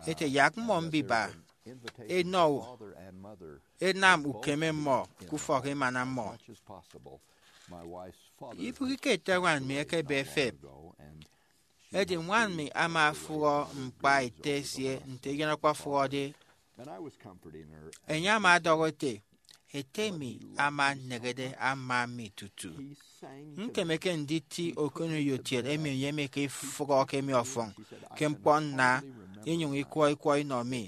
ete yak mmọ mbiba enọ enam ukeme mmọ ke ufọk emana mmọ. Ibụghike ete ñwan mi ekebe efep, edi ñwan mi ama afụhọ ñkpa ete esie nte eyen ọkpọfụhọde. Enye ama ọdọhọ ete, ete mi ama anehede ama mi tutu. Ñkemeke nditi okoneyotiet emi enye emeke ifụhọ ke mi ọfọñ ke ñkpọ nna, inyụñ ikwọ ikwọ inọ mi.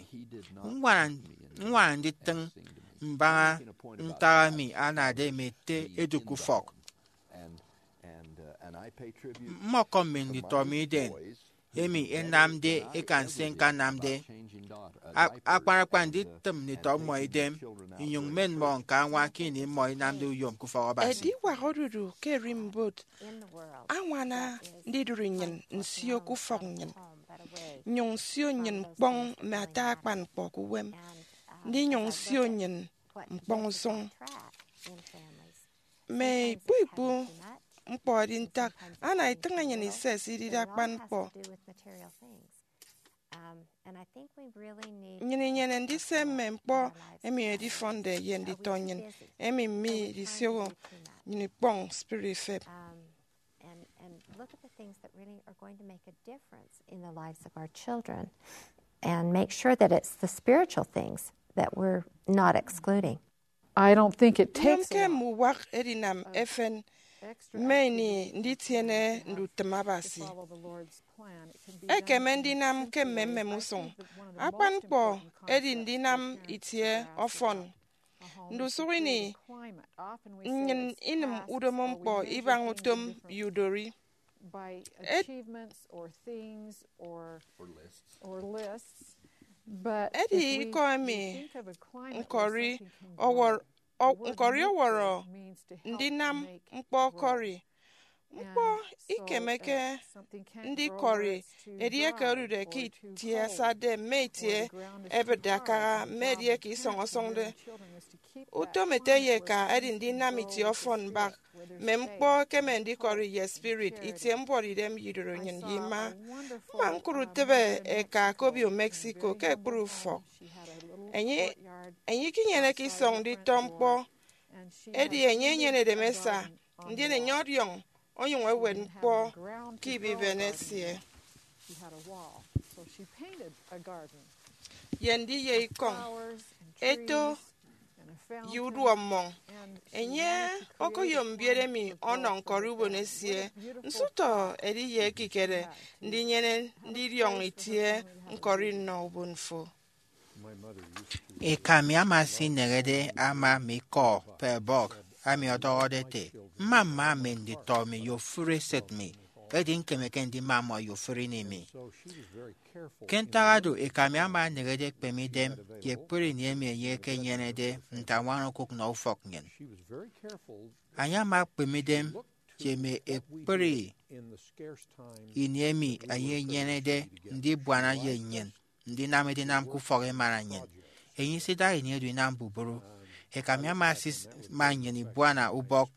Ññwana nditịñ mbaña ntak emi anade mme ete edu ke ufọk. Mmọkọm mme nditọ mi idem emi ẹnamde ẹkan se ñkanamde. Akpan akpan nditịm nditọ mmọ idem, inyụñ mmen mmọ ñka añwa ke ini mmọ inamde uyom ke ufọk Abasi. Ediwak odudu ke ererimbot añwana ndidụri nnyịn nsio ke ufọk nnyịn, nnyụñ nsio nnyịn ñkpọñ mme ata akpan ñkpọ ke uwem, ndinyụñ nsio nnyịn ñkpọñ usụñ. Mme ikpu ikpu ñkpọ edi ntak ana itịñ enyịn ises idide akpan ñkpọ. Nnyịn inyene ndise mme ñkpọ emi edifọnde ye nditọ nnyịn, emi midisioho nnyịn ikpọñ spirit ifep. And, and look at the things that really are going to make a difference in the lives of our children and make sure that it's the spiritual things that we're not excluding. I don't think it takes a lot. Nyomke mme uwak edinam efen mme ini nditiene ndutịm Abasi. Ekeme ndinam ke mmemmem usụñ. Akpan ñkpọ edi ndinam itie ọfọn. Ndusụk ini, nnyịn inịm udomo ñkpọ ibaña utom ye udori. Edi ikọ emi ñkọri ọwọrọ ndinam ñkpọ ọkọri. Ñkpọ ikemeke ndikọri edieke odude ke itie asatde mme itie ẹbịtde akaha mme edieke isọñ ọsọñde. Utom ete ye eka edi ndinam itie ọfọn mbak mme ñkpọ ẹkeme ndikọri ye spirit, itie mbuọtidem ye idoro nnyịn ye ima. Mma ñkụt utịbe eka ke obio Mexico ke ekpri ufọk. Enye enye ikinyeneke isọñ nditọ ñkpọ, edi enye enyenede mme esa, ndien enye ọdiọñ onyụñ ewet ñkpọ ke ibiben esie. Ye ndiye ikọñ, eto, ye uduọk mmọñ, enye okoyom mbiet emi ọnọ ñkọri ubon esie. Nsụtọ edi ye ekikere ndinyene ndidiọñ itie ñkọri nnọ ubon fo. Eka mi ama esineñede ama mi ikọ Pearl Buck, ami ọdọhọde ete, mma mma mme nditọ mi ye ofụri esịt mi, edi ñkemeke ndima mmọ ye ofụri ini mi. Ke ntak oro, eka mi ama eneñede ekpeme idem ye ekpri ini emi enye ekenyenede nte añwana okụk nọ ufọk nnyịn. Enye ama ekpeme idem ye mme ekpri ini emi enye enyenede ndibuana ye nnyịn ndinam edinam ke ufọk emana nnyịn. Enye isidaha ini edu inam buburu. Eka mi ama asisima nnyịn ibuana ubọk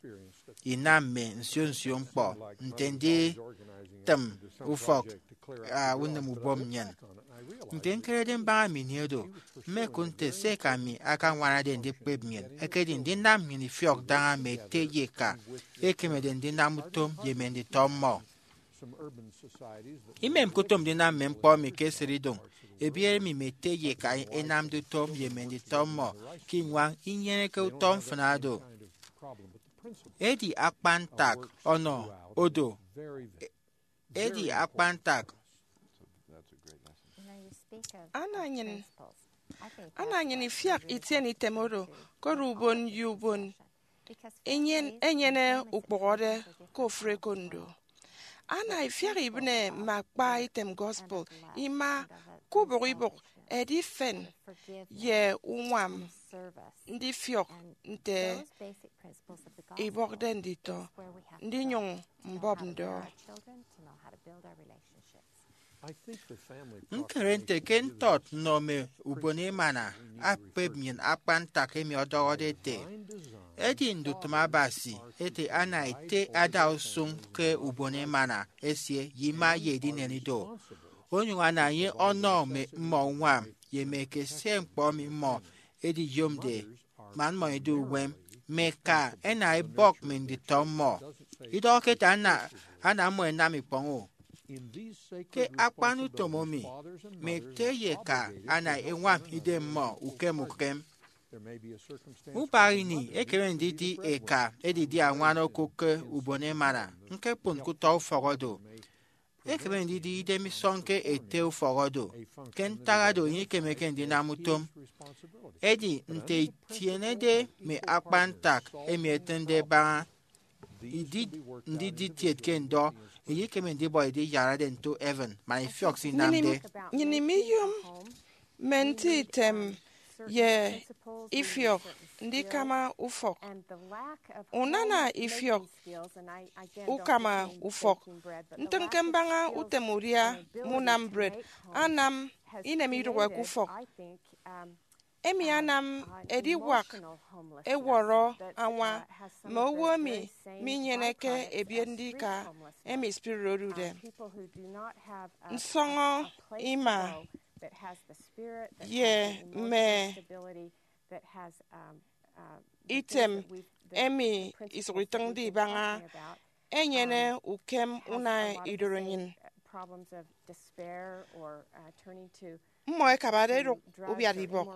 inam mme nsio nsio ñkpọ nte nditịm ufọk, a, unịm ubom nnyịn. Nte ñkerede mbaña mme ini oro, mmekụt nte se eka mi akañwanade ndikpep nnyịn ekedi ndinam nnyịn ifiọk daña mme ete ye eka ekemede ndinam utom ye mme nditọ mmọ. Imemke utom ndinam mme ñkpọ emi ke esịtidụñ ebiere emi mme ete ye eka ẹnamde utom ye mme nditọ mmọ ke iñwañ inyeneke utọ mfịna do. Edi akpan ntak ọnọ odo, edi akpan ntak. Ana nnyịn, ana nnyịn ifiak itiene item oro, koro ubon ye ubon enyen-, enyene ukpụhọde ke ofụri ekondo. Ana ifiak ibịne mme akpa item gospel ima ke ubụk ibụk, ẹdi ifen ye uñwam ndifiọk nte ibọkde nditọ, ndinyụñ mbọp ndọ. Ñkere nte ke ntọt nnọ mme ubon emana akpep nnyịn akpan ntak emi ọdọhọde ete, edi ndutịm Abasi ete ana ete ada usụñ ke ubon emana esie ye ima ye edinen ido. onyụñ ana enye ọnọ mme mmọ uñwam ye mme ekesie ñkpọ emi mmọ ediyomde man mmọ ẹdu uwem. Mme eka ẹna ẹbọk mme nditọ mmọ. Idọhọke ete ana ana mmọ ẹnam ikpọñ-o. Ke akpan utom emi, mme ete ye eka ana ẹñwam idem mmọ ukem ukem. Ubak ini ekeme ndidi eka edidi añwan okụk ke ubon emana, ñkekpon ke utọ ufọk odo. Ekeme ndidi idem isọñ ke ete ufọk odo. Ke ntak oro, enye ikemeke ndinam utom. Edi nte itienede mme akpan ntak emi etịñde ẹbaña idi ndidi kiet ke ndọ, enye ikeme ndibọ ediyarade nto heaven man ifiọk se inamde. Nnyịn imiyom mme nti item ye ifiọk ndikama ufọk. Unana ifiọk ukama ufọk, ntịñke mbaña utem udia mme unam bred, anam inem idụhe ke ufọk. Emi anam ediwak ẹwọrọ añwa mme owo emi minyeneke ebiet ndika emi spirit odude. Nsọñọ ima ye mme item emi isụk itịñde ibaña enyene ukem una idoro nnyịn. Mmọ ẹkabade ẹdụk ubiatibọk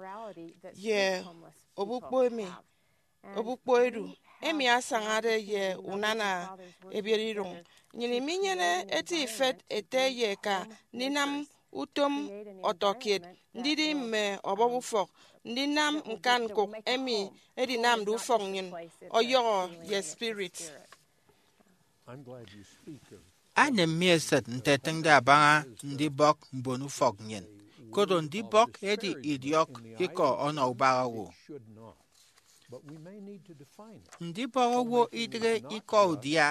ye obukpo emi, obukpo edu emi asañade ye unana ebiet idoñ. Nnyịn iminyene eti ifet ete ye eka ndinam utom ọtọkiet, ndidi mme ọbọp ufọk, ndinam ñkanñkụk emi edinamde ufọk nnyịn ọyọhọ ye spirit. Anem mi esịt nte ẹtịñde abaña ndibọk mbonufọk nnyịn, koro ndibọk edi idiọk ikọ ọnọ ubak owo. Ndibọk owo idịghe ikọ udia,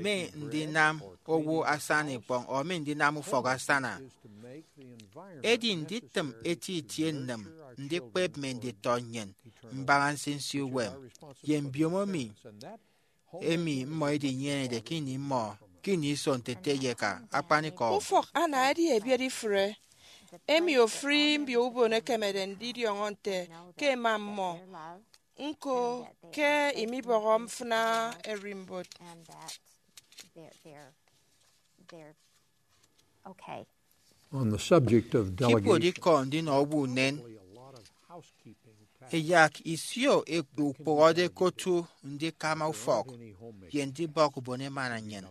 mi ndinam owo asana ikpọñ, or mi ndinam ufọk asana. Edi nditịm eti itie nnịm ndikpep mme nditọ nnyịn mbaña nsinsi uwem ye mbiomo emi emi mmọ edinyenede ke ini mmọ, ke ini iso nte ete ye eka akpanikọ. Ufọk ana edi ebiet ifụre, emi ofụri mbio ubon ẹkemede ndidiọñọ nte ke ẹma mmọ, ñko ke imibọhọ mfịna ererimbot. On the subject of delegation, ke ibuot ikọ ndinọ owo unen, ẹyak isio ẹkpe ukpụhọde ke otu ndikama ufọk ye ndibọk ubon emana nnyịn.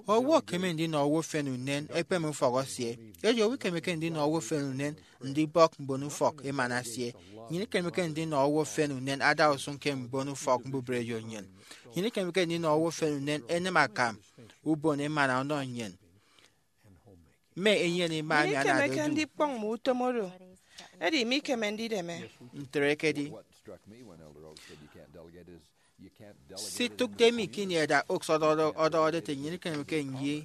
Owo ekeme ndinọ owo efen unen ekpeme ufọk esie, edi owo ikemeke ndinọ owo efen unen ndibọk mbonufọk emana esie. Nnyịn ikemeke ndinọ owo efen unen ada usụñ ke mbonufọk mbubreyo nnyịn. Nnyịn ikemeke ndinọ owo efen unen enịm akam ubon emana ọnọ nnyịn. Mme enyene ima emi anade ikemeke edu ndikpọñ mme utom oro, edi mikeme ndideme. Ntre ekedi. Sitụkde mi ke ini Elder Oaks ọdọhọde, ọdọhọde ete nnyịn ikemeke nyi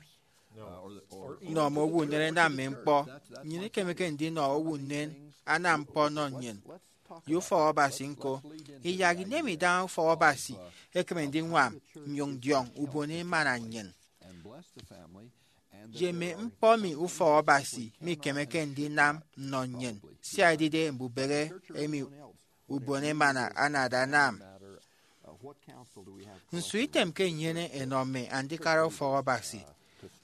nọ mme owo unen ẹnam mme ñkpọ. Nnyịn ikemeke ndinọ owo unen anam ñkpọ ọnọ nnyịn ye ufọk Abasi ñko. Iyak inem idaha ufọk Abasi ekeme ndiñwam nnyụñ ndiọñ ubon emana nnyịn ye mme ñkpọ emi ufọk Abasi mikemeke ndinam nnọ nnyịn, sia edide mbubehe emi ubon emana anade anam. Nso item ke nnyene ẹnọ mme andikara ufọk Abasi?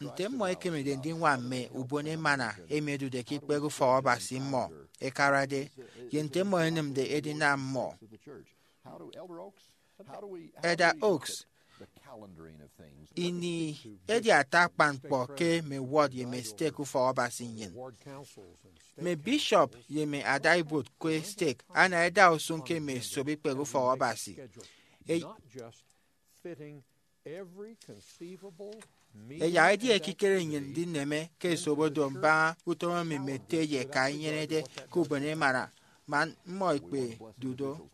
Nte mmọ ẹkemede ndiñwam mme ubon emana emi ẹdude ke ikpehe ufọk Abasi mmọ ẹkarade, ye nte mmọ ẹnịmde edinam mmọ? Elder Oaks, ini edi ata akpan ñkpọ ke mme ward ye mme stake ufọk Abasi nnyịn. Mme bishop ye mme adaibuot ke stake ana ẹda usụñ ke mme esop ikpehe ufọk Abasi. E- Ẹyak edi ekikere nnyịn ndineme ke esop odo mbaña utom emi mme ete ye eka inyenede ke ubon emana man mmọ ikpedu do.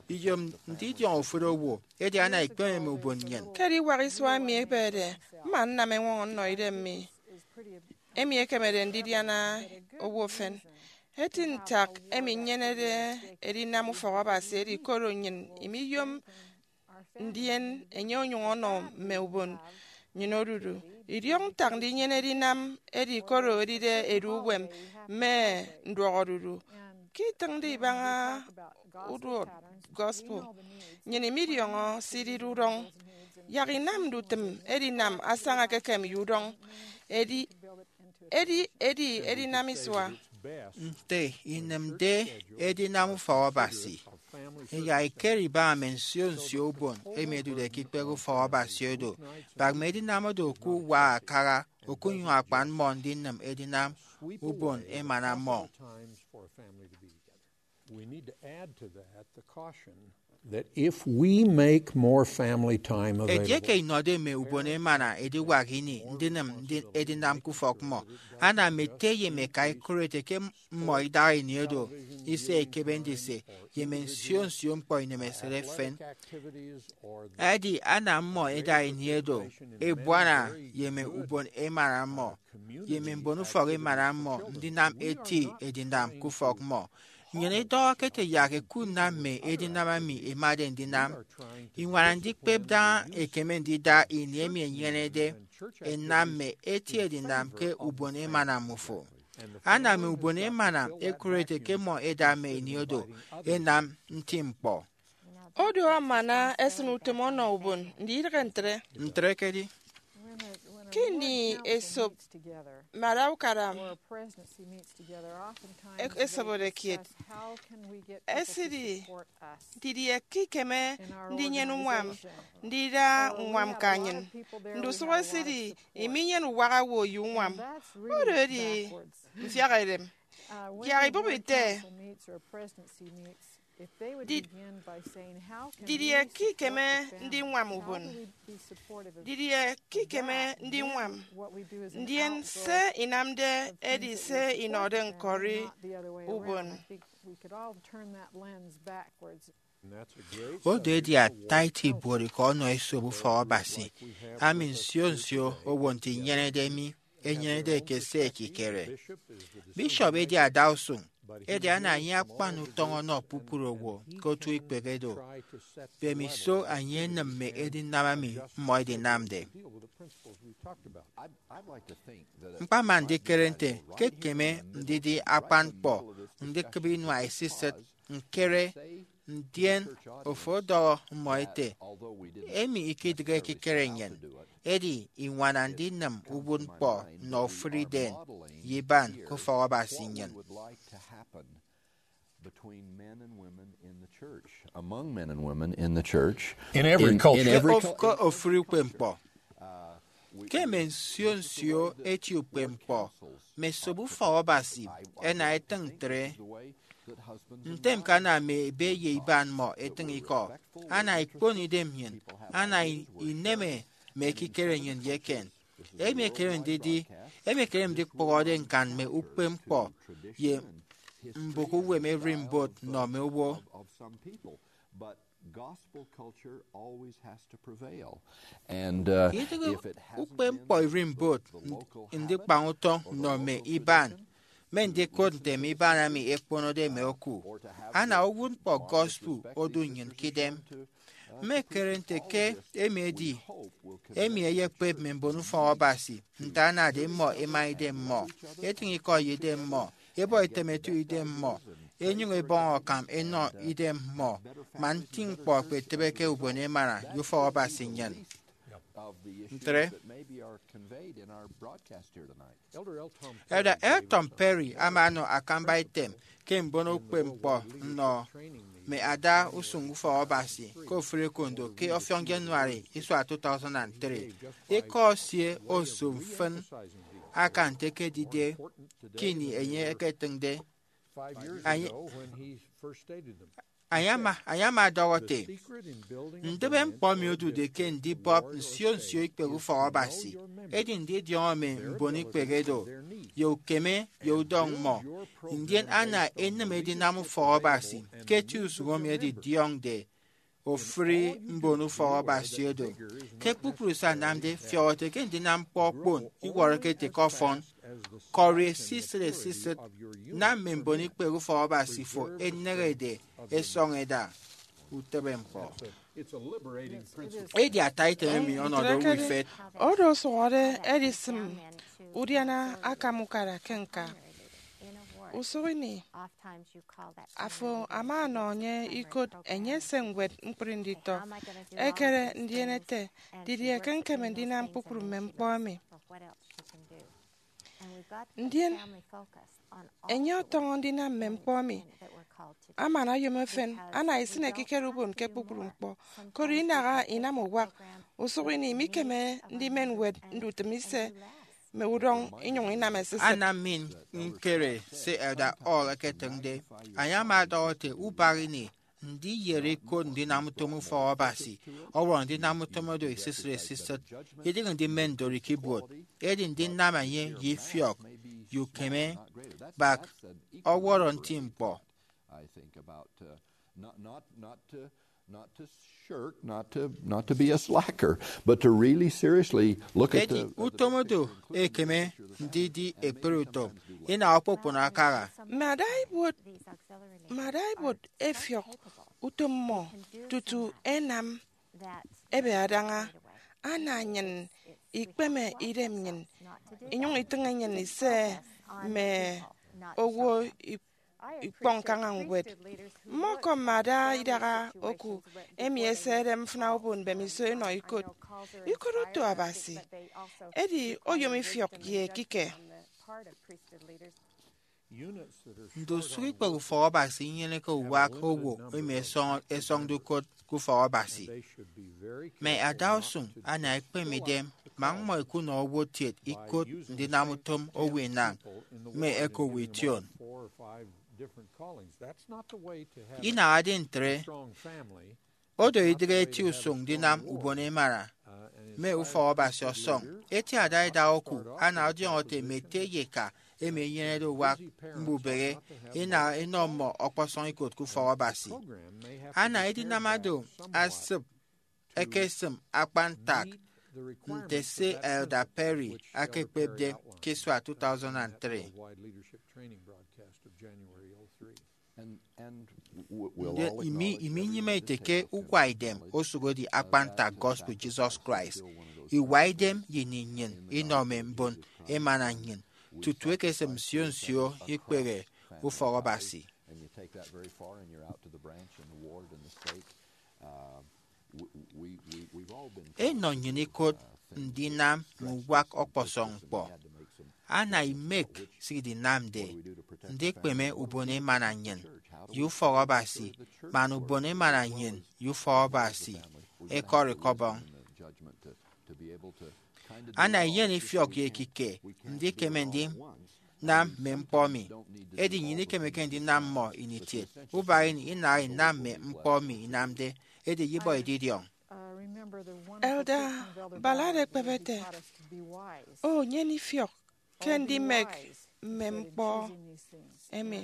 Iyom ndidiọñ ofụri owo, edi ana ikpeme mme ubon nnyịn. Ke ediwak isua emi ebede, mma nnam eñwọñọ nnọ idem mi, emi ekemede ndidiana owo efen. Eti ntak emi nnyenede edinam ufọk Abasi edi koro nnyịn imiyom, ndien enye onyụñ ọnọ mme ubon nnyịn odudu. Idiọk ntak ndinyene edinam edi koro edide edu uwem mme nduọk odudu. Ke itịñde ibaña uduot gospel, nnyịn imidiọñọ se idide udọñ. Yak inam ndutịm edinam asaña ekekem ye udọñ. Edi, edi, edi edinam isua. Nte inịmde edinam ufọk Abasi, yak ikere ibaña mme nsio nsio ubon emi ẹdude ke ikpehe ufọk Abasi odo, bak mme edinam odo oku uwa akara, okunyụñ akpan mmọ ndinịm edinam ubon emana mmọ. We need to add to that the caution that if we make more family time available, edieke inọde mme ubon emana ediwak ini ndinịm ndi- edinam ke ufọk mmọ, ana mme ete ye mme eka ikụrete ke mmọ idaha ini edo ise ekebe ndise ye mme nsio nsio ñkpọ inemesịt efen. Edi ana mmọ eda ini edo ebuana ye mme ubon emana mmọ ye mme mbonufọk emana mmọ ndinam eti edinam ke ufọk mmọ. Nnyịn idọhọke ete yak ẹkunam mme edinam emi ẹmade ndinam. Iñwana ndikpep daña ekeme ndida ini emi enyenede ẹnam mme eti edinam ke ubon emana mmufo. Ana mme ubon emana ẹkụrete ke mmọ ẹda mme ini odo ẹnam nti ñkpọ. Odu amana esịn utom ọnọ ubon, ndidịghe ntre? Ntre ekedi. Ke ini esop mme ada ukara e- esobode kiet, ẹsidi didie ke ikeme ndinyene uñwam ndida uñwam ke anyin. Ndusụk ẹsidi iminyene uwak owo ye uñwam. Oro edi mfiak edem. Yak ibọp ite, Di- didie ke ikeme ndiñwam ubon? Didie ke ikeme ndiñwam? Ndien se inamde edi se inọde ñkọri ubon. Odo edi ata eti ibuot ikọ ọnọ esop ufọk Abasi, ami nsio nsio owo nte inyenede mi enyenede ke se ekikere. Bishop edi adausụñ, edi ana enye akpan utọñ ọnọ kpukpru owo ke otu ikpehe do. Mbemiso enye enịm mme edinam emi mmọ ẹdinamde. Ñkpama ndikere nte ke ekeme ndidi akpan ñkpọ ndikịbe inua esisịt ñkere, ndien ofo ọdọhọ mmọ ete, emi ikidịghe ekikere nnyịn, edi iñwana ndinịm uwụtñkpọ nnọ ofụri idem ye iban ke ufọk Abasi nnyịn. Between men and women in the church, among men and women in the church, in every culture. Ke of- ke ofụri ukpepñkpọ. Ke mme nsio nsio eti ukpepñkpọ, mme esop ufọk Abasi ẹna ẹtịñ ntre. Ntem ke ana mme ebe ye iban mmọ etịñ ikọ, ana ikpon idem nnyịn, ana i- ineme mme ekikere nnyịn ye eken. Emi ekeme ndidi, emi ekeme ndikpụhọde ñkan mme ukpepñkpọ ye mbụk uwem ererimbot nnọ mme owo. But gospel culture always has to prevail. And uh, idịghe if it hasn't ukpepñkpọ been ererimbot, the local habit ndikpañ utọñ nnọ mme iban, mme ndikot nte mme iban emi ẹkponode mme oku, ana uwụtñkpọ gospel odu nnyịn ke idem. Mmekere nte ke emi edi emi eyekpep mme mbon ufọk Abasi nte anade mmọ ẹma idem mmọ, ẹtịñ ikọ ye idem mmọ, ẹbọ item ẹto idem mmọ, ẹnyụñ ẹbọñ akam ẹnọ idem mmọ, man nti ñkpọ ẹkpetịbe ke ubon emana ye ufọk Abasi nnyịn. Ntre, Elder Elton Perry ama ọnọ akamba item ke mbono ukpepñkpọ nnọ mme ada usụñ ufọk Abasi ke ofụri ekondo ke ọfiọñ January isua two thousand and three. Ikọ esie oso mfịn akan nte ekedide ke ini enye eketịñde. Enye ama, enye ama ọdọhọ ete, ndịbe ñkpọ emi odude ke ndibọp nsio nsio ikpehe ufọk Abasi edi ndidiọñọ mme mbon ikpehe do ye ukeme ye udọñ mmọ, ndien ana enịm edinam ufọk Abasi ke eti usụñ emi ẹdidiọñde ofụri mbon ufọk Abasi odo. Ke kpukpru se anamde, fiọk ete ke ndinam ñkpọ okpon iwọrọke ete ke ọfọn. Kọri esisịt esisịt, nam mme mbon ikpehe ufọk Abasi fo ẹneñede ẹsọñ ẹda. utịbe ñkpọ. Edi ata item emi ọnọde owo ifet. Oro osụhọde edisịm udiana akam ukara ke ñka. Usụk ini, afo ama ọnọ enye ikot enye ese ñwed ñkpri nditọ, ekere ndien ete, didie ke ñkeme ndinam kpukpru mme ñkpọ emi? Ndien enye ọtọñọ ndinam mme ñkpọ emi. Aman oyom efen ana isịn ekikere ubon ke kpukpru ñkpọ, koro inaha inam uwak. Usụk ini, imikeme ndimen ñwed ndutịm ise mme udọñ inyụñ inam esisịt. Anam mi ñkere se Elder Hall eketịñde. Enye ama ọdọhọ ete, ubak ini, ndiyere ikot ndinam utom ufọk Abasi ọwọrọ ndinam utom oro esisịt esisịt, idịghe ndimen ndori ke ibuot, edi ndinam enye ye ifiọk ye ukeme bak ọwọrọ nti ñkpọ. I think about uh, not not not to not to shirk, not to not to be a slacker, but to really seriously look at Edi the, at the utom odo ekeme ndidi ekpere utom ina okpokpon akaha. Mme ada ibuot mme ada ibuot efiọk utom mmọ tutu enam ebe adaña, ana nnyịn ikpeme idem nnyịn inyụñ itịñ nnyịn ise mme owo ikpọ ñkaña ñwed. Mmọkọm mme ada idaha oku emi ẹsede mfịna ubon mbemiso ẹnọ ikot. Ikot oto Abasi, edi oyom ifiọk ye ekike. Ndusụk ikpehe ufọk Abasi inyeneke uwak owo emi ẹsọñ- ẹsọñde ukot ke ufọk Abasi. Mme adausụñ ana ẹkpeme idem man mmọ ẹkunọ owo kiet ikot ndinam utom owo inañ mme ẹkowo ition. Inahade ntre, odo idịghe eti usụñ ndinam ubon emana mme ufọk Abasi ọsọñ. Eti ada idaha oku ana ọdiọñọ ete mme ete ye eka emi ẹnyenede uwak mbubehe ina enọ mmọ ọkpọsọñ ikot ke ufọk Abasi. Ana edinam oro asịp ekesịm akpan ntak nte se Elder Perry akekpepde ke isua two thousand and three. Ndien imi iminyịme ete ke uwaidem osụk edi akpan ntak gospel Jesus Christ. Iwaidem ye ini nnyịn inọ mme mbon emana nnyịn tutu ekesịm nsio nsio ikpehe ufọk Abasi. Enọ nnyịn ikot ndinam mme uwak ọkpọsọñ ñkpọ. Ana imek se idinamde ndikpeme ubon emana nnyịn ye ufọk Abasi, man ubon emana nnyịn ye ufọk Abasi ẹkọri ke ọbọñ. Ana iyen ifiọk ye ekike ndikeme ndinam mme ñkpọ mi, edi nnyịn ikemeke ndinam mmọ ini kiet. Ubak ini inaha inam mme ñkpọ mi inamde, edi iyibọ ididiọñ. Elder Ballard ekpep ete, O, nyen ifiọk ke ndimek mme ñkpọ emi.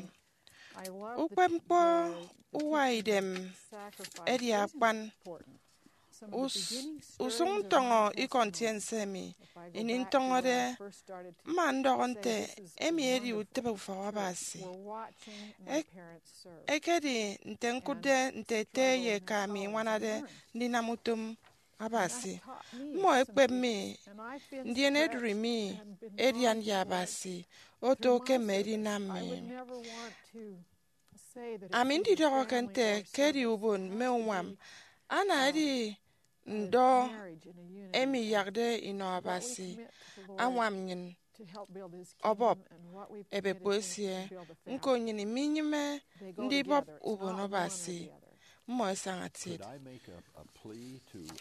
Ukpepñkpọ uwaidem edi akpan. Us- usụñ ntọñọ ikọ ntiense emi, ini ntọñọde, mma ndọhọ nte emi edi utịbe ufọk Abasi. Ek- ekedi nte ñkụtde nte ete ye eka mi iñwanade ndinam utom Abasi. Mmọ ẹkpep mi, ndien ẹdụri mi edian ye Abasi oto ke mme edinam mi. Ami ndidọhọke nte ke edi ubon mme uñwam, ana edi ndọ emi iyakde inọ Abasi añwam nnyịn ọbọp ebekpo esie. Ñko nnyịn minyịme ndibọp ubon Abasi, mmọ ẹsaña kiet.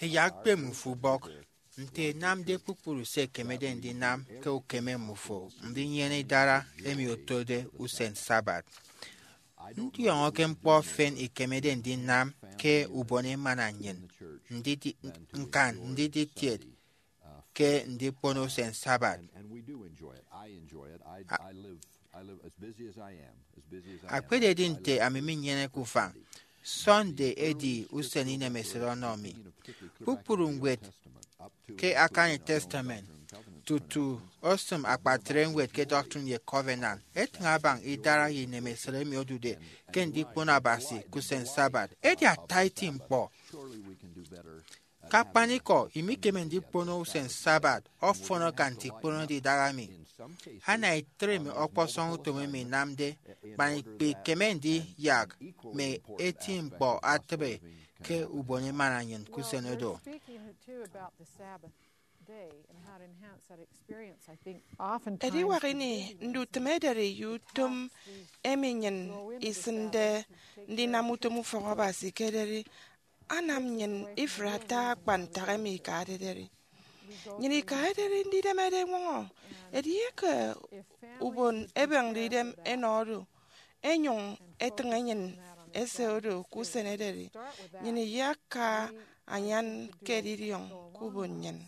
Ẹyak kpeme ufubọk nte ẹnamde kpukpru se ẹkemede ndinam ke ukeme mmufo ndinyene idara emi otode usen Sabbath. Ndiọñọke ñkpọ efen ikemede ndinam ke ubon emana nnyịn, ndidi- ñkan ndidi kiet ke ndikpono usen Sabbath. Akpededi nte ami minyeneke ufañ, Sunday edi usen inemesịt ọnọ mi. Kpukpru ñwed ke Akani Testament Tutu osịm akpatre ñwed ke Doctrine and Covenants, etịñ abaña idara ye inemesịt emi odude ke ndikpono Abasi ke usen Sabbath. Edi ata eti ñkpọ. Ke akpanikọ, imikeme ndikpono usen Sabbath ọfọn akan nte ikponode idaha mi. Ana itre mme ọkpọsọñ utom emi inamde, man ikpe ikeme ndiyak mme eti ñkpọ atịbe ke ubon emana nnyịn ke usen oro. Ediwak ini ndutịm ederi ye utom emi nnyịn isịnde ndinam utom ufọk Abasi ke ederi anam nnyịn ifre ata akpan ntak emi ikade ederi. Nnyịn ika ederi ndidemede eñwọñọ. Edieke ubon ebịghde idem enọ oro, enyụñ etịñ enyịn ese oro ke usen ederi, nnyịn iyaka anyan ke edidiọñ ke ubon nnyịn.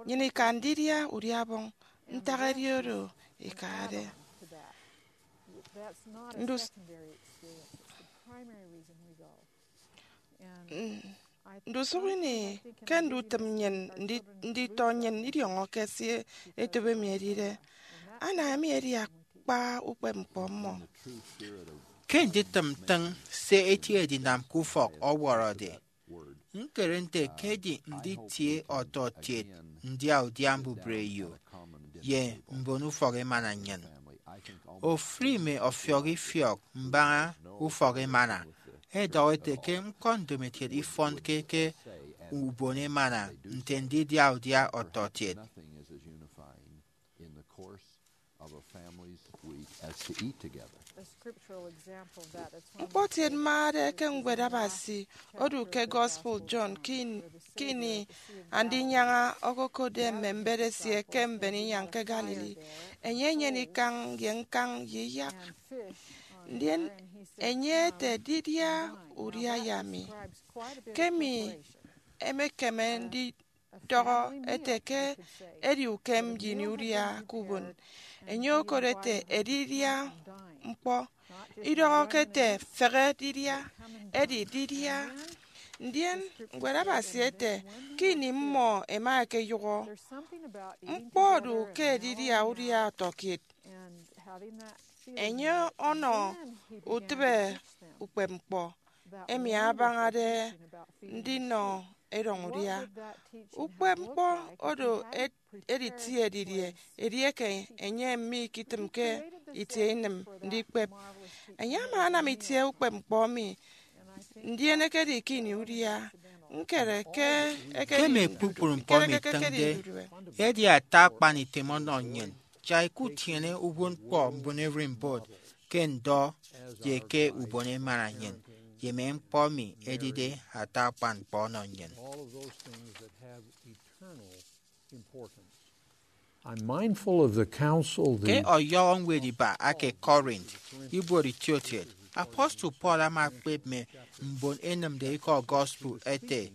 Nnyịn ika ndidia udia-ọbọñ ntak edi oro ikade. Ndus- N- Ndusụk ini ke ndutịm nnyịn ndi- nditọ nnyịn idiọñọke se etop emi edide. Ana emi edi akpa ukpepñkpọ mmọ. Ke nditịm ntịñ se eti edinam ke ufọk ọwọrọde, ñkere nte ke edi nditie ọtọkiet ndiaudia mbubreyo ye mbon ufọk emana nnyịn. Ofụri mme ọfiọk ifiọk mbaña ufọk emana ẹdọhọ ẹte ke ñkpọ ndomokiet ifọnke ke ubon emana nte ndidia udia ọtọkiet. Ñkpọtiet mmade ke ñwed Abasi odu ke Gospel John ke in- ke ini Andinyaña okokotde mme mbet esie ke mben inyañ ke Galilee. Enye enyene ikañ ye ñkañ ye iyak. Ndien enye ete, "Didia udia ye ami." Ke emi emekeme ndidọhọ ete ke edi ukem ye ini udia ke ubon. Enye okot ete, "Edidia ñkpọ." Idọhọke ete, "Fehe didia," edi didia. Ndien ñwed Abasi ete, "Ke ini mmọ ẹma ẹkeyụhọ, ñkpọ odu ke edidia udia ọtọkiet." Enye ọnọ utịbe ukpepñkpọ emi abañade ndinọ erọñ udia. Ukpepñkpọ oro ed- editie didie edieke enye miketịmke itie inịm ndikpep? Enye ama anam itie ukpepñkpọ emi, ndien ekedi ke ini udia. Ñkere ke ekedi Ke mme kpukpru ñkpọ emi ñkere ke ekedi itịñde, ndudue. Edi ata akpan item ọnọ nnyịn. Jai kutiene uwụtñkpọ mbon ererimbot ke ndọ ye ke ubon emana nnyịn, ye mme ñkpọ emi edide ata akpan ñkpọ ọnọ nnyịn. All of those things that have eternal importance. I'm mindful of the counsel Ke the ọyọhọ ñwed iba ake Corinth, ibuot itiokiet, apostle Paul ama ekpep mme mbon ẹnịmde ikọ gospel ete,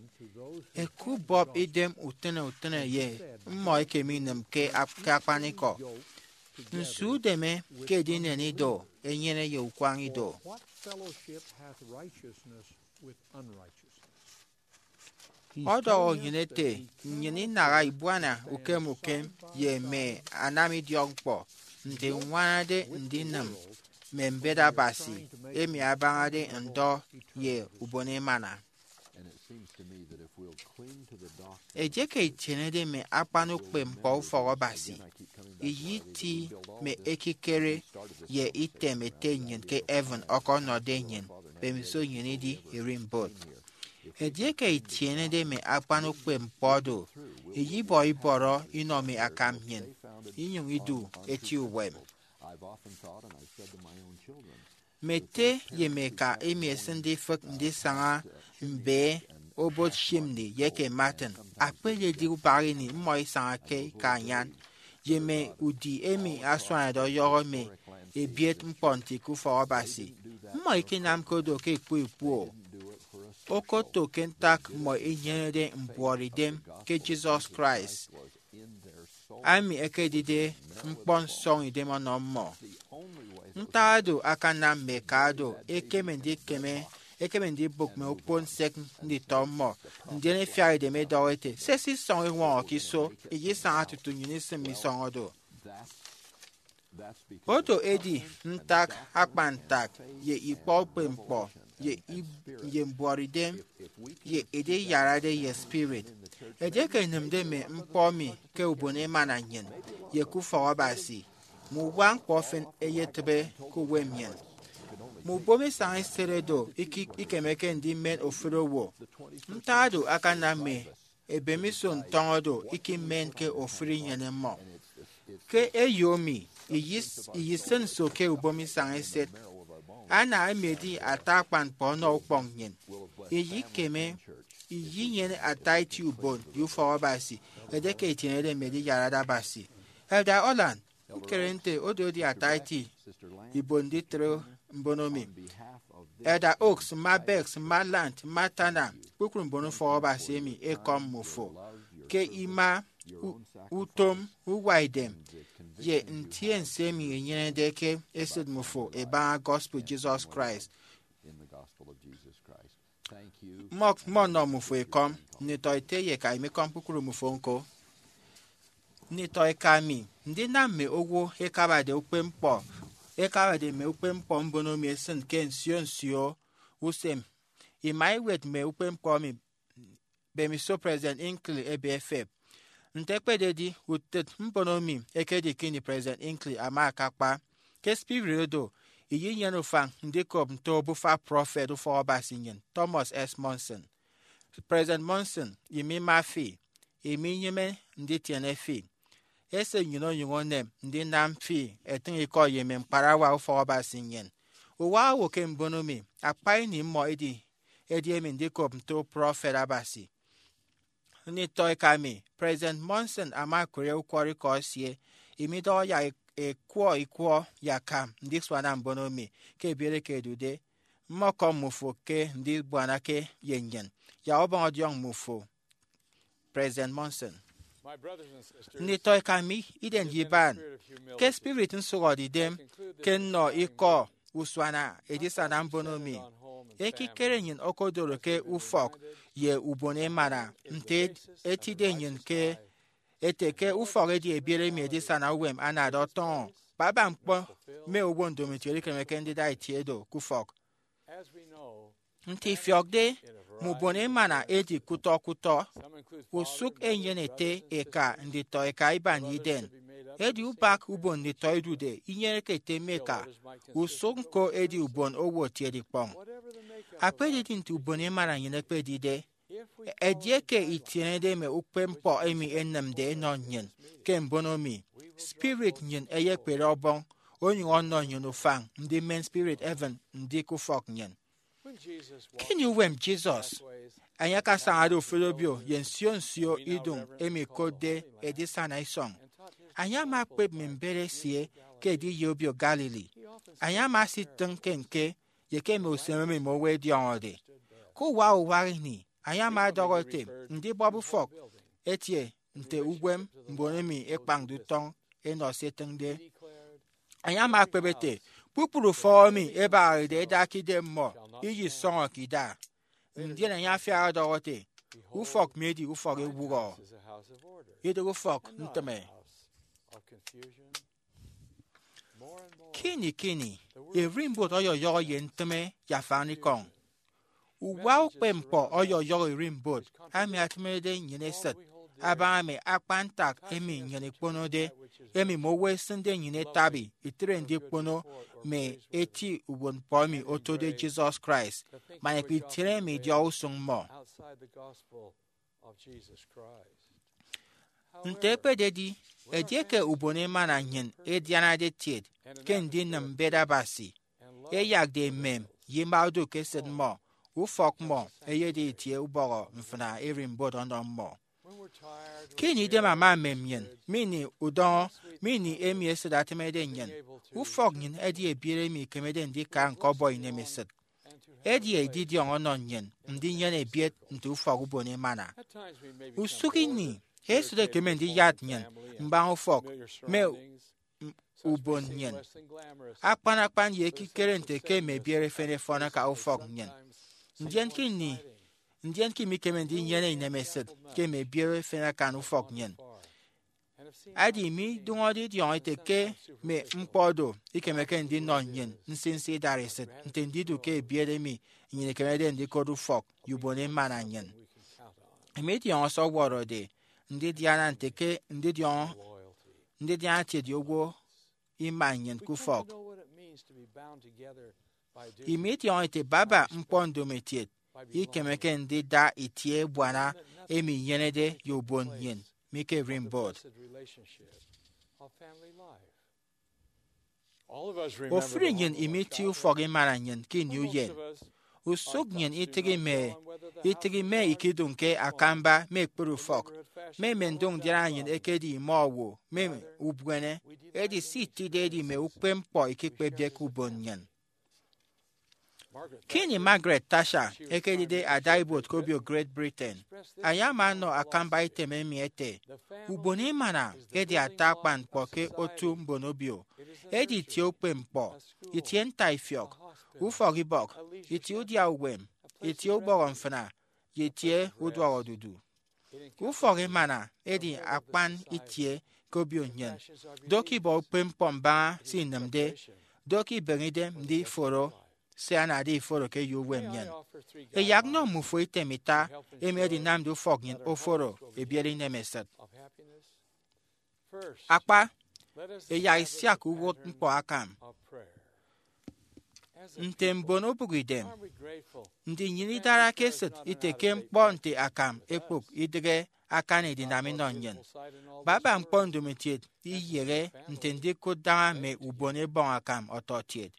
"Ẹkubọp idem utịne utịne ye mmọ eke minịm ke ap- ke akpanikọ. Nso udeme ke edinen ido enyene ye ukwañ ido?" What fellowship hath righteousness with unrighteousness? Ọdọhọ nnyịn ete, nnyịn inaha ibuana ukem ukem ye mme anamidiọkñkpọ nte ññwanade ndinịm mme mbet Abasi emi abañade ndọ ye ubon emana. Edieke itienede mme akpan ukpepñkpọ ufọk Abasi, iyiti mme ekikere ye item Ete nnyịn ke heaven ọkọnọde nnyịn mbemiso nnyịn idi ererimbot. Edieke itienede mme akpan ukpepñkpọ do, iyibọ ibọrọ inọ mme akam nnyịn, inyụñ idu eti uwem. Mme ete ye mme eka emi ẹsịnde ifịk ndisaña mbe Obot Chimney ye eke Martin, akpededi ubak ini mmọ isañake ke anyan, ye mme udi emi asuanade ọyọhọ mme ebiet ñkpọ nti ke ufọk Abasi. Mmọ ikenamke do ke ikpọ ikpọ. Okoto ke ntak mmọ inyenede mbuọtidem ke Jesus Christ, ami ekedide ñkpọ nsọñidem ọnọ mmọ. Ntak oro akanam mme eka oro ẹkeme ndikeme ekeme ndibụk mme okpon nsek nditọ mmọ, ndien efiak edem edọhọ ete, sese isọñ iñwọñọ ke iso, iyisaña tutu nnyịn isịm mme isọñ oro. Odo edi ntak akpan ntak ye ikpọ ukpepñkpọ ye ib- ye mbuọtidem ye ediyarade ye spirit. Edieke enịmde mme ñkpọ emi ke ubon emana nnyịn ye ke ufọk Abasi, mme uwa ñkpọ efen eyetịbe ke uwem nnyịn. Mme ubom isañ eset oro iki- ikemeke ndimen ofụri owo. Ntak oro akanam mme ebemiso ntọñọ do ikimen ke ofụri inyene mmọ. Ke eyo mi, iyis- iyisịn nso ke ubom isañ eset, ana emedi ata akpan ñkpọ ọnọ ukpọñ nnyịn. Iyikeme iyinyene ata eti ubon ye ufọk Abasi edieke itienede mme ediyarade Abasi. Elder Holland, ñkere nte odo edi ata eti ibon nditre mbono mi. Elder Oaks, mma Bex, mma Lant, mma Tana, kpukpru mbon ufọk Abasi emi ekọm mmufo ke ima u- utom, uwa idem, ye ntiense emi enyenede ke esịt mmufo ebaña gospel Jesus Christ. Mmọ mmọ nnọ mmufo ekọm, nditọ ete ye eka imikọm kpukpru mmufo ñko. Nditọ eka mi, ndinam mme owo ekabade ukpepñkpọ ekabade mme ukpepñkpọ mbono mi esịn ke nsio nsio usem ima iwet mme ukpepñkpọ emi mbemiso President Hinckley ebe efep. Nte ekpededi, utịt mbono mi ekedi ke ini President Hinckley ama akakpa. Ke spirit odo, iyinyene ufañ ndikop nte obufa prọfet ufọk Abasi nnyịn, Thomas S. Monson. President Monson, imima fi, iminyịme nditiene fi. Ese nnyịn onyụñ onem ndinam fi etịñ ikọ ye mme ñkparawa ufọk Abasi nnyịn. Uwa owo ke mbono mi, akpa ini mmọ edi edi emi ndikop nto prọfet Abasi. Nditọ eka mi, President Monson ama akụre ukwọrọikọ esie, imidọhọ yak ekwọ ikwọ yakam ndisuana mbono mi ke ebiere ke edude. Mmọkọm mmufo ke ndibuanake ye nnyịn, yak ubọñ ọdiọñ mmufo. President Monson. Nditọ eka mi, iden ye iban, ke spirit nsụhọde idem ke nnọ ikọ usuana edisana mbono mi, ekikere nnyịn okodoro ke ufọk ye ubon emana nte etide nnyịn ke ete ke ufọk edi ebiere emi edisana uwem anade ọtọñọ. Baba ñkpọ mme owo ndomokiet ikemeke ndida itie do ke ufọk. Nte ifiọkde, mme ubon emana edi kutọ kutọ. Usụk enyene ete eka nditọ eka iban ye iden. Edi ubak ubon nditọ idude inyeneke ete mme eka. Usụk ñko edi ubon owo etiede ikpọñ. Akpededi nte ubon emana nnyịn ekpedide, edieke itienede mme ukpepñkpọ emi enịmde enọ nnyịn ke mbono mi, spirit nnyịn eyekpere ọbọñ, onyụñ ọnọ nnyịn ufañ ndimen spirit heaven ndik ufọk nnyịn. Ke ini uwem Jesus, enye akasañade ofụri obio ye nsio nsio idụñ emi ẹkotde edisana isọñ, enye ama ekpep mme mbet esie ke ediye obio Galilee. Enye ama esitịñ ke ñke ye ke mme usem emi mme owo ẹdiọñọde. Ke uwak uwak ini, enye ama ọdọhọ ete, ndibọp ufọk etie nte uwem mbon emi ẹkpañde utọñ ẹnọ se ẹtịñde. Enye ama ekpep ete, kpukpru ufọk emi ẹbañarede ẹda ke idem mmọ, iyisọñọke ida. Ndien enye afiak ọdọhọ ete, ufọk mi edi ufọk ewụhọ, idịghe ufọk ntịme. Ke ini ke ini, ererimbot ọyọyọhọ ye ntịme ye afanikọñ. Uwa ukpepñkpọ ọyọyọhọ ererimbot emi atịmerede nnyịn esịt abaña mme akpan ntak emi nnyịn ikponode, emi mme owo ẹsịnde nnyịn etabi itre ndikpono mme eti uwụtñkpọ emi otode Jesus Christ, man ikpitiene mme idiọk usụñ mmọ. Nte ekpededi, edieke ubon emana nnyịn edianade etiet ke ndinịm mbet Abasi, ẹyakde emem ye ima odu ke esịt mmọ, ufọk mmọ eyedi itie ubọhọ mfịna ererimbot ọnọ mmọ. Ke ini idem ama emem nnyịn, mme ini udọñọ, mme ini emi esịt atịmede nnyịn, ufọk nnyịn edi ebiet emi ikemede ndika ñkọbọ inemesịt. Edi edidiọñ ọnọ nnyịn ndinyene ebiet nte ufọk ubon emana. Usụk ini, esịt ekeme ndiyat nnyịn mbaña ufọk mme ubon nnyịn, akpan akpan ye ekikere nte ke mme ebiet efen ẹfọn ẹka ufọk nnyịn. Ndien ke ini, ndien ke imikeme ndinyene inemesịt ke mme ebiere efen akan ufọk nnyịn. Edi midụñọde idiọñọ ete ke mme ñkpọ do ikemeke ndinọ nnyịn nsinsi idaresit nte ndidu ke ebiet emi nnyịn ikemede ndikot ufọk ye ubon emana nnyịn. Emi idiọñọ se ọwọrọde ndidiana nte ke ndidiọñọ ndidiana etieti owo ima nnyịn ke ufọk. Imi idiọñọ ete baba ñkpọ ndomotiet ikemeke ndida itie ebuana emi inyenede ye ubon nnyịn mi ke erimbot. Ofụri nnyịn imi itie ufọk imana nnyịn ke ini uyen. Usụk nnyịn itịghi mme itịghi mme ikidụñke akamba mme ekpere ufọk, mme mme ndụk ndiana nnyịn ekedi ime owo mme ubuene. Edi se itide edi mme ukpepñkpọ ikikpepde ke ubon nnyịn. Ke ini Margaret Thatcher ekedide adaibuot ke obio Great Britain, enye ama ọnọ akamba item emi ete, ubon emana edi ata akpan ñkpọ ke otu mbon obio. Edi itie ukpepñkpọ, itie ntaifiọk, ufọkibọk, itie udia uwem, itie ubọhọ mfịna, ye itie uduọk odudu. Ufọk emana edi akpan itie ke obio nnyịn. Do ke ibọ ukpepñkpọ mbaña se inịmde. Do ke ibeñe idem ndiforo se anade iforo ke eyo uwem nnyịn. Ẹyak nnọ mmufo item ita emi edinamde ufọk nnyịn oforo ebiere inemesịt. Akpa, ẹyak isiak uwụtñkpọ akam. Nte mbon obụkidem, ndi nnyịn idarake esịt ite ke ñkpọ nte akam ekpok idịghe akan edinam inọ nnyịn? Baba ñkpọ ndomotiet iyehe nte ndikụt daña mme ubon ebọñ akam ọtọkiet.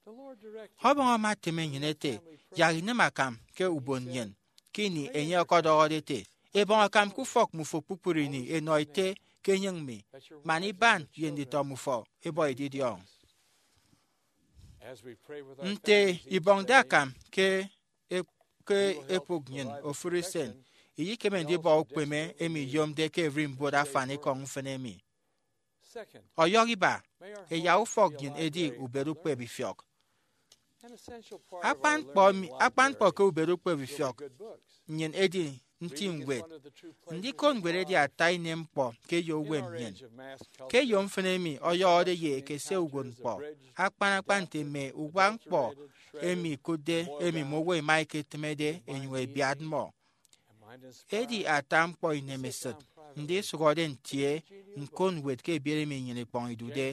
Ọbọñ ama etịm nnyịn ete, yak inịm akam ke ubon nnyịn, ke ini enye ọkọdọhọde ete, ebọñ akam ke ufọk mmufo kpukpru ini, enọ ete ke enyịñ mi, man iban ye nditọ mmufo ebọ edidiọñ. Nte ibọñde akam ke e- ke ekpụk nnyịn ofụri usen, iyikeme ndibọ ukpeme emi iyomde ke ererimbot afanikọñ mfịn emi. Ọyọhọ iba, ẹyak ufọk nnyịn edi ubet ukpep ifiọk. Akpan ñkpọ mi- akpan ñkpọ ke ubet ukpep ifiọk nnyịn edi nti ñwed. Ndikot ñwed edi ata ini ñkpọ ke eyo uwem nnyịn. Ke eyo mfịn emi ọyọhọde ye ekese uwụtñkpọ, akpan akpan nte mme uwak ñkpọ emi ikụtde emi mme owo ẹma ẹketịmede ẹnyụñ ẹbiat mmọ. Edi ata ñkpọ inemesịt ndisụhọde ntie ñkot ñwed ke ebiet emi nnyịn ikpọñ idude.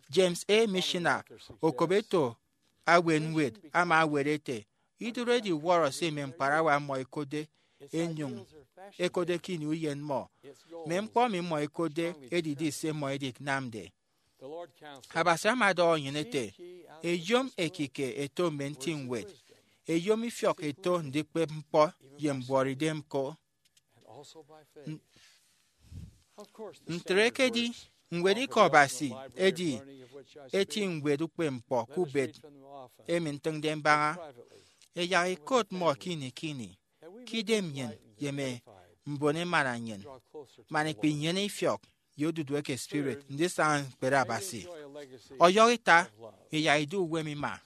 James A. Missioner, okop eto aweñwed, ama ewet ete, idụhe ediwọrọ se mme ñkparawa mmọ ẹkotde, ẹnyụñ ẹkotde ke ini uyen mmọ. Mme ñkpọ emi mmọ ẹkotde edidi se mmọ ẹdinamde. Abasi ama ọdọhọ nnyịn ete, eyom ekike eto mme nti ñwed, eyom ifiọk eto ndikpep ñkpọ ye mbuọtidem ko. N- Ntre ekedi, ñwed Ikọ Abasi edi eti ñwed ukpepñkpọ ke ubet emi ntịñde mbaña. Ẹyak ẹkot mmọ ke ini ke ini, ke idem nnyịn ye mme mbon emana nnyịn, man ikpinyene ifiọk ye odudu eke spirit ndisaña ñkpere Abasi. Ọyọhọ ita, ẹyak idu uwem ima.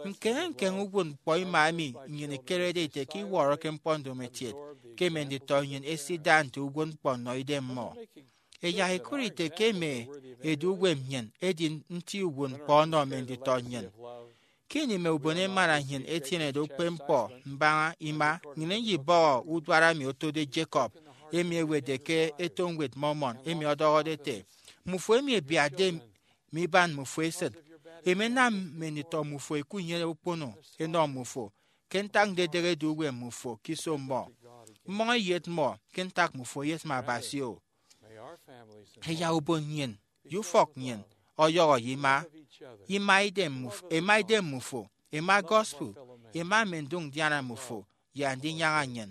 Ñkeñe ñkeñe uwụtñkpọ ima emi nnyịn ikerede ite ke iwọrọke ñkpọ ndomokiet ke mme nditọ nnyịn ẹsida nte uwụtñkpọ nnọ idem mmọ. Ẹyak ẹkụt ite ke mme edu uwem nnyịn edi nti uwụtñkpọ ọnọ mme nditọ nnyịn. Ke ini mme ubon emana nnyịn ẹtienede ukpepñkpọ mbaña ima, nnyịn nyibọhọ uduak emi otode Jacob, emi ẹwetde ke eto ñwed Mormon, emi ọdọhọde ete, mmufo emi ẹbiatde mi iban mmufo esịt, ẹmenam mme nditọ mmufo ẹkunyene ukpono ẹnọ mmufo, ke ntak ndedehe edu uwem mmufo ke iso mmọ. Mmọñ ẹyet mmọ ke ntak mmufo ẹyesịm Abasi-o. Ẹyak ubon nnyịn ye ufọk nnyịn ọyọhọ ye ima. Ima idem mmuf- ẹma idem mmufo, ẹma gospel, ẹma mme ndụk ndiana mmufo, ye andinyaña nnyịn.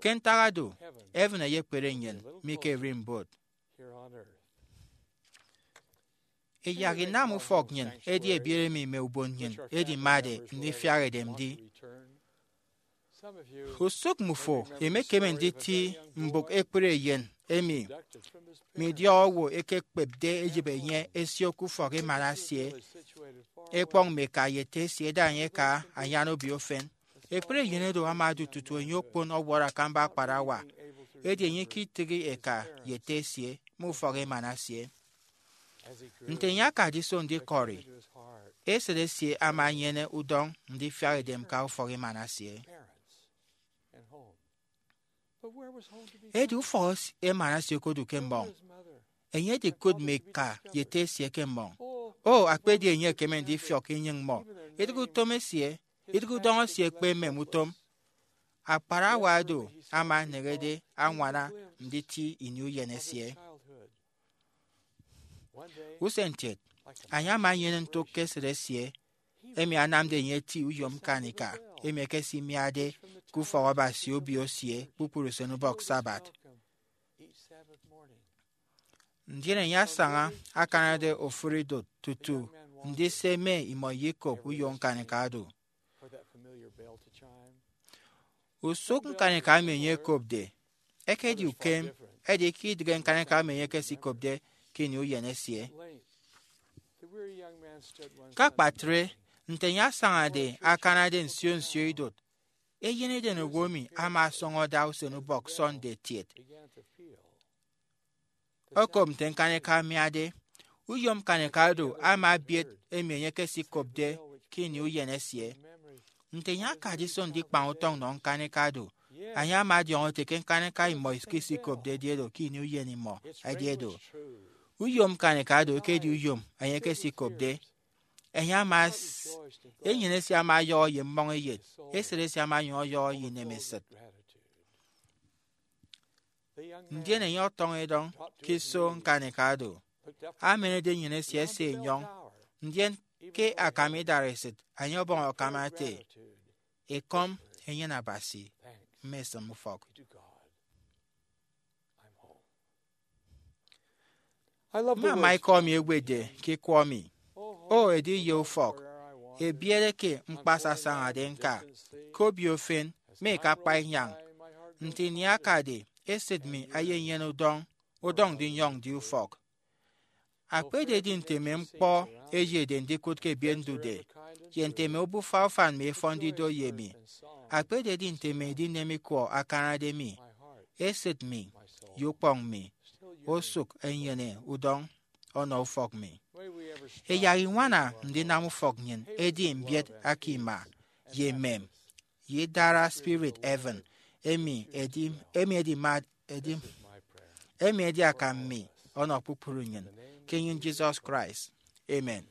Ke ntak oro, heaven eyekpere nnyịn mi ke erimbot. Ẹyak inam ufọk nnyịn edi ebiet emi mme ubon nnyịn ẹdimade ndifiak edem ndi. Usụk mmufo emekeme nditi mbụk ekpri eyen emi midiọk owo ekekpepde eyịghe enye esio ke ufọk emana esie. Ekpọñ mme eka ye ete esie eda enye aka anyan obio ufen. Ekpri eyen oro ama odu tutu enye okpon ọwọrọ akamba akparawa, edi enye iketịghi eka ye ete esie mme ufọk emana esie. Nte enye akade iso ndikọri, esịt esie ama enyene udọñ ndifiak edem ke ufọk emana esie. Edi ufọk emana esie okodu ke mmọñ. Enye edikụt mme eka ye ete esie ke mmọñ. O, akpedi enye ekeme ndifiọk inyụñ mmọ, idịghe utom esie, idịghe udọñ esie ekpe emem utom. Akparawa do ama eneñede añwana nditi ini uyen esie. Usen kiet, enye ama enyene ntụk ke esịt esie, emi anamde enye eti uyom ñkanika emi ekesimiade ke ufọk Abasi obio esie kpukpru usenubọk Sabbath. Ndien enye asaña akanade ofụri idụt tutu ndise mme imọ ye ikop uyom ñkanika do. Usụk ñkanika emi enye ekopde ekedi ukem, edi ke idịghe ñkanika emi enye ekesikopde ke ini uyen esie. Ke akpatre, nte enye asañade akanade nsio nsio idụt, eyen edenowo emi ama ọsọñọ ada usenubọk Sunday etiet. Okop nte ñkanika amiade, uyom ñkanika do ama ebiet emi enye ekesikopde ke ini uyen esie. Nte enye akade iso ndikpañ utọñ nọ ñkanika do, enye ama ọdiọñọ ete ke ñkanika imọ ikisikopde edi edo ke ini uyen imọ edi edo. Uyom ñkanika do ekedi uyom enye ekesikopde. Enye ama s- enyịn esie ama ọyọhọ ye mmọñ eyet, esịt esie ama onyụñ ọyọhọ ye inemesịt. Ndien enye ọtọñọ edọñ ke iso ñkanika do, amanade enyịn esie ese enyọñ, ndien ke akam idaresịt enye ọbọñ akam ete, Ekọm enyene Abasi, mme esịm ufọk. Mma ama ikọ mi ewetde ke ikwọ mi. O, edi ye ufọk ebiere ke ñkpasa asañade ñka ke obio ufen mme ke akpa inyañ. Nte ini akade, esịt mi eyenyene udọñ, udọñ ndinyọñ ndi ufọk. Akpededi nte mme ñkpọ eyede ndikụt ke ebiet ndude, ye nte mme obufa ufan mi ẹfọnde ido ye mi, akpededi nte mme edinem ikwọ akanade mi, esịt mi ye ukpọñ mi osụk ẹnyene udọñ ọnọ ufọk mi. Ẹyak iñwana ndinam ufọk nnyịn edi mbiet aka ima, ye emem, ye idara spirit heaven, emi edi emi edi ma edi emi edi akam mi ọnọ kpukpru nnyịn, ke enyịn Jesus Christ. Amen.